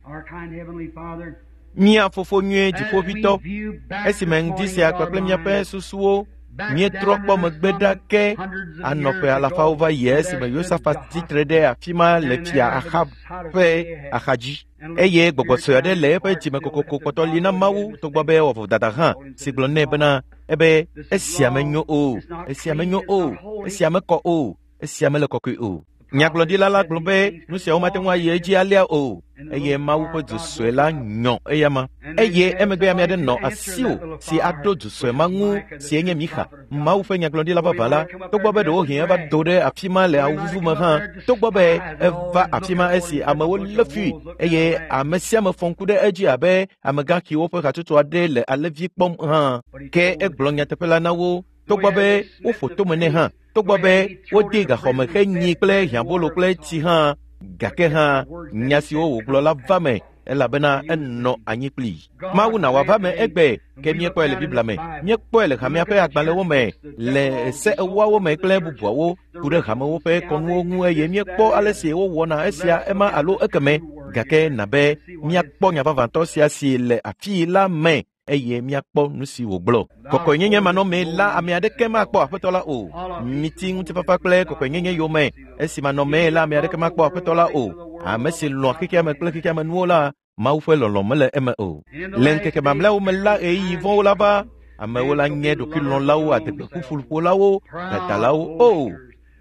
Mía fofo nyui dziƒoʋĩtɔ, esime ŋdi sia kpakple míaƒe susuwo míetrɔ kpɔ megbe ɖa ke anɔ ƒe alafawo va yi esime Yosafat tsitre ɖe afi ma le fia Ahab ƒe axadzi. Eye gbɔgbɔ sue aɖe le eƒe dzime kokoko kpɔtɔ li na Mawu togbɔ be ewɔ vodada hã si gblɔ nɛ bena ebe esia menyo o, esia menyo o, esia mekɔ o, esia mele kɔkɔe o. Nyagblɔɖila la gblɔ be nu siawo mate ŋu ayi edzi alea o, eye Mawu ƒe du sue la nyɔ eyama. Eye emegbe ame aɖe nɔ asiwò si aɖo du sue ma ŋu si enye Mixa, Mawu ƒe nyagblɔɖila vavã la. Togbɔ be ɖewohĩ eva do ɖe afi ma le awu vuvu me hã, togbɔ be eva afi ma esi amewo lé fui eye ame sia ame fɔ ŋku ɖe edzi abe amegãxiwo ƒe hatsotso aɖe le alẽvi kpɔm hã, ke egblɔ nyateƒe la na wo. Togbɔ be woƒo tome nɛ hã, togbɔ be wodee gaxɔme henyi kple hiãbolo kple tsi hã, gake hã nya siwo wògblɔ la va me elabena enɔ anyi kplii. Mawu na wòava me egbe, ke míekpɔe le Biblia me, míekpɔe le hamea ƒe agbalẽwo me, le se ewoawo me kple bubuawo ku ɖe hamewo ƒe kɔnuwo ŋu eye míekpɔ ale si wowɔna esia ema alo ekeme. Gake na be míakpɔ nya vavãtɔ sia si le afii la me eye míakpɔ nu si wògblɔ. Kɔkɔenyenye manɔmee la, ame aɖeke makpɔ Aƒetɔ la o. Miti ŋutifafa kple kɔkɔenyenye yome. Esi manɔmee la, ame aɖeke makpɔ Aƒetɔ la o. Ame si lɔ̃a xexea me kple xexea me nuwo la, Mawu ƒe lɔlɔ̃ mele eme o. Le ŋkeke mamlɛawo me la, ɣeyiɣi vɔ̃wo la va. Amewo la nye ɖokuilɔ̃lawo, adegbeƒuƒoƒolawo, dadalawo. O,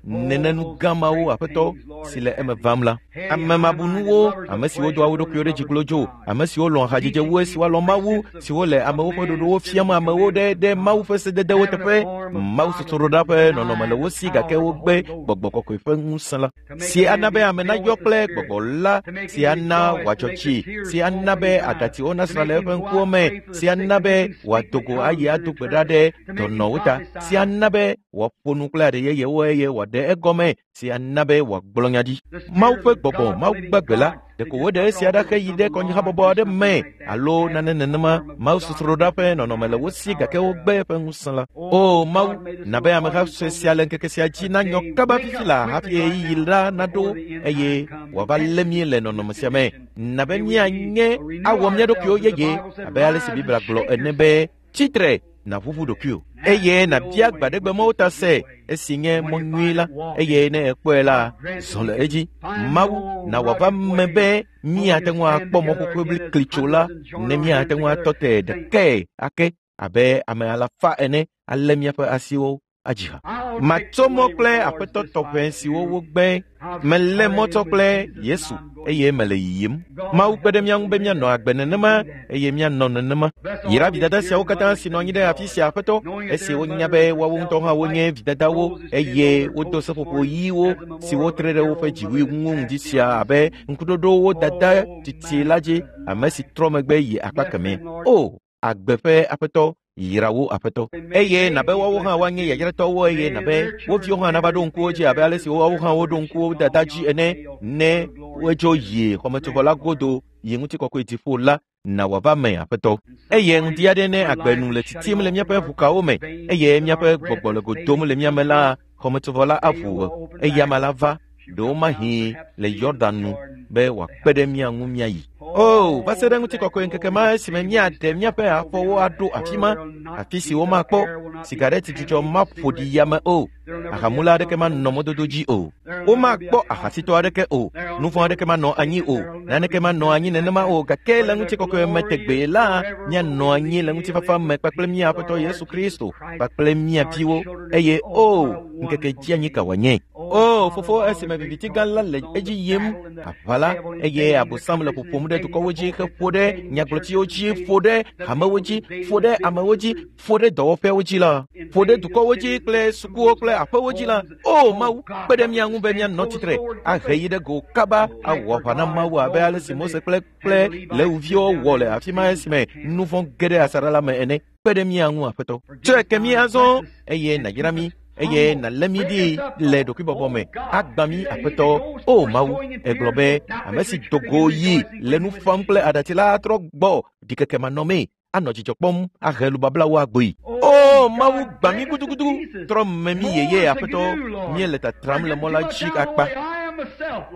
nene nu gã mawo Aƒetɔ si le eme vam la. Ame mabunuwo, ame siwo doa wo ɖokuiwo ɖe dzi glodzo, ame siwo lɔ̃ hadzidze wu esi woalɔ̃ Mawu, siwo le amewo ƒe ɖoɖowo fiam amewo ɖe ɖe Mawu ƒe sededewo teƒe. Mawu sosroɖa ƒe nɔnɔme le wo si gake wogbe gbɔgbɔ kɔkɔe ƒe ŋusẽ la. Si ana be ame nayɔ kple gbɔgbɔ la, si ana wòadzɔ tsi, si ana be aɖatsiwo nasra le eƒe ŋkuwo me, si ana be wòado go ayi ado gbe ɖa ɖe dɔnɔwo ta, si ana be wòaƒo nu kple aɖe yeyewo eye wòaɖe egɔme, si ana be wòagblɔ nya ɖi. Mawu ƒe gbɔgbɔ, Mawu gbagbe la, ɖeko woɖe esia ɖa heyi ɖe kɔnyihabɔbɔ aɖe me alo nane nenema. Mawu sosroɖa ƒe nɔnɔme le wo si gake wogbe eƒe ŋusẽ la. O Mawu, na be ameha sue sia le ŋkeke sia dzi nanyɔ kaba fifi la hafi ɣeyiɣi la naɖo eye wòava lé mí le nɔnɔme sia me. Na be míanye awɔ mía ɖokuiwo yeye abe ale si Biblia gblɔ ene be tsitre nàʋuʋu ɖokuiwò eye nàbia gbaɖegbemɔwo ta se esi nye mɔ nyui la eye ne èkpɔe la zɔ le edzi. Mawu na wòava me be míate ŋu akpɔ mɔ xoxoe klitso la ne míate ŋu atɔ te ɖekae ake abe ame alafa ene alé míaƒe asiwo adzi ha. Matsɔ mɔ kple Aƒetɔ tɔxɛ siwo wogbe. Melé mɔtɔ kple Yesu eye mele yiyim. Mawu kpe ɖe mía ŋu be míanɔ agbe nenema eye míanɔ nenema. Yra vidada siawo katã si nɔ anyi ɖe afi sia Aƒetɔ, esi wonya be woawo ŋutɔ hã wonye vidadawo eye wodo seƒoƒo ɣiwo siwo tre ɖe woƒe dziwui ŋu ŋdi sia abe ŋkuɖoɖo wo dada titi la dzi, ame si trɔ megbe yi akpa kemɛ. O, agbe ƒe Aƒetɔ, yra wo Aƒetɔ. Eye na be woawo hã woanye yayratɔwo eye na be wo viwo hã nava ɖo ŋkuwo dzi abe ale si woawo hã woɖo ŋkuwo dada dzi ene ne woedzo yi xɔmetsovɔ la godo yi ŋutikɔkɔe dziƒo la, na wòava me Aƒetɔ. Eye ŋdi aɖe ne agbe nu le titim le míaƒe ʋukawo me eye míaƒe gbɔgbɔ le go dom le mía me la, xɔmetsovɔ la aʋu eye ame la va ɖewomahi le Yɔdan nu be wòakpe ɖe mía ŋu míayi. O, va se ɖe ŋutikɔkɔe ŋkeke ma esime míaɖe míaƒe afɔwo aɖo afi ma, afi si womakpɔ sigareti dzudzɔ maƒo ɖi yame o, ahamula aɖeke manɔ mɔdodo dzi o, womakpɔ ahasitɔ aɖeke o, nu vɔ̃ aɖeke manɔ anyi o, naneke manɔ anyi nenema o, gake le ŋutikɔkɔe me tegbee la, míanɔ anyi le ŋutifafa me kpakple mía Aƒetɔ Yesu Kristo kpakple mía viwo eye o, ŋkeke dzi anyi ka wòanye. O, fofo, esime viviti gã la le edzi yim aʋa la eye Abosam le ƒoƒom ɖe dukɔwo dzi heƒo ɖe nyagblɔtiwo dzi, ƒo ɖe hamewo dzi, ƒo ɖe amewo dzi, ƒo ɖe dɔwɔƒewo dzi la, ƒo ɖe dukɔwo dzi kple sukuwo kple aƒewo dzi la. O Mawu, kpe ɖe mía ŋu be míanɔ tsitre ahe yi ɖe go kaba awɔ aʋa na Mawu abe ale si Mose kple kple Lewuviwo wɔ le afi ma esime nu vɔ̃ ge ɖe asaɖa la me ene. Kpe ɖe mía ŋu Aƒetɔ. Tsɔe ke mí azɔ eye nàyra mí eye nàlé mí ɖi le ɖokuibɔbɔ me. Agbã mí Aƒetɔ. O Mawu, egblɔ be ame si do go yi le nu fam kple aɖatsi la atrɔ gbɔ ɖikeke manɔmee, anɔ dzidzɔ kpɔm ahe lubablawo agboe. O Mawu, gbã mí gudugudu, trɔ me mí yeye Aƒetɔ. Míele tatram le mɔ la dzi akpa.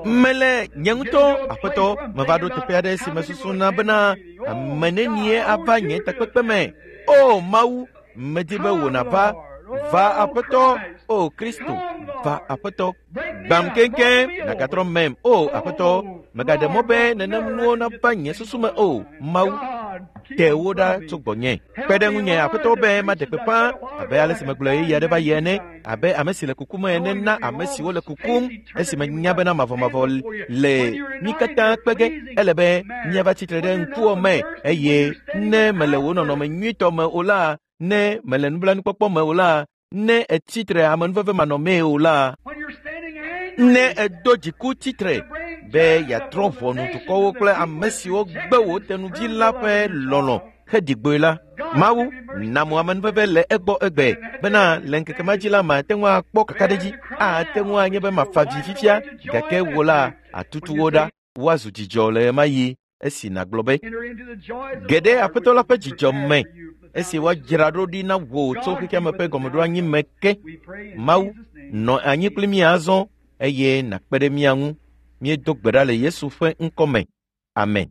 Mele nye ŋutɔ Aƒetɔ, meva ɖo teƒe aɖe si mesusuna bena ame nenie ava nye takpekpe me. O Mawu, medi be wò nàva. Va Aƒetɔ, o Kristo, va Aƒetɔ. Gbam keŋkeŋ, nàgatrɔ mem, o Aƒetɔ. Mègaɖe mɔ be nenem nuwo nava nye susu me o. Mawu, te wo ɖa tso gbɔnye. Kpe ɖe ŋunye Aƒetɔ be maɖe gbeƒã abe ale si megblɔ ɣeyiɣi aɖe va yi ene, abe ame si le kukum ene na ame siwo le kukum, esi menya bena mavɔmavɔ le mí katã kpe ge. Ele be míava tsitre ɖe ŋkuwò me eye ne mele wò nɔnɔme nyuitɔ me o la, ne mele nublanuikpɔkpɔ me o la, ne etsitre amenuveve manɔmee o la, ne edo dziku tsitre be yeatrɔ ʋɔnu dukɔwo kple ame siwo gbe wò tenuvi la ƒe lɔlɔ̃ heɖi gboe la Mawu na mu amenuveve le egbɔ egbe bena le ŋkeke ma dzi la mate ŋu akpɔ kakaɖedzi ate ŋu anye be mafa vi fifia gake wo la atutu wo ɖa woazu dzidzɔ le ɣemaɣi esi nàgblɔ be Enter into the joys of ge the ɖe Lord Aƒetɔ la which ƒe is dzidzɔ prepared me for you from the esi woadzra ɖo ɖi na wò tso xexeame ƒe gɔmeɖoanyi me ke We pray in Mawu Jesus' name. nɔ anyi kpli mí azɔ eye nàkpe ɖe mía ŋu míedo gbe ɖa le Yesu ƒe ŋkɔ me amen.